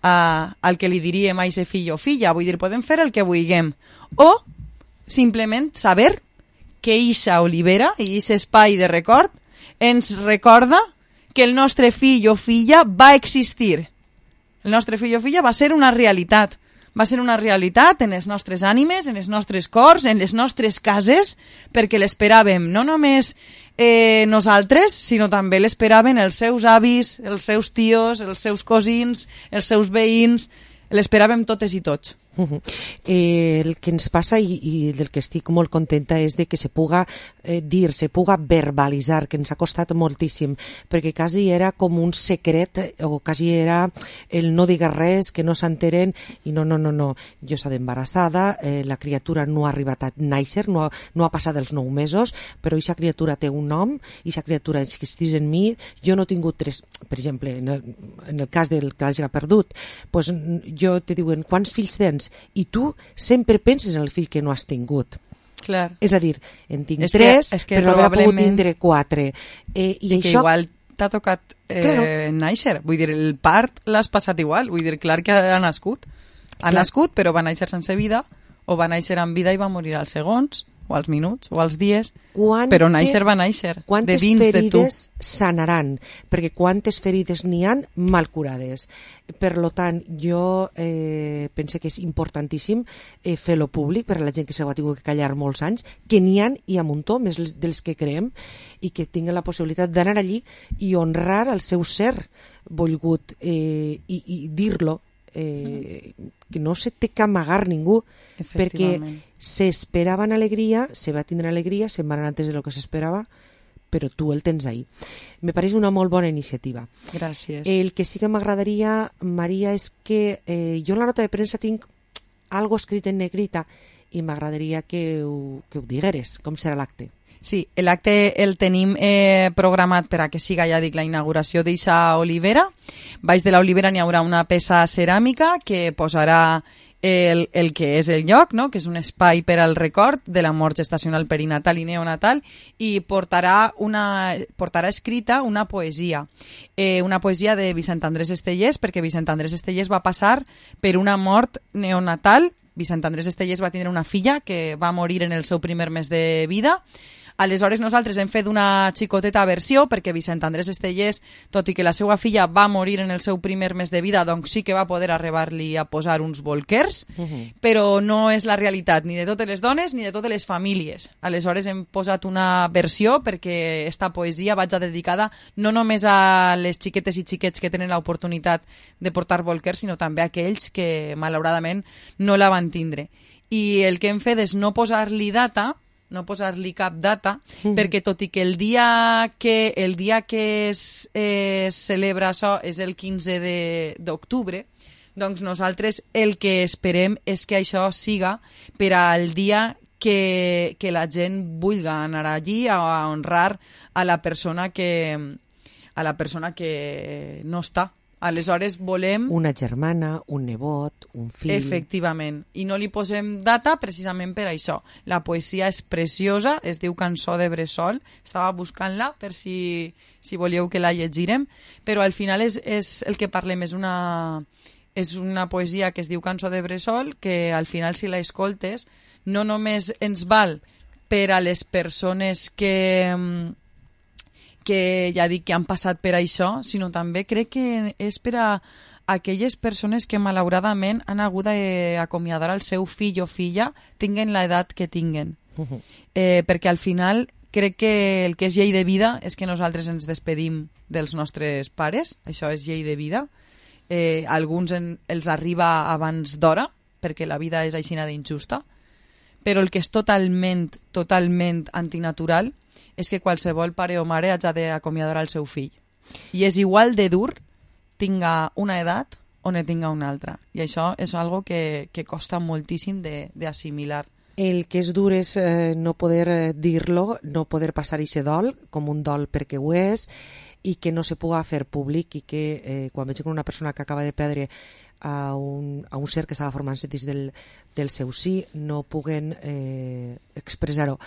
al que li diríem a aquest fill o filla. Vull dir, podem fer el que vulguem, o simplement saber que eixa olivera i aquest espai de record ens recorda que el nostre fill o filla va existir. El nostre fill o filla va ser una realitat. Va ser una realitat en les nostres ànimes, en els nostres cors, en les nostres cases, perquè l'esperàvem no només nosaltres, sinó també l'esperaven els seus avis, els seus tios, els seus cosins, els seus veïns, l'esperàvem totes i tots. El que ens passa i del que estic molt contenta és de que se puga dir, se puga verbalitzar, que ens ha costat moltíssim, perquè quasi era com un secret, o quasi era el no digues res, que no s'enteren, i no, jo he estat embarassada, la criatura no ha arribat a néixer, no ha passat els 9 mesos, però aquesta criatura té un nom, aquesta criatura existeix en mi, jo no he tingut tres, per exemple, en el cas del que l'hagi perdut, doncs jo te diuen, quants fills tens? I tu sempre penses en el fill que no has tingut. Clar. És a dir, en tinc 3, però no haver pogut tindre 4. I que això... igual t'ha tocat néixer. Vull dir, el part l'has passat igual. Vull dir, clar que ha nascut. Ha nascut, però va néixer sense vida, o va néixer amb vida i va morir als segons, o als minuts, o als dies, però néixer va néixer, de dins de tu. Quantes ferides sanaran? Perquè quantes ferides n'hi han mal curades. Per tant, jo penso que és importantíssim fer-lo públic per a la gent que s'ho ha tingut que callar molts anys, que n'hi ha i a muntó, més dels que creem, i que tinguin la possibilitat d'anar allí i honrar el seu ser volgut i dir-lo, que no se té que amagar ningú, perquè s'esperaven alegria, se va tindre alegria, se'n van antes de lo que s'esperava, però tu el tens ahí. Me pareix una molt bona iniciativa. Gràcies. El que sí que m'agradaria, Maria, és que jo en la nota de premsa tinc algo escrit en negrita i m'agradaria que ho digueres. Com serà l'acte? Sí, l'acte el tenim programat per a que siga, ja dic, la inauguració d'eixa olivera. Baix de l'olivera n'hi haurà una peça ceràmica que posarà el que és el lloc, no? Que és un espai per al record de la mort gestacional perinatal i neonatal, i portarà escrita una poesia de Vicent Andrés Estellés, perquè Vicent Andrés Estellés va passar per una mort neonatal. Vicent Andrés Estellés va tindre una filla que va morir en el seu primer mes de vida. Aleshores nosaltres hem fet una xicoteta versió perquè Vicent Andrés Estellés, tot i que la seva filla va morir en el seu primer mes de vida, doncs sí que va poder arribar-li a posar uns bolquers, però no és la realitat ni de totes les dones ni de totes les famílies. Aleshores hem posat una versió perquè esta poesia vaig dedicada no només a les xiquetes i xiquets que tenen l'oportunitat de portar bolquers, sinó també a aquells que malauradament no la van tindre. I el que hem fet és no posar-li data, no posar-li cap data, perquè tot i que el dia que es celebra això és el 15 d'octubre, doncs nosaltres el que esperem és que això siga per al dia que la gent vulgui anar allí a honrar a la persona que no està. Aleshores volem... Una germana, un nebot, un fill... Efectivament. I no li posem data precisament per això. La poesia és preciosa, es diu Cançó de Bressol. Estava buscant-la per si volíeu que la llegirem, però al final és el que parlem, és una poesia que es diu Cançó de Bressol, que al final si la escoltes no només ens val per a les persones que ja dic que han passat per això, sinó també crec que és per a aquelles persones que malauradament han hagut d'acomiadar el seu fill o filla, tinguen l'edat que tinguen. Perquè al final crec que el que és llei de vida és que nosaltres ens despedim dels nostres pares, això és llei de vida. Alguns els arriba abans d'hora, perquè la vida és aixina d'injusta, però el que és totalment antinatural és que qualsevol pare o mare hagi d'acomiadar el seu fill. I és igual de dur tinga una edat o ne tinga una altra. I això és algo que costa moltíssim d'assimilar. El que és dur és no poder dir-lo, no poder passar aquest dol com un dol perquè ho és, i que no se pugui fer públic, i que quan veig una persona que acaba de perdre a un ser que estava formant-se dins del seu sí, no puguen expressar-ho.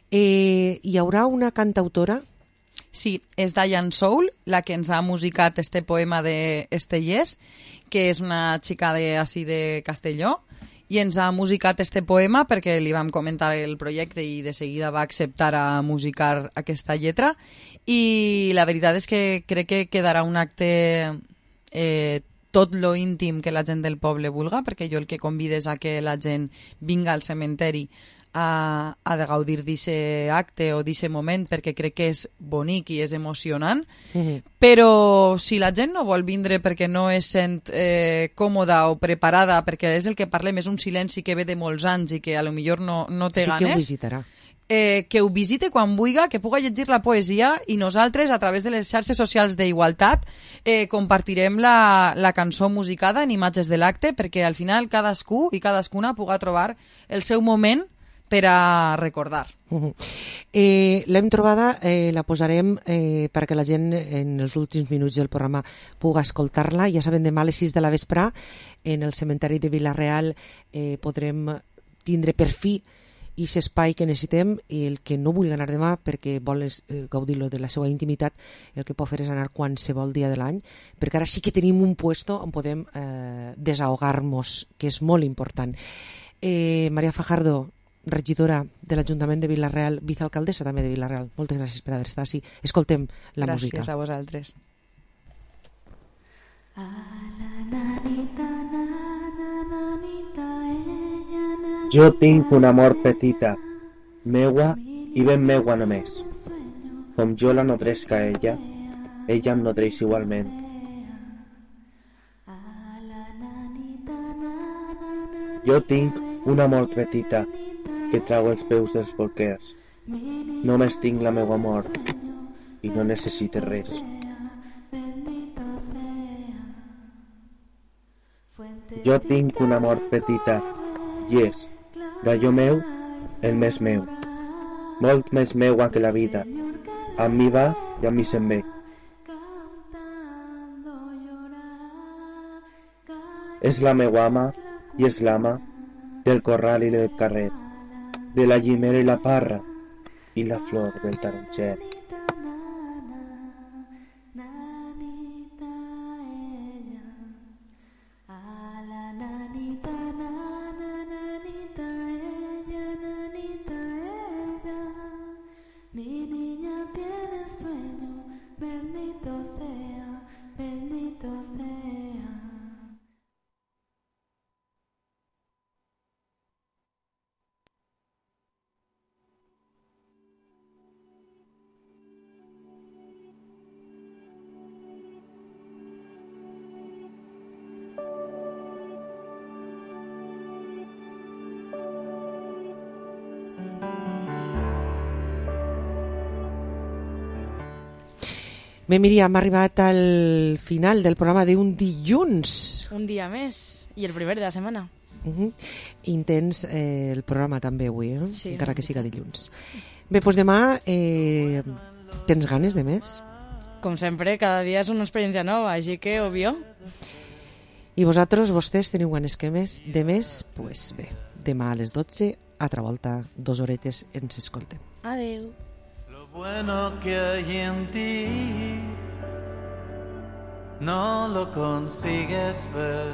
Hi haurà una cantautora? Sí, és Diane Soul, la que ens ha musicat este poema d'Estellés, que és una xica de Castelló, i ens ha musicat este poema perquè li vam comentar el projecte i de seguida va acceptar a musicar aquesta lletra, i la veritat és que crec que quedarà un acte tot lo íntim que la gent del poble vulga, perquè jo el que convido és a que la gent vinga al cementeri a de gaudir d'aquest acte o d'aquest moment, perquè crec que és bonic i és emocionant, però si la gent no vol vindre perquè no es sent còmoda o preparada, perquè és el que parlem, és un silenci que ve de molts anys i que a lo millor no té ganes... Sí que ho visitarà. Que ho visite quan vulgui, que pugui llegir la poesia, i nosaltres, a través de les xarxes socials d'Igualtat, compartirem la cançó musicada en imatges de l'acte, perquè al final cadascú i cadascuna pugui trobar el seu moment per a recordar. L'hem trobada, la posarem perquè la gent en els últims minuts del programa pugui escoltar-la. Ja saben, demà a les 6 de la vesprà en el cementeri de Vila-real podrem tindre per fi i aquest espai que necessitem, i el que no vulgui anar demà perquè vol gaudir-lo de la seva intimitat, el que pot fer és anar qualsevol dia de l'any, perquè ara sí que tenim un puesto on podem desahogar-nos, que és molt important. Maria Fajardo, regidora de l'Ajuntament de Vila-real, vicealcaldessa també de Vila-real, moltes gràcies per haver estat així. Escoltem la música. Gràcies a vosaltres. Jo tinc una mort petita, meua i ben meua només. Com jo la nodresc a ella em nodreix igualment. Jo tinc una mort petita que trau els peus dels bolquers. Només tinc la meua mort i no necessite res. Jo tinc una mort petita i és, d'allò meu, el més meu, molt més meua que la vida, amb mi va i amb mi se'n ve. És la meua ama i és l'ama del corral i del carrer, de la llimera i la parra i la flor del taronger. Bé, Míriam, hem arribat al final del programa d'un dilluns. Un dia més, i el primer de la setmana. Intens el programa també avui, Sí, encara que siga dilluns. Bé, doncs demà tens ganes de més? Com sempre, cada dia és una experiència nova, així que, obvio. I vostès teniu ganes de més? Doncs bé, demà a les 12, altra volta, 2 horetes, ens escoltem. Adeu. Bueno que hay en ti no lo consigues ver.